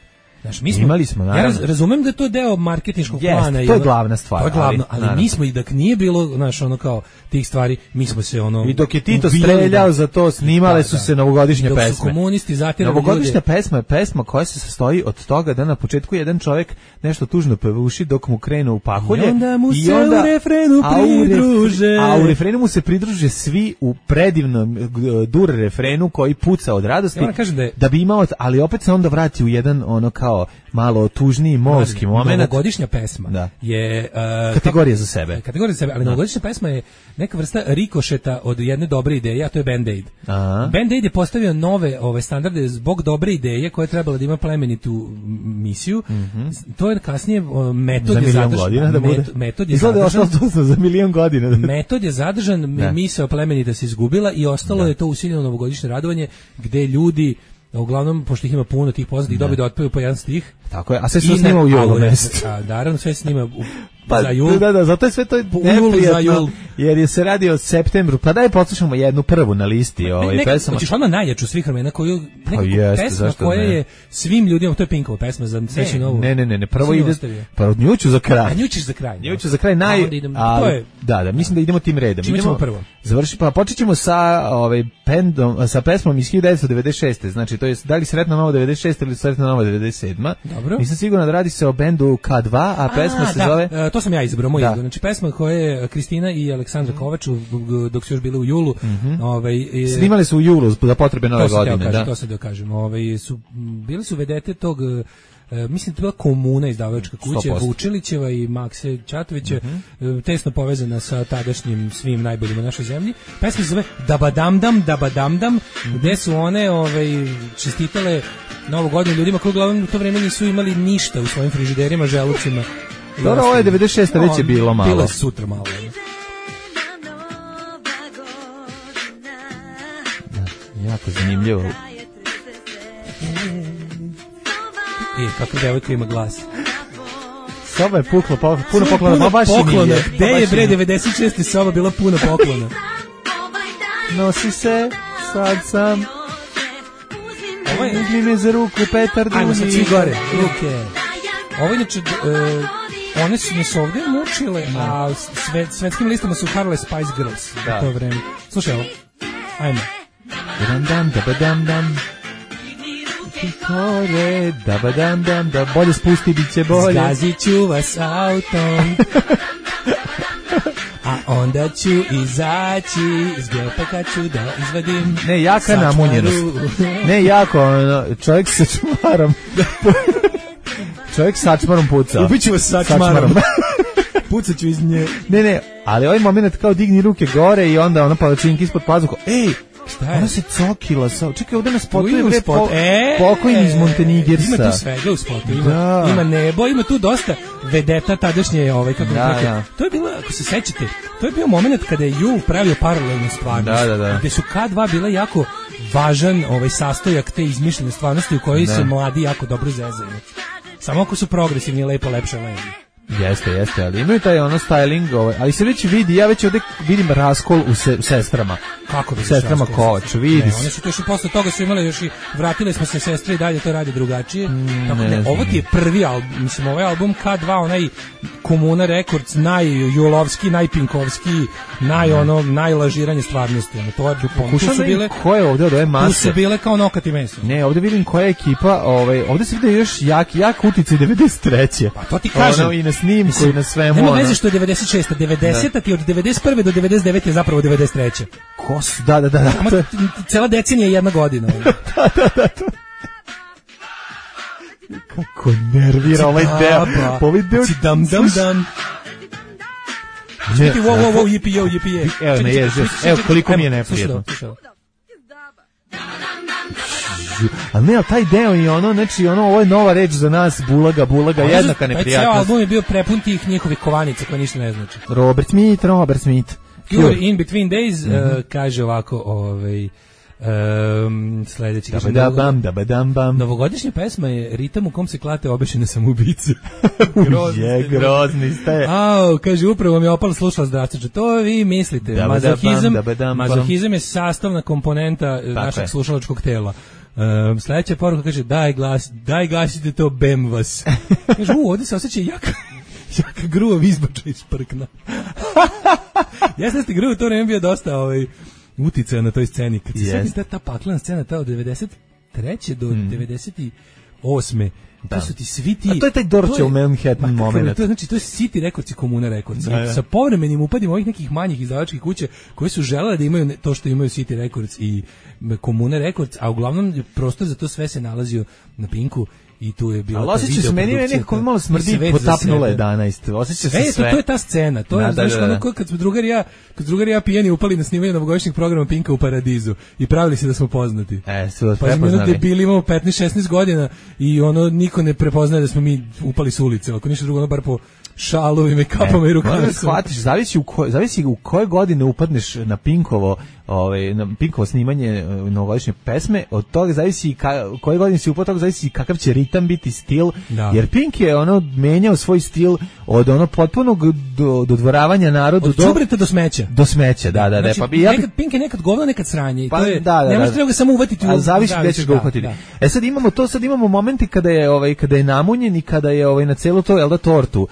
Znaš, mi smo, imali smo, naravno. Ja raz, razumem da je to deo marketinškog Jest, plana. to je glavna stvar. To je glavno, ali, ali mi smo i dok nije bilo, znaš, ono kao tih stvari, mi smo se ono... I dok je Tito ubijali, streljao da, za to, snimale da, su da. se novogodišnje dok pesme. Dok su komunisti zatirali novogodišnja ljude. pesma je pesma koja se sastoji od toga da na početku jedan čovjek nešto tužno pevuši dok mu krenu u pahulje. I onda mu i se onda, u refrenu a u pridruže. refre, a u refrenu mu se pridruže svi u predivnom dur refrenu koji puca od radosti. Ja kažem da, je, da bi imao, ali opet se onda vrati u jedan ono kao malo tužniji molski moment. Novogodišnja pesma da. je uh, kategorija za sebe. Kategorija za sebe, ali da. Novogodišnja pesma je neka vrsta rikošeta od jedne dobre ideje, a to je Band-Aid. Aha. Band-Aid je postavio nove ove standarde zbog dobre ideje koja je trebala da ima plemenitu misiju. Mm-hmm. To je kasnije uh, metod za je zadržan. Godina, da bude. Metod je Izgleda zadržan. Izgleda za milion godina. Da. Metod je zadržan, da. Misao plemenita se izgubila i ostalo da. Je to usiljeno novogodišnje radovanje gde ljudi uglavnom, pošto ih ima puno tih poznatih, dobi da otpevaju po jedan stih. Tako je, a sve se snima u julu mesecu. A naravno sve se snima u, pa, za jul. Da, da, zato je sve to neprijatno, jer je se radi o septembru. Pa daj poslušamo jednu prvu na listi ovaj neka, pesama. Hoćeš odmah najjaču svih vremena koju pa jeste, pesma koja ne? Je svim ljudima, to je Pinkova pesma za Sreću novu. Ne, ne, ne, ne, prvo ide, pa od nju ću za kraj. A nju ćeš za kraj. Nju ću za kraj naj, idem, a, to je, da, da, mislim da idemo tim redom. Čime ćemo prvo? Završi, pa počećemo sa ovaj pendom, sa pesmom iz hiljadu devetsto devedeset šeste. Znači to je da li Sretna nova devedeset šesta ili Sretna nova devedeset sedma. Dobro. Nisam siguran da radi se o bendu K dva, a pesma a, se da, zove uh, to sam ja izabrao, moj izbor. Znači pesma koja je Kristina i Aleksandra Kovač dok su još bili u julu, mm-hmm. ovaj je, snimali su u julu za potrebe nove godine, kažem, da. To se da kažem. Ovaj su bili su vedete tog Uh, mislim da je bila Komuna izdavačka kuća, sto posto. Vučilićeva i Makse Čatovića, mm-hmm. uh, tesno povezana sa tadašnjim svim najboljim u našoj zemlji. Pesma se zove Dabadamdam, Dabadamdam, mm-hmm. gde su one ovaj, čestitale Novu godinu ljudima koji uglavnom u to vreme nisu imali ništa u svojim frižiderima, želucima. Dobro, ovo je devedeset šesta već je bilo malo. Bilo je sutra malo. Da, jako zanimljivo. I kako devojka ima glas. Soba je pukla, po, puno poklona, puno baš poklona. i nije. Gde je bre devedeset šeste soba bila puno poklona? Nosi se, sad sam. Ovo je... Uzmi me za ruku, Petar Duni. Ajmo sad svi gore, ruke. Ovo inače, uh, one su nas ovdje mučile, a sve, svetskim listama su harale Spice Girls da. U to vreme. Slušaj ovo, ajmo. Dam dam, da dam dam. Kore, da ba dam dam, da bolje spusti, bit će bolje. Zgazit ću vas autom, a onda ću izaći iz gepa kad ću da izvadim. Ne, jaka namunjenost. Ne, jako, ono, čovjek sa čmarom. Čovjek sa čmarom puca. Ubiću vas sa čmarom. Pucat ću iz nje. Ne, ne, ali ovaj moment kao digni ruke gore i onda ono palačinki ispod pazuha. Ej! Šta je? Ona se cokila sa... Čekaj, ovdje na spotu je bre spot. po, e, pokojni iz Montenigersa. Ima tu svega u spotu. Ima, da. Ima nebo, ima tu dosta vedeta tadašnje ovaj, kako da, kako. Da. To je bilo, ako se sećate, to je bio moment kada je Jul pravio paralelnu stvarnost. Da, da, da. Gde su K dva bila jako važan ovaj, sastojak te izmišljene stvarnosti u kojoj da. Se mladi jako dobro zezaju. Samo ako su progresivni, lepo, lepše, lepo. Jeste, jeste, ali imaju taj ono styling, ovaj, ali se već vidi, ja već ovdje vidim raskol u, se, u sestrama. Kako bi sestrama Kovač, vidi. Ne, one su to još posle toga su imale još i vratile smo se sestre i dalje to radi drugačije. Mm, Tako, ne, ne, ovo ti je prvi album, mislim ovaj album K dva, onaj Komuna Records, najjulovski, najpinkovski, naj ono najlažiranje stvarnosti. Ono, to je tu su bile. Ko je ovdje od ove mase? Tu su bile kao nokat i meso. Ne, ovdje vidim koja je ekipa, ovaj, ovdje se vidi još jak, jak uticaj devedeset treće. Pa to ti kažem. Ono, i na snimku i na svemu. Nema veze što je devedeset šesta, devedeseta ti od devedeset prve do devedeset devete je zapravo devedeset treće. Ko su? Da, da, da. da. Ama, cela decenija je jedna godina. da, da, da. To. Kako nervira ovaj deo. Pa ovaj deo. Dam, dam, dam. Čekaj, wow, wow, wow, jipi, jo, jipi, je. Evo, ne ježi. Evo, koliko mi je neprijedno. Ali ne, ali taj deo i ono, znači, ono, ovo je nova reč za nas, bulaga, bulaga, jednaka neprijatnost. Taj album je bio prepun tih njihovih kovanica koje ništa ne znači. Robert Smith, Robert Smith. Cure in Between Days, mm-hmm. uh, kaže ovako, ovaj... Um, sledeći kaže dabadam, dabadam, bam. Novogodišnja pesma je ritam u kom se klate obešene samoubice. Grozni je, grozni ste. Au, kaže upravo mi je opalo slušala zdravstveče. To vi mislite. Dabadam, mazohizam, dabadam, mazohizam je sastavna komponenta tako našeg je. slušalačkog tela. Um, sledeća poruka kaže, daj glas, daj gasite to, bem vas. Kaže, u, ovdje se osjeća jaka, jaka gruva izbača iz prkna. Jesam da ste gruva, to vreme bio dosta ovaj, uticaja na toj sceni. Kad se yes. ta, ta paklana scena, ta od devedeset treće do mm. devedeset osme Da. To su ti svi ti... A to je taj Dorčev Manhattan moment. To, znači, to je City Records i Komuna Records. Da, da. Sa povremenim upadima ovih nekih manjih izdavačkih kuće koji su želele da imaju to što imaju City Records i Komuna Records, a uglavnom prostor za to sve se nalazio na Pinku. I tu je bila ta osjeća se meni nekako malo smrdi potapnula jedanaest. Osjeća se e, sve. To, to je ta scena. To je da, znaš, da, da. Ono, kad smo drugar ja, kad drugar ja pijeni upali na snimanje novogodišnjeg programa Pinka u Paradizu i pravili se da smo poznati. E, su vas pa prepoznali. Pa bili imamo petnaest šesnaest godina i ono niko ne prepoznaje da smo mi upali s ulice. Ako ništa drugo, ono bar po šalovima i kapama e, i rukama. Shvatiš, zavisi u koj, zavisi u koje godine upadneš na Pinkovo, ovaj na Pinkovo snimanje novogodišnje pesme, od toga zavisi ka, koje godine si upao, toga zavisi kakav će ritam biti, stil, da. Jer Pink je ono menjao svoj stil od ono potpunog do, dodvoravanja narodu od do đubreta do smeća. Do smeća, da, da, znači, da. Pa bi ja nekad Pink je nekad govno, nekad sranje. Pa, to je, da, da, ne možeš da. ga samo uvatiti. A zavisi gde ćeš ga uhvatiti. Da. E sad imamo to, sad imamo momenti kada je ovaj kada je namunjen i kada je ovaj na celu to, jel da, tortu uh,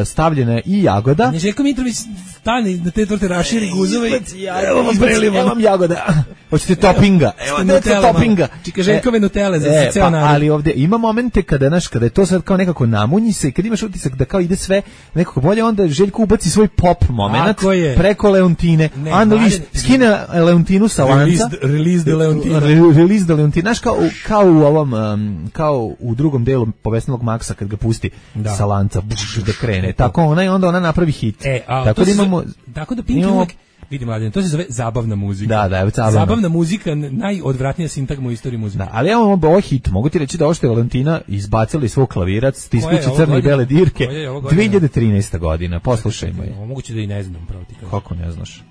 stavljena i jagoda. Neželjko Mitrović stani na te torte, raširi guzove i evo vam preliva, evo vam jagoda. Hoćete topinga? Evo te topinga. Čika Željkove Nutele za e, ceo pa, narod. Ali ovde ima momente kada naš kada je to sad kao nekako namunji se, kad imaš utisak da kao ide sve nekako bolje, onda Željko ubaci svoj pop momenat preko Leontine. Unleashed, skine Leontinu sa lanca. Release the Leontina. Release the Leontina. Znaš, kao, kao u ovom, um, kao u drugom delu Povesnilog Maksa kad ga pusti da. Sa lanca da krene. Tako ona i onda ona napravi hit. E, a, tako da imamo... Zove, tako da Pink imamo, uvek, vidi mladen, to se zove zabavna muzika. Da, da, je zabavna. Zabavna muzika, najodvratnija sintagma u istoriji muzike. Da, ali evo ovo hit, mogu ti reći da ovo što je Valentina izbacila iz svog klavirac, stiskući crne i bele dirke, dve hiljade trinaesta godina, poslušajmo je. Moguće da i ne znam, pravo ti kažem. Kako ne znaš?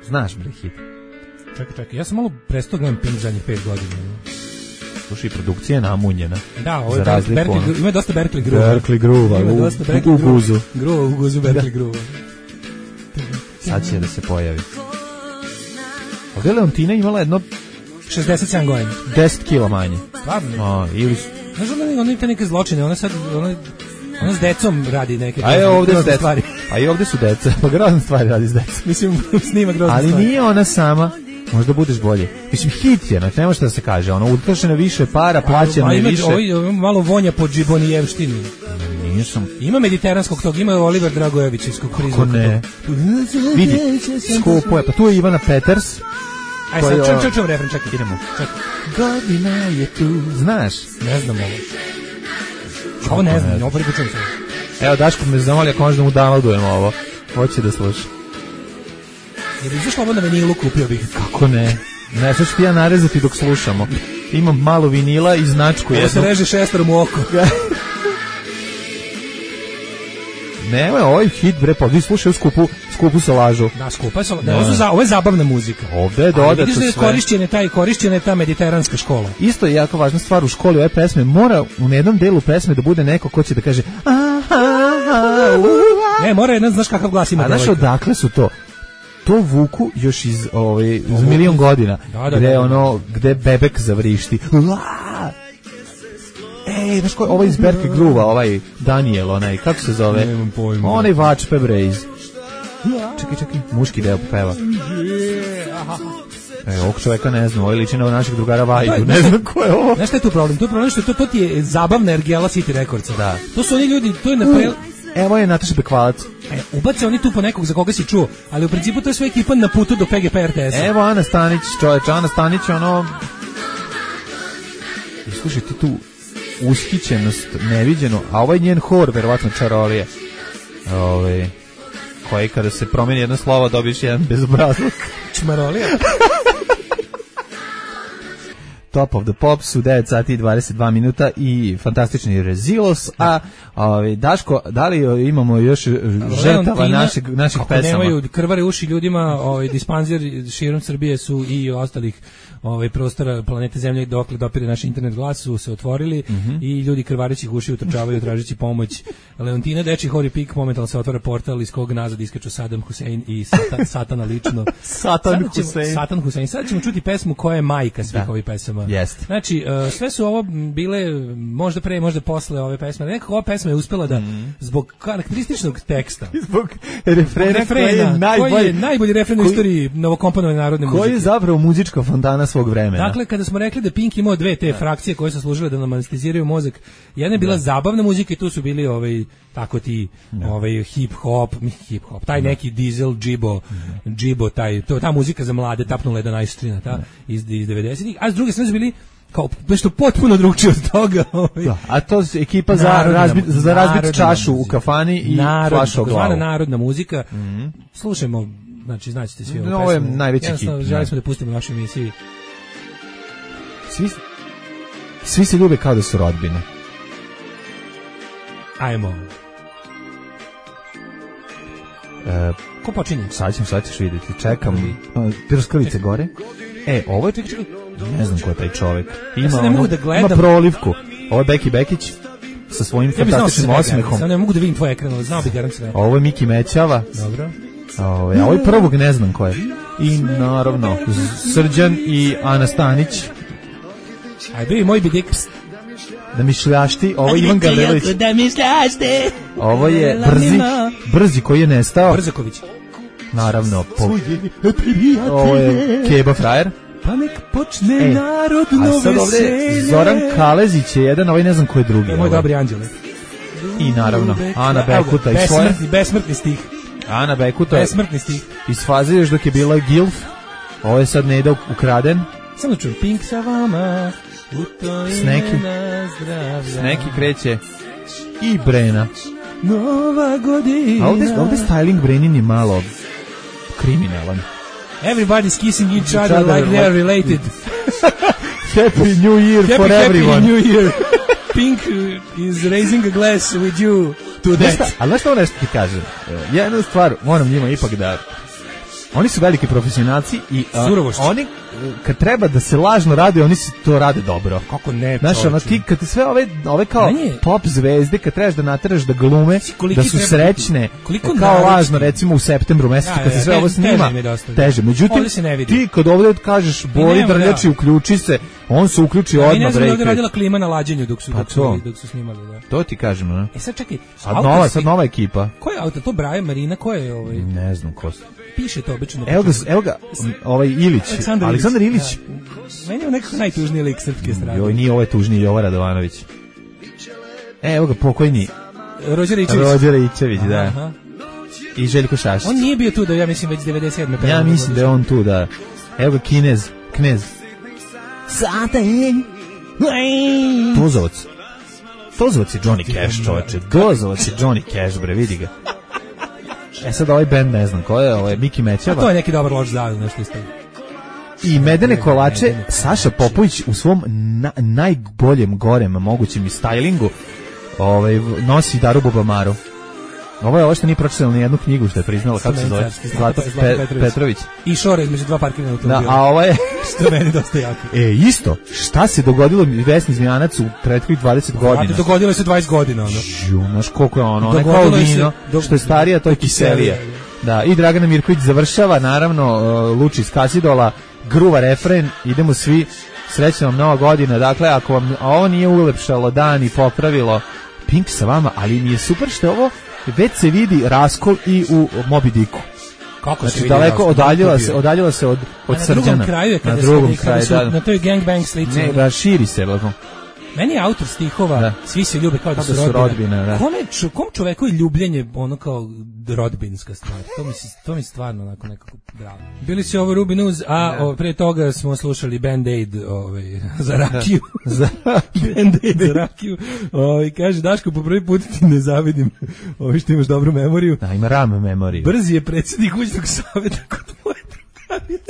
Znaš, bre, hit. Čekaj, čekaj, ja sam malo prestao gledam Pink zadnjih pet godina. Slušaj, produkcija je namunjena. Da, ovo je Berkeley, ima dosta Berkeley groova. Berkeley groova, u, u, u guzu. Groova, u guzu Berkeley groova. Sad će da se pojavi. Ovdje Leontina imala jedno... šezdeset sedam godina. deset kila manje. Stvarno? A, ili... Znaš, ona, ona ima neke zločine, ona sad... Ona, ona s decom radi neke a je ovdje s stvari. A i ovdje su deca, pa grozne stvari radi s decom. Mislim, snima grozne ali stvari. Ali nije ona sama. Možda budeš bolje. Mislim, hit je, znači, ne može da se kaže. Ono, utrošeno više para, plaćeno je više. Ovo malo vonja po džibonijevštini. Nisam. Ima mediteranskog tog, ima Oliver Dragojević iz Kukriza. Kako ne? Vidi, skupo je. Pa tu je Ivana Peters. Aj sad, čujem, čujem, čujem, refren, čekaj. Idemo. Čekaj. Godina je tu. Znaš? Ne znam ovo. Ovo ne znam, ovo prvi čujem se. Evo, Daško me zamoli ako možda mu downloadujemo ovo. Hoće da sluša. Jer izašlo ovo na vinilu, kupio bih. Kako ne? Ne, sad ću ti ja narezati dok slušamo. Imam malo vinila i značku jednu. Ovo se reže šesterom u oko. Ne, ovo je hit, bre, pa vi slušaju skupu, skupu sa lažu. Da, skupa je sa lažu. Ovo, za, ovo je zabavna muzika. Ovde je dodato sve. Ali vidiš da je korišćena ta, korišćena ta mediteranska škola. Isto je jako važna stvar u školi ove pesme. Mora u jednom delu pesme da bude neko ko će da kaže ne, mora jedan, znaš kakav glas ima. A znaš odakle su to? To vuku još iz ovaj iz milion godina. Da, da, gde da, da, ono gde bebek zavrišti. Ej, znaš ko, ovaj iz Berkeley Groova, ovaj Daniel, onaj, kako se zove? Nemam pojma. Onaj vač pebre iz... Čekaj, čekaj, muški deo peva. E, ovog čoveka ne znam, ovaj liči na našeg drugara Vajdu, ne znam ko je ovo. Znaš šta je tu problem? Tu je problem što to, to ti je zabavna ergela City Recordsa. Da. To su oni ljudi, to je na pre... Evo je Nataša Bekvalac. E, ubace oni tu po nekog za koga si čuo, ali u principu to je sve ekipa na putu do P G P R T S-a. Evo Ana Stanić, čoveče, Ana Stanić, ono... I slušaj ti tu ushićenost, neviđeno, a ovaj njen hor, verovatno čarolije, ovaj, koji kada se promeni jedno slovo dobiješ jedan bezobrazluk. Čmarolija? Top of the Pops u devet sati i dvadeset dva minuta i fantastični Rezilos, a ovaj, Daško, da li imamo još žrtava našeg, naših ako pesama? Nemaju krvare uši ljudima, ovaj, dispanzir širom Srbije su i ostalih ovaj, prostora planete Zemlje dokle dopire naš internet glas su se otvorili mm-hmm. i ljudi krvarećih uši utrčavaju tražeći pomoć. Leontina Deči Hori Pik momentalno se otvara portal iz kog nazad iskaču Saddam Hussein i Satan, Satana lično. Satan Hussein. Satan Hussein. Sad ćemo čuti pesmu koja je majka svih da. ovih pesama. Jeste. Znači, uh, sve su ovo bile možda pre, možda posle ove pesme. Nekako ova pesma je uspela da mm. zbog karakterističnog teksta, zbog refrena, refrena koji je najbolji, koji je najbolji refren u istoriji novokomponovane narodne muzike. Koji je zapravo muzička fontana svog vremena. Dakle, kada smo rekli da Pink imao dve te frakcije koje su služile da nam anesteziraju mozak, jedna je bila da. zabavna muzika i tu su bili ovaj tako ti da. ovaj hip hop, hip hop, taj da. neki diesel džibo, da. džibo taj, to ta muzika za mlade tapnula jedan najstrina ta da. iz iz devedesetih, a s druge strane su bili kao nešto potpuno drugčije od toga. Ovaj. Da, a to je ekipa za razbit za razbit čašu muzika. U kafani i Narod, flašu u glavu. Narodna muzika. Mm-hmm. Slušajmo, znači znaćete svi ovo. Ovo je najveći hit. Želimo smo da pustimo našu emisiju. Svi, svi se ljube kao da su rodbine. Ajmo. E, Ko počinje? Sad ćemo, sad ćeš vidjeti. Čekam. Pirskalice gore. E, ovo je... Čekaj, čekaj. Ne znam ko je taj čovjek. Ima, ja ne mogu da gledam. Ima prolivku. Ovo je Beki Bekić sa svojim ja fantastičnim osmehom. Sad ne mogu da vidim tvoj ekran, ali znao bi garant sve. Ovo je Miki Mećava. Dobro. Ovo je, a ovo je prvog ne znam ko je. I naravno, Srđan i Ana Stanić. Ajde, bi moj bidik. Da mi šljašti, ovo je Ivan Gavrilović. Da mi šljašti. Ovo je Brzi, Brzi koji je nestao. Brzaković. Naravno, po... ovo je Keba Frajer. Pa nek počne e, narodno veselje. Zoran Kalezić je jedan, ovaj ne znam ko je drugi. Je moj dobri anđele. I naravno, Ana Bekuta i svoje. Besmrtni, besmrtni stih. Ana Bekuta besmrtni stih. Iz faze još dok je bila Gilf. Ovo je sad Neda ukraden. Samo čujem, Pink sa vama. Sneki. Sneki kreće. I Brena. Nova godina. A ovdje, ovdje styling Brenin je malo kriminalan. Everybody's kissing each other, each other like they're related. Happy New Year happy, for happy everyone. Happy New Year. Pink is raising a glass with you to that. Ali znaš što ovo nešto ti kažem? Jednu stvar moram njima ipak da... Oni su veliki profesionalci i uh, oni kad treba da se lažno radi, oni se to rade dobro. Kako ne? Znaš, ono ti kad sve ove ove kao Manje. pop zvezde kad trebaš da nateraš da glume, da su srećne, kao naročni. Lažno recimo u septembru mesecu kad se sve ovo snima, teže. Međutim, ti kad ovdje kažeš Bori Drljači uključi se, on se uključi odmah break. Ne znam da radila klima na lađenju dok su pa dok su, dok su snimali, da. To ti kažem, ne? E sad čekaj, sad nova, sad nova ekipa. Ko je autor? To Brian Marina, ko je ovaj? Ne znam ko su. Piše to obično. Evo ga, evo ga, ovaj Ilić, Aleksandar, Aleksandar Ilić. Ilić. Ja. Meni je nekako najtužniji lik srpske strane. Joj, nije ovaj tužniji, Jovo Radovanović. E, evo ga, pokojni. Rođer Ičević. Rođer Ičević, da. Aha. I Željko Šašić. On nije bio tu da, ja mislim, već devedeset sedme Ja mislim da je on tu, da. Evo ga, Kinez, Knez. Tozovac. Tozovac je Johnny Cash, čoveče. Tozovac je Johnny Cash, bre, vidi ga. E sad ovaj band ne znam ko je, ovo je Miki Mećava. A to je neki dobar loš zavil, nešto isto. I Medene kolače, Medene. Saša Popović u svom na, najboljem gorem mogućem stylingu ovaj, nosi Daru Bubamaru. Ovo je ovo što nije pročitala ni jednu knjigu što je priznala, kako se zove? Zlata Petrović. Petrović. I šore između dva parkirana automobila. Da, a ovo je... što je meni dosta jako. E, isto, šta se dogodilo Vesni Zmijanac u prethodnih dvadeset godina? Znate, dogodilo se dvadeset godina, ono. Žu, znaš koliko je ono, ono je kao vino, do... što je starija, to je kiselija. Da, i Dragana Mirković završava, naravno, uh, Luči iz Kasidola, gruva refren, idemo svi, srećna vam nova godina, dakle, ako vam ovo nije ulepšalo dan i popravilo, Pink sa vama, ali mi je super što ovo već se vidi raskol i u Moby Dicku. Kako znači, se vidi daleko raskol? odaljila se, odaljila se od, od na Srđana. Drugom kraju je kada na drugom se, kraju, su, da. na toj gangbang slici. Ne, da, širi se, lako. Meni je autor stihova, da. Svi se ljube kao da, da su rodbina. rodbina da. Kome, čo, kom čoveku je ljubljenje ono kao rodbinska stvar? To mi se, to mi stvarno onako nekako bravo. Bili su ovo Ruby News, a o, pre toga smo slušali Band-Aid ovaj, za rakiju. za Band-Aid za rakiju. Ovaj, kaže, Daško, po prvi put ti ne zavidim ovaj, što imaš dobru memoriju. Da, ima ram memoriju. Brzi je predsjednik kućnog savjeta kod moje drugarice.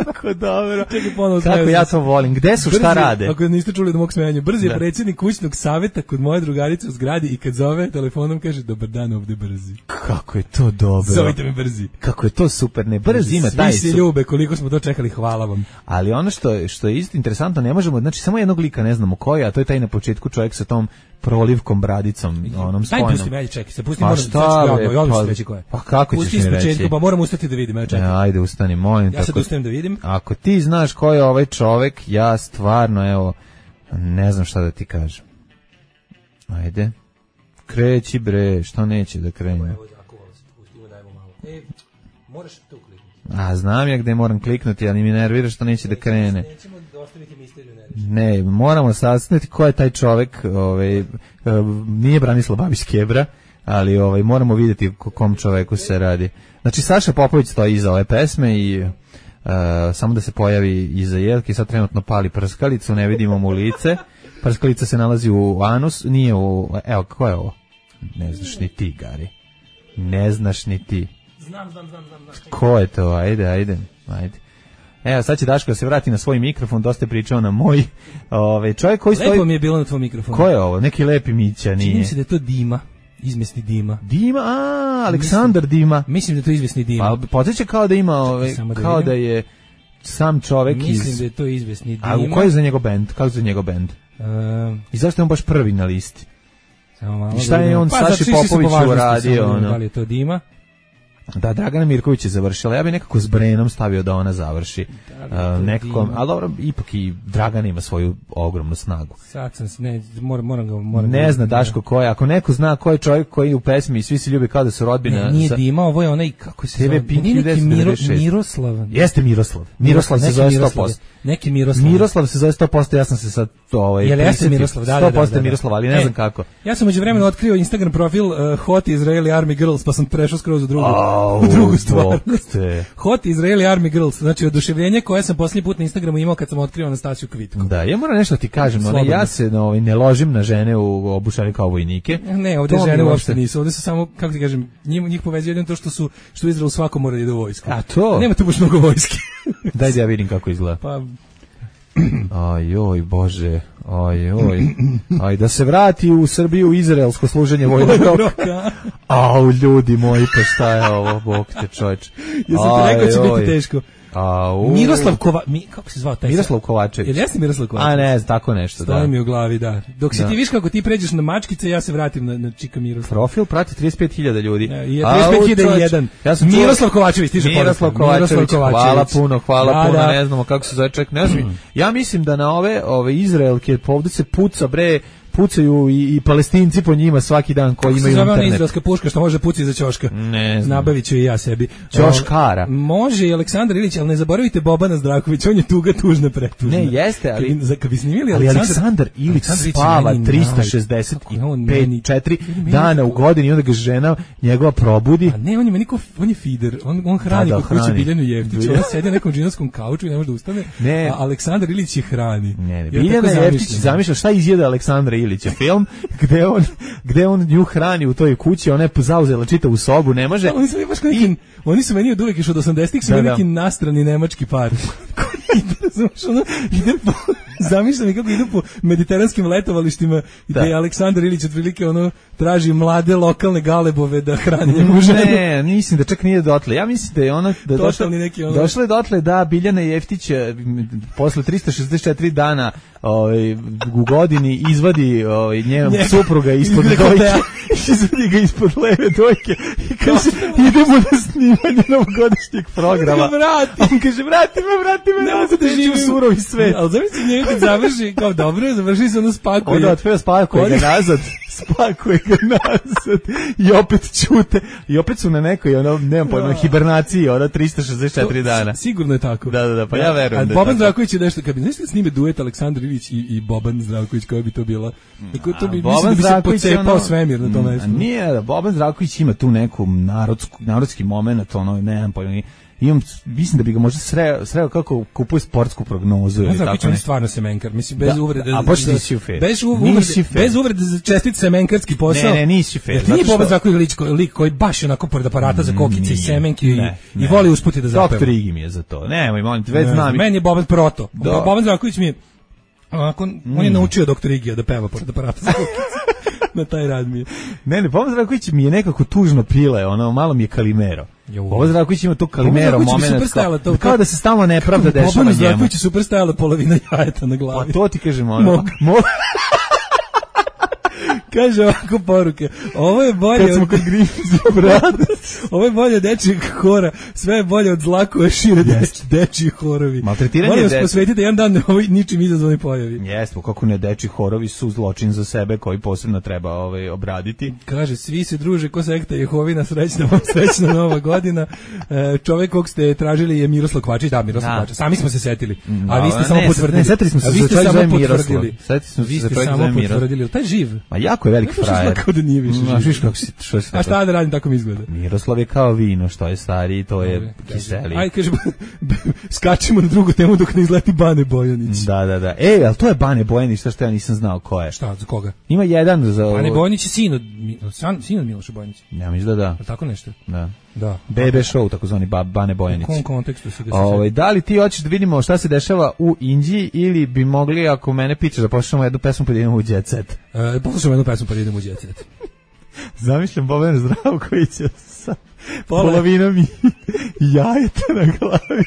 Kako dobro. Čekaj, ponovo Kako smeju ja se. to volim. Gde su, šta Brzi, rade? Ako niste čuli od mog smejanja, Brzi je Da. predsjednik kućnog saveta kod moje drugarice u zgradi i kad zove telefonom kaže dobar dan ovde Brzi. Kako je to dobro. Zovite me Brzi. Kako je to super. Ne, Brzi ima Svi taj se su- ljube, koliko smo to čekali, hvala vam. Ali ono što je, što je isto interesantno, ne možemo, znači samo jednog lika ne znamo koji, a to je taj na početku čovjek sa tom prolivkom bradicom, onom Daj spojnom. pusti me, čekaj, se pusti, Pa moram šta, da bre, ja odmah pa- ću reći ko je. pa kako ćeš Pusti mi iz početka, reći? pa moram ustati da vidim, evo E, čekaj. ajde, ustani, molim. Ja sad tako- ustajem da vidim. Ako ti znaš ko je ovaj čovek, ja stvarno, evo, ne znam šta da ti kažem. Ajde. Kreći bre, što neće da krene? Evo, zakovalo se, pustimo, dajmo malo. E, moraš tu kliknuti. A, znam ja gde moram kliknuti, ali mi nervira što neće da krene. Nećemo ostaviti misteriju, ne reći. Ne, moramo saznati ko je taj čovek, ovaj, e, nije Branislav Babić Kebra, ali ovaj, moramo vidjeti o kom čoveku se radi. Znači, Saša Popović stoji iza ove pesme i e, samo da se pojavi iza Jelke, sad trenutno pali prskalicu, ne vidimo mu lice. Prskalica se nalazi u anus, nije u... Evo, ko je ovo? Ne znaš ni ti, Gari. Ne znaš ni ti. Znam, znam, znam, znam. znam. Ko je to? Ajde, ajde, ajde. Evo, sad će Daško da se vrati na svoj mikrofon, dosta je pričao na moj. Ove, čovjek koji stoji... Lepo mi je bilo na tvoj mikrofonu. Ko je ovo? Neki lepi Mića, nije? Čini mi se da je to Dima, izmesni Dima. Dima, a, Aleksandar Dima. Mislim da je to izvesni Dima. Pa, podsjeća kao da ima, ove, Samo da kao vidim. da je sam čovek iz... Mislim da je to izvesni Dima. A u koji je za njegov bend? Kako je za njegov bend? Um, I zašto je on baš prvi na listi? samo malo I šta je da on pa, Saši zato što išli su po Popoviću važnosti, uradio, samo da vidim ono? Da li je to Dima? Da, Dragana Mirković je završila. Ja bih nekako s Brenom stavio da ona završi. Da, Uh, nekako, Dima. ali dobro, ipak i Dragana ima svoju ogromnu snagu. Sad sam, se- ne, moram, moram ga... Moram Ne ga- zna Daško ko je. Ako neko zna ko je čovjek koji je u pesmi i svi se ljubi kao da su rodbina... Ne, nije sa- Dima, ovo je onaj, kako se T V zove, Pink nije neki devedeset Miro, šest. Miroslav. Jeste Miroslav. Miroslav se Neki zove sto Miroslav posto. je. Neki Miroslav. Miroslav se zove sto posto, ja sam se sad to ovaj Jel jeste prisetio. Miroslav? Da, da, da. sto posto da, da. Miroslav, ali ne E, znam kako. Ja sam međuvremenu otkrio Instagram profil uh, Hot Israeli Army Girls, pa sam prešao skroz u drugu, Au, u drugu stvar. bog te. Hot Israeli Army Girls, znači oduševljenje koje sam posljednji put na Instagramu imao kad sam otkrio Anastasiju Kvitku. Da, ja moram nešto ti kažem, ono, Slobodno. ja se ovaj, ne ložim na žene u obučane kao vojnike. Ne, ovdje To mi žene uopšte- uopšte nisu, ovdje su samo, kako ti kažem, njih, njih povezuje jedino to što su, što u Izraelu svako mora da ide u vojsku. A to? Nema tu baš mnogo vojske. Daj da ja vidim kako izgleda. Pa, Aj, oj, bože, aj, oj. Aj, da se vrati u Srbiju izraelsko služenje vojnog roka. roka. Au, ljudi moji, pa šta je ovo, bog te čovječ. Ja sam ti rekao da će Aj, biti oj. teško. Au. Miroslav Kova, mi, kako se zvao taj? Miroslav Kovačević. Jel jeste Miroslav Kovačević? A ne, tako nešto, Stoji da. mi u glavi, da. Dok si Da. ti viš kako ti pređeš na mačkice, ja se vratim na, na Čika Miroslav. Profil prati trideset pet hiljada ljudi. E, I je Au, trideset pet hiljada i čovječ, jedan. Ja sam čuo- Miroslav Kovačević, stiže poruka. Miroslav Kovačević, Miroslav Kovačević. hvala puno, hvala Da, puno, da. ne znamo kako se zove čovjek, ne znam. Ja mislim da na ove, ove Izraelke, pa ovdje se puca, bre, pucaju i, i Palestinci po njima svaki dan koji Kako se imaju zove ona internet. izraelska puška što može pucati za ćoška? Ne znam. Nabavit ću i ja sebi. Ćoškara. O, Može i Aleksandar Ilić, ali ne zaboravite Bobana Zdravković, on je tuga tužna pretužna. Ne, jeste, ali- Kad bi, za- kad bi snimili Ali Aleksandar, Aleksandar Ilić Aleksandar Ilić je spava meni tristo šezdeset naj- kako je on meni- četiri meni- dana u godini i onda ga žena njegova probudi. A ne, on je meni ko, on je feeder, on, on hrani Da, da, kod kuće hrani. Biljanu Jeftić, Bilja- ona sedi na nekom džinovskom kauču i ne može da ustane, Ne. a Aleksandar Ilić je hrani. Ne, ne, Ja Biljana tako Jeftić zamišljam. zamišlja šta izjeda Aleksandra Ilića film gde on gde on nju hrani u toj kući, ona je zauzela čitavu sobu, ne može. Da, oni su meni baš kao neki, oni su meni od uvek još od osamdesetih su Da, bili da. neki nastrani nemački par. Koji ide, razumeš, ono, ide po, zamišljam i kako idu po mediteranskim letovalištima gde Da. je Aleksandar Ilić otprilike ono traži mlade lokalne galebove da hrani njemu ženu. Ne, mislim da čak nije dotle. Ja mislim da je ona da je došla, Totalni neki ono- došla je dotle da Biljana Jeftić eh, m, posle tristo šezdeset četiri dana ovaj, u godini izvadi ovaj, njenog Njega. supruga ispod Iz dojke. dekoltea. Izvadi ga ispod leve dojke i kaže idemo na snimanje novogodišnjeg programa. Ga vrati. A on kaže vrati me, vrati me, Ne nazad, mogu da neću živim u surovi svet. Ali zamisli njega kad završi, kao dobro, završi se ono spakuje. Onda otveo spakuje ga nazad, spakuje ga nazad i opet ćute. I opet su na nekoj, ono, nemam pojma, Da. hibernaciji, ono, tristo šezdeset četiri dana. Sigurno je tako. Da, da, da, pa ja verujem A da je Boban tako. Zdravković je nešto, kad bi, znaš kad snime duet Aleksandar Ilić i, i Boban Zdravković, koja bi to bila? Tako, to bi, mislim da bi se pocepao svemir na tom Mm, mestu. Nije, Boban Zdravković ima tu neku narodsku, narodski moment, ono, nemam pojma, imam, mislim da bi ga možda sreo, sreo kako kupuje sportsku prognozu. Ne znam, biće on stvarno semenkar, mislim, bez da, uvrede. A baš nisi u fer. Bez uvrede, bez uvrede za čestit semenkarski posao. Ne, ne, nisi fer. Jer nije Boban Zdravković lik, lik koji baš onako pored aparata za kokice i semenke i, ne, i voli usputi da zapeva. Doktor Igi mi je za to. Nemoj, molim te, već znam. Meni je Boban proto. Boban Zdravković mi je, onako, mm. on je naučio doktor Igija da peva pored aparata za kokice. Na taj rad mi je. Ne, ne, Boban Zdravković mi je nekako tužno pile, ono, malo mi je Kalimero. Boban Zdravković ima to Kalimero moment, kao, to, kao da se stalno nepravda dešava njemu. Boban Zdravković je super stajala polovina jajeta na glavi. Pa to ti kažem, ono. Mog. Mog. Kaže ovako poruke. Ovo je bolje kad smo od kod Grimzi Brothers. Ovo je bolje od dečijeg hora. Sve je bolje od zlakove šire yes. dečiji horovi. Maltretiranje molim vas dece. posvetite jedan dan ovoj ničim izazvani pojavi. Jeste, kako ne, dečiji horovi su zločin za sebe koji posebno treba ovaj obraditi. Kaže, svi se druže ko sekta Jehovina, srećna vam srećna nova godina. E, čovjek kog ste tražili je Miroslav Kvačić, da, Miroslav Kvačić. Sami smo se setili. A vi ste ne, samo potvrdili. Ne, setili smo se, a vi ste samo potvrdili. Setili smo se, vi ste samo potvrdili. Taj živ. Ma jako je veliki frajer. Kao da nije više živ. Znaš kako si, što se a šta da radim, tako mi izgleda. Miroslav je kao vino, što je stariji, to je kiseli. Ajde, kaže, skačimo na drugu temu dok ne izleti Bane Bojanić. Da, da, da. E, ali to je Bane Bojanić, što što ja nisam znao ko je. Šta, za koga? Ima jedan za... Bane Bojanić je sin od, sin od Miloša Bojanića. Ja mislim da da. Tako nešto? Da. Da. Bebe show, takozvani Bane Bojanić. U kom kontekstu se ga Ovaj, da li ti hoćeš da vidimo šta se dešava u Indiji ili bi mogli, ako mene pitaš, da poslušamo jednu pesmu pa da idemo u Jet Set? E, poslušamo jednu pesmu pa da idemo u Jet Set. Zamišljam Bobana Zdravkovića sa polovinom i jajeta na glavi.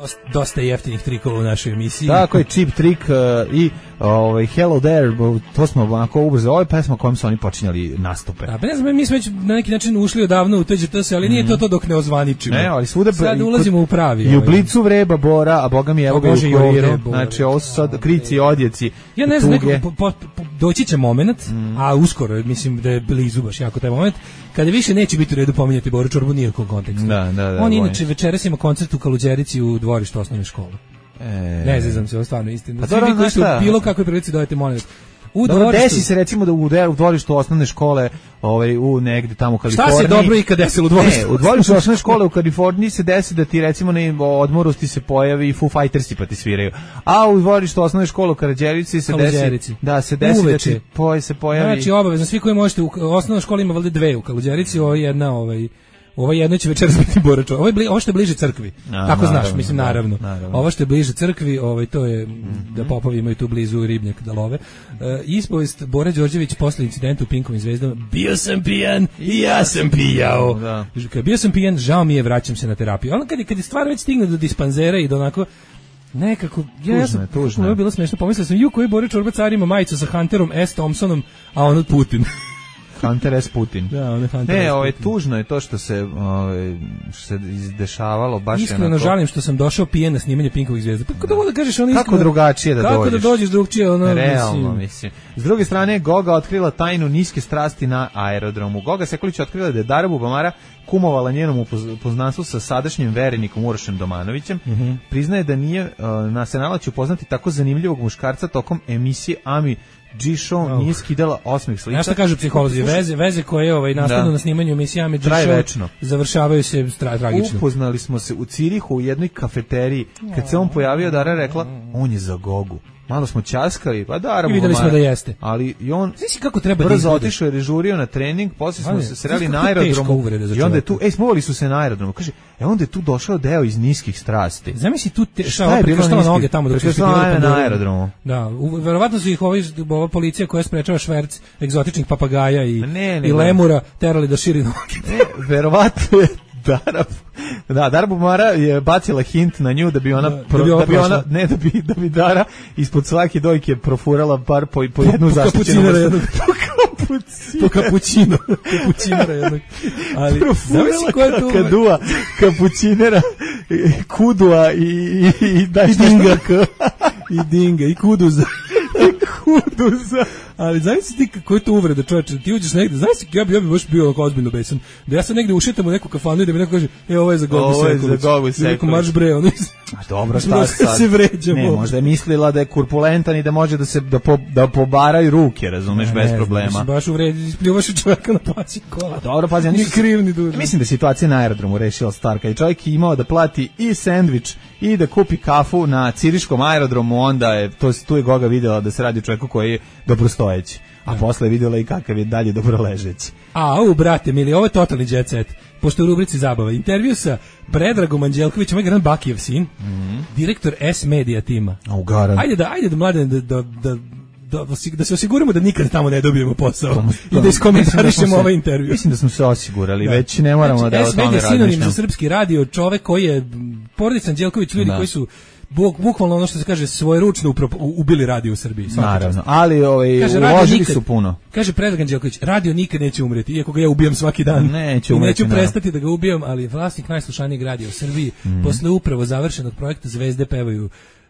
Dosta, dosta jeftinih trikova u našoj emisiji. Tako je, cheap trick uh, i ovaj Hello There, to smo onako ubrzo. Ovo je pesma kojom su oni počinjali nastupe. Da, pa ne znam, mi smo već na neki način ušli odavno u T Ž T S, ali mm. nije to to dok ne ozvaničimo. Ne, ali svuda sad ulazimo u pravi. I u Blicu vreba Bora, a boga mi evo ga u Kuriru. Znači, ovo su sad krici i odjeci. Ja ne znam, neko, po, po, po, doći će moment, mm. a uskoro, mislim da je blizu baš jako taj moment, kada više neće biti u redu pominjati Boru Čorbu nijakog kontekstu. Da, da, da, on inače večeras ima koncert u Kaluđerici u dvorištu osnovne škole. E... Ne znam se, ovo stvarno istina. Pa svi vi koji su bilo kakve prilici dojete, molim vas. U dobro, dvorištu... desi se recimo da u, u dvorištu osnovne škole, ovaj, u negde tamo u Kaliforniji. Šta se dobro i kad desilo u dvorištu? Ne, u dvorištu osnovne škole u Kaliforniji se desi da ti recimo na odmoru ti se pojavi Foo Fightersi pa ti sviraju. A u dvorištu osnovne škole u Karađerici se desi, da se desi Uveče. Da ti poj, se pojavi. Znači obavezno, svi koji možete, u osnovnoj školi ima valjda dve u Karađerici, ovo je jedna ovaj... Ovo jedno će večeras biti Borač. Ovo je bli, ovo što je bliže crkvi. A, tako naravno, znaš, mislim naravno. naravno. Ovo što je bliže crkvi, ovaj to je mm-hmm. da popovi imaju tu blizu ribnjak da love. E, ispovest Bora Đorđević posle incidenta u Pinkovim zvezdama. Bio sam pijan i ja sam pijao. Da. Kad bio sam pijan, žao mi je, vraćam se na terapiju. Ono kad kad je stvar već stigne do dispanzera i do onako nekako, ja, ja sam, tužno, ovo je bilo smešno, pomislio sam, ju koji Bora Čorba car ima majicu sa Hunterom S. Thompsonom, a on od Putin. Hunter S. Putin. Da, on je Hunter ne, S. ovo je tužno je to što se, ove, što se izdešavalo baš iskreno onako... žalim što sam došao pijen na snimanje Pinkovih zvezda. Pa kako da kažeš ono kako iskreno, drugačije da kako dođeš? Kako da dođeš drugčije? Ono, realno, mislim. mislim. S druge strane, Goga otkrila tajnu niske strasti na aerodromu. Goga Sekulić otkrila da je Dara Bubamara kumovala njenom upoznanstvu sa sadašnjim verenikom Urošem Domanovićem. Mm-hmm. Priznaje da nije uh, na Senala će upoznati tako zanimljivog muškarca tokom emisije Ami G-Show oh. nije skidala osmeh slika. Znaš šta kažu psiholozi? Veze, veze koje ovaj, nastanu na snimanju emisijama G-Show završavaju se tra- tragično. Upoznali smo se u Cirihu u jednoj kafeteriji. Kad se on pojavio, Dara rekla, on je za Gogu. Malo smo ćaskali, pa Dara i videli smo da jeste. Ali i on znači kako treba da brzo otišao je režurio na trening, posle smo se sreli na aerodromu. I onda je tu, ej, smovali su se na aerodromu. Kaže, e onda je tu došao deo iz niskih strasti. Zamisli tu te, šta je prekrštala noge tamo dok su bili na aerodromu. Da, verovatno su ih ovi ova policija koja sprečava šverc egzotičnih papagaja i ne, ne, i lemura terali da širi noge. Ne, verovatno je Dara, da, Dara Bubamara je bacila hint na nju da bi ona, da, pro, da, bi, da bi ona ne, da bi, da bi Dara ispod svake dojke profurala bar po, po jednu zaštićenu vrstu. Po kapućino. Kapućinera jednog. Ali, profurala ka, kadua, kapućinera, kudua i, i, i, i dinga. I dinga, i kuduza. I kuduza. Ali zavisi ti kako je to uvreda, čoveče, ti uđeš negde, znaš ja bi ja bi baš bio onako ozbiljno besan. Da ja sad negde ušetam u neku kafanu i da mi neko kaže, e ovo je za Gogu Sekulić. Ovo je za Gogu Sekulić. Marš bre, ono. A dobro, šta sad? Se vređamo. Ne, možda je mislila da je kurpulentan i da može da se da, po, da pobaraju ruke, razumeš, bez problema. Znam, baš uvredi, ispljuvaš čovjeka na plaći kola. Dobro, pazi, ni kriv ni dužan. Mislim da situacija na aerodromu rešila stvar, kad je čovjek imao da plati i sendvič i da kupi kafu na ciriškom aerodromu, onda je to tu je Goga videla da se radi o čovjeku koji je dobrostojeći. A ja. Posle je vidjela i kakav je dalje dobro ležeći. A, u, brate, mili, ovo je totalni jet set. Pošto u rubrici zabava. Intervju sa Predragom Anđelkovićem, ovaj gran Bakijev sin, mm -hmm. direktor S-Media tima. A, ugaran. Ajde da, ajde da, mlade, da, da, da, da, da se osiguramo da nikad tamo ne dobijemo posao. Tom, tom, I da iskomentarišemo da ovaj intervju. Mislim da smo se osigurali, da. Već ne moramo znači, da o tome razmišljamo. S-Media sinonim za srpski radio, čovek koji je, porodica Anđelković, ljudi da. Koji su Buk, bukvalno ono što se kaže svojeručno ubili radio u Srbiji. Naravno, ali ovaj, uložili su puno. Kaže Predrag Anđelković, radio nikad neće umreti, iako ga ja ubijam svaki dan. Neće I umreti, neću prestati da ga ubijam, ali vlasnik najslušanijeg radija u Srbiji, mm. posle upravo završenog projekta Zvezde pevaju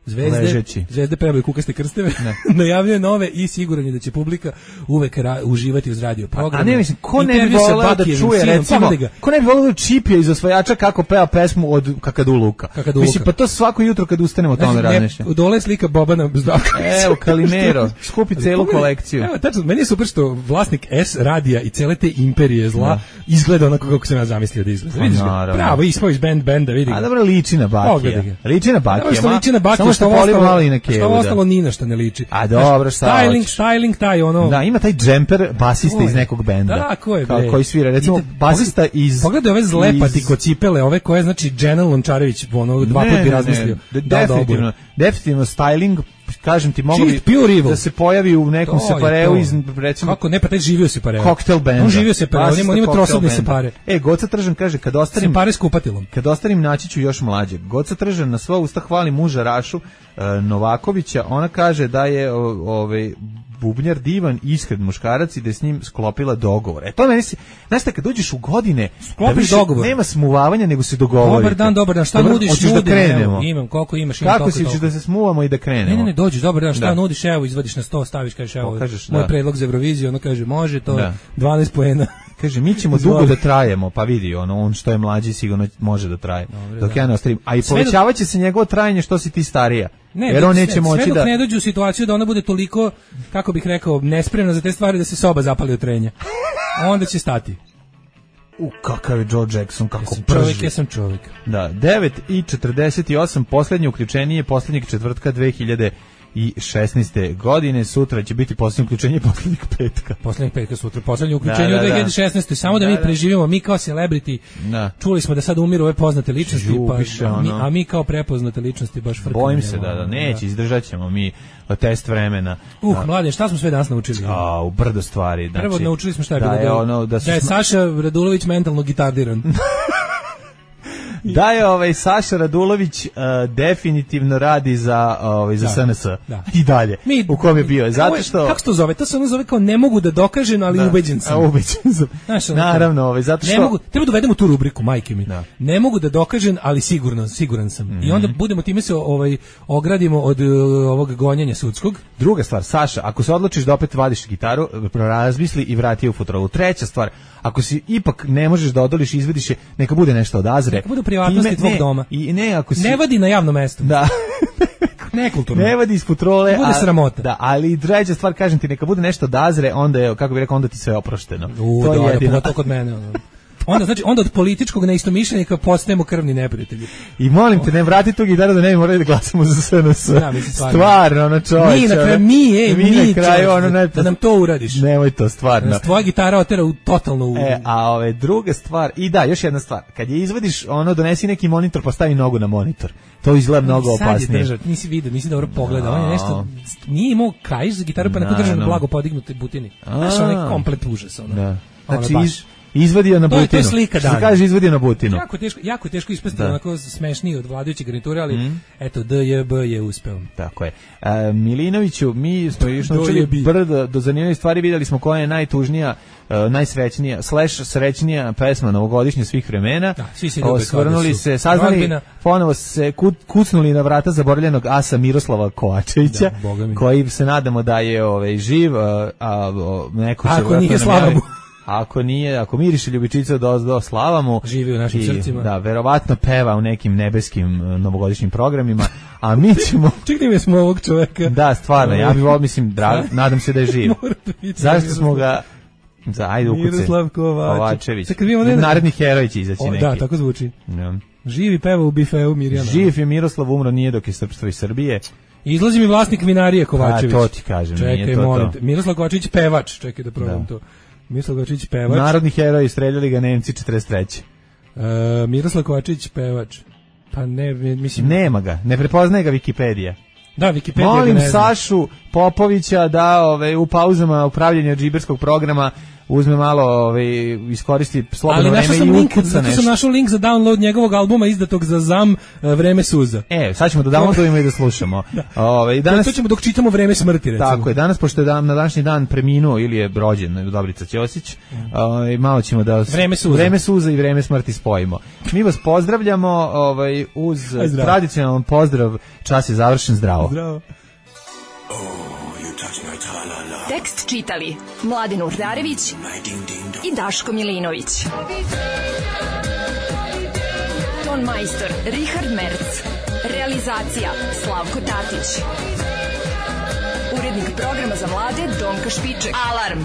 Zvezde, Ležeći. Zvezde pevaju kukaste krsteve, najavljuje nove i siguran je da će publika uvek ra, uživati uz radio program. A ne mislim, ko ne bi voleo da čuje, recimo, ko ne bi voleo da čipje iz osvajača kako peva pesmu od Kakadu Luka. Kakadu mislim, pa to svako jutro kad ustanemo o tome razmišljamo. Dole slika Bobana Zdravkovića. Evo, Kalimero, skupi celu kolekciju. Evo, tačno, meni je super što vlasnik S radija i cele te imperije zla da. Izgleda onako kako sam ja zamislio da izgleda. Vidiš ga? Pravo, ispao iz band benda, vidi ga. A dobro, liči na Bakija. Liči na Bakija. Liči na Bakija. Što poliva malo i na kevu. Što ostalo ni na šta ne liči. A dobro, šta styling, styling taj ono. Da, ima taj džemper basista iz nekog benda. Da, ko je bre? Koji svira, recimo basista iz pogledaj ove zlepati kocipele, ove koje znači Dženel Lončarević ono dva puta bi razmislio. Definitivno, definitivno styling, kažem ti, mogu da se pojavi u nekom separeu iz recimo kako ne pa taj živio se pare. Cocktail band. On živio se pare, on ima trosobne separe. E, Goca Tržan kaže kad ostarim separe s kupatilom. Kad ostarim naći ću još mlađeg. Goca Tržan na sva usta hvali muža Rašu uh, Novakovića. Ona kaže da je ovaj bubnjar divan, iskren muškarac i da je s njim sklopila dogovor. E to meni se, znaš šta, kad dođeš u godine, sklopiš da dogovor. Nema smuvavanja, nego se dogovorite. Dobar dan, dobar dan, šta dobar, nudiš, nudim, da krenemo. Evo, imam, koliko imaš, imam kako si ćeš da se smuvamo i da krenemo? Ne, ne, ne, dođeš, dobar dan, šta da. Nudiš, evo, izvadiš na sto, staviš, kažeš, evo, Pokažeš, moj da. Predlog za Euroviziju, ono kaže, može, to da. dvanaest poena. Kaže, mi ćemo dugo da trajemo, pa vidi, ono, on što je mlađi sigurno može da traje. Dobre, dok da. Ja ne ostavim. A i povećavaće se njegovo trajanje što si ti starija. Ne, jer on neće sve, moći sve dok da ne dođe u situaciju da ona bude toliko, kako bih rekao, nespremna za te stvari da se soba zapali od trenja. Onda će stati. U, kakav je Joe Jackson, kako ja prži. Čovjek, ja sam čovjek. Da, devet i četrdeset osam, posljednje uključenje posljednjeg četvrtka dve hiljade šesnaeste godine, sutra će biti posljednje uključenje posljednjeg petka. Posljednjeg petka sutra, posljednje uključenje da, da, u dve hiljade šesnaeste. Samo da, da mi preživimo, mi kao celebrity, da. Čuli smo da sad umiru ove poznate ličnosti, Žubiše, pa, ono. mi, a mi kao prepoznate ličnosti baš frkamo. Bojim se da, da, neće, izdržat ćemo mi test vremena. Uh, mlade, šta smo sve danas naučili? A, u brdo stvari. Znači, prvo naučili smo šta je da bilo. Je ono, da, da je smo... Saša Radulović mentalno gitardiran. Da je ovaj Saša Radulović uh, definitivno radi za ovaj za da, S N S da. I dalje. Mi, u kom je bio? Zato što kako se to zove? To se ono zove kao ne mogu da dokažem, ali da. Ubeđen sam. A ubeđen sam. Znaš, naravno, ovaj zato što ne mogu, treba da uvedemo tu rubriku, majke mi. Da. Ne mogu da dokažem, ali sigurno, siguran sam. Mm-hmm. I onda budemo time se ovaj ogradimo od uh, ovog gonjenja sudskog. Druga stvar, Saša, ako se odlučiš da opet vadiš gitaru, razmisli i vrati je u futrolu. Treća stvar, ako si ipak ne možeš da odoliš, izvediš je, neka bude nešto od Azre. Neka bude privatnosti tvog ne, doma. I ne, ako si... ne vadi na javnom mestu. Da. Nekulturno. Ne vadi iz futrole. Ne bude sramota. Da, ali treća stvar, kažem ti, neka bude nešto od Azre, onda je, kako bih rekao, onda ti sve oprošteno. U, to je jedino. To kod mene. Ono. Onda znači onda od političkog neistomišljenika postajemo krvni neprijatelji. I molim te, ne vrati tu gitaru da ne bi morali da glasamo za S N S. Ja, mislim, stvarno. Stvarno, ono čovječe. Mi na kraju, mi, ej, mi, mi na kraju, ono, ne, da nam to uradiš. Nemoj to, stvarno. Da tvoja gitara otera u totalno u... E, a ove druga stvar, i da, još jedna stvar. Kad je izvadiš, ono, donesi neki monitor, pa stavi nogu na monitor. To izgleda mnogo opasnije. Sad je držat, nisi vidio, nisi dobro pogledao. No. On je nešto, nije imao kajš za gitaru, pa neko no, držao na no. blago podignute butini. Znaš, on je komplet užas, ono. Da. Znači, ono, izvadio na butinu. To je slika dana. Što se kaže izvadio na butinu. Jako teško, jako teško ispasti onako smešniji od vladajuće garniture, ali mm. eto D J B je uspeo. Tako je. A, Milinoviću, mi smo još naučili brdo do zanimljivih stvari, vidjeli smo koja je najtužnija uh, najsrećnija, slash srećnija pesma novogodišnja svih vremena. Da, svi se ljube. Osvrnuli se, saznali, rodbina. Ponovo se kucnuli na vrata zaboravljenog asa Miroslava Kovačevića, da, koji se nadamo da je ovaj, živ, a, a neko će... Ako nije, slava mu. Ako nije, ako miriše ljubičica do, do slava mu. Živi u našim i, srcima. Da, verovatno peva u nekim nebeskim uh, novogodišnjim programima, a mi ćemo... Čekaj mi smo ovog čoveka. Da, stvarno, ja bih volio, mislim, dra... nadam se da je živ. Zašto smo ga... Za, ajde ukuce. Miroslav Kovačević. Kovačević. Naredni heroj će izaći o, neki. Da, tako zvuči. Ja. Živi peva u bifeu Mirjana. Živ je Miroslav, umro nije dok je srpstvo iz Srbije. Izlazi mi vlasnik vinarije Kovačević. A to ti kažem, čekaj, nije to molim to. Te. Miroslav Kovačević pevač, čekaj da probam da. to. Miroslav Kovačević pevač. Narodni heroj, streljali ga Nemci četrdeset treće. Uh, Miroslav Kovačević pevač. Pa ne, mislim... Nema ga, ne prepoznaje ga Wikipedija. Da, Wikipedija. Molim Sašu Popovića da ove, u pauzama upravljanja džiberskog programa uzme malo, ove, iskoristi slobodno vreme i link, ukuca zato nešto. sam našao link za download njegovog albuma izdatog za zam Vreme suza. E, sad ćemo da downloadujemo i da slušamo. da. Ove, danas, to ćemo dok čitamo Vreme smrti, recimo. Tako je, danas, pošto je dan, na današnji dan preminuo ili je rođen Dobrica Ćosić, mm. ove, malo ćemo da... Vreme suza. Vreme suza i Vreme smrti spojimo. Mi vas pozdravljamo ovaj, uz tradicionalan pozdrav, čas je završen, zdravo. Zdravo. Tekst čitali Mladen Urdarević i Daško Milinović. Ton majstor Richard Merc. Realizacija Slavko Tatić. Urednik programa za mlade Donka Špiček. Alarm!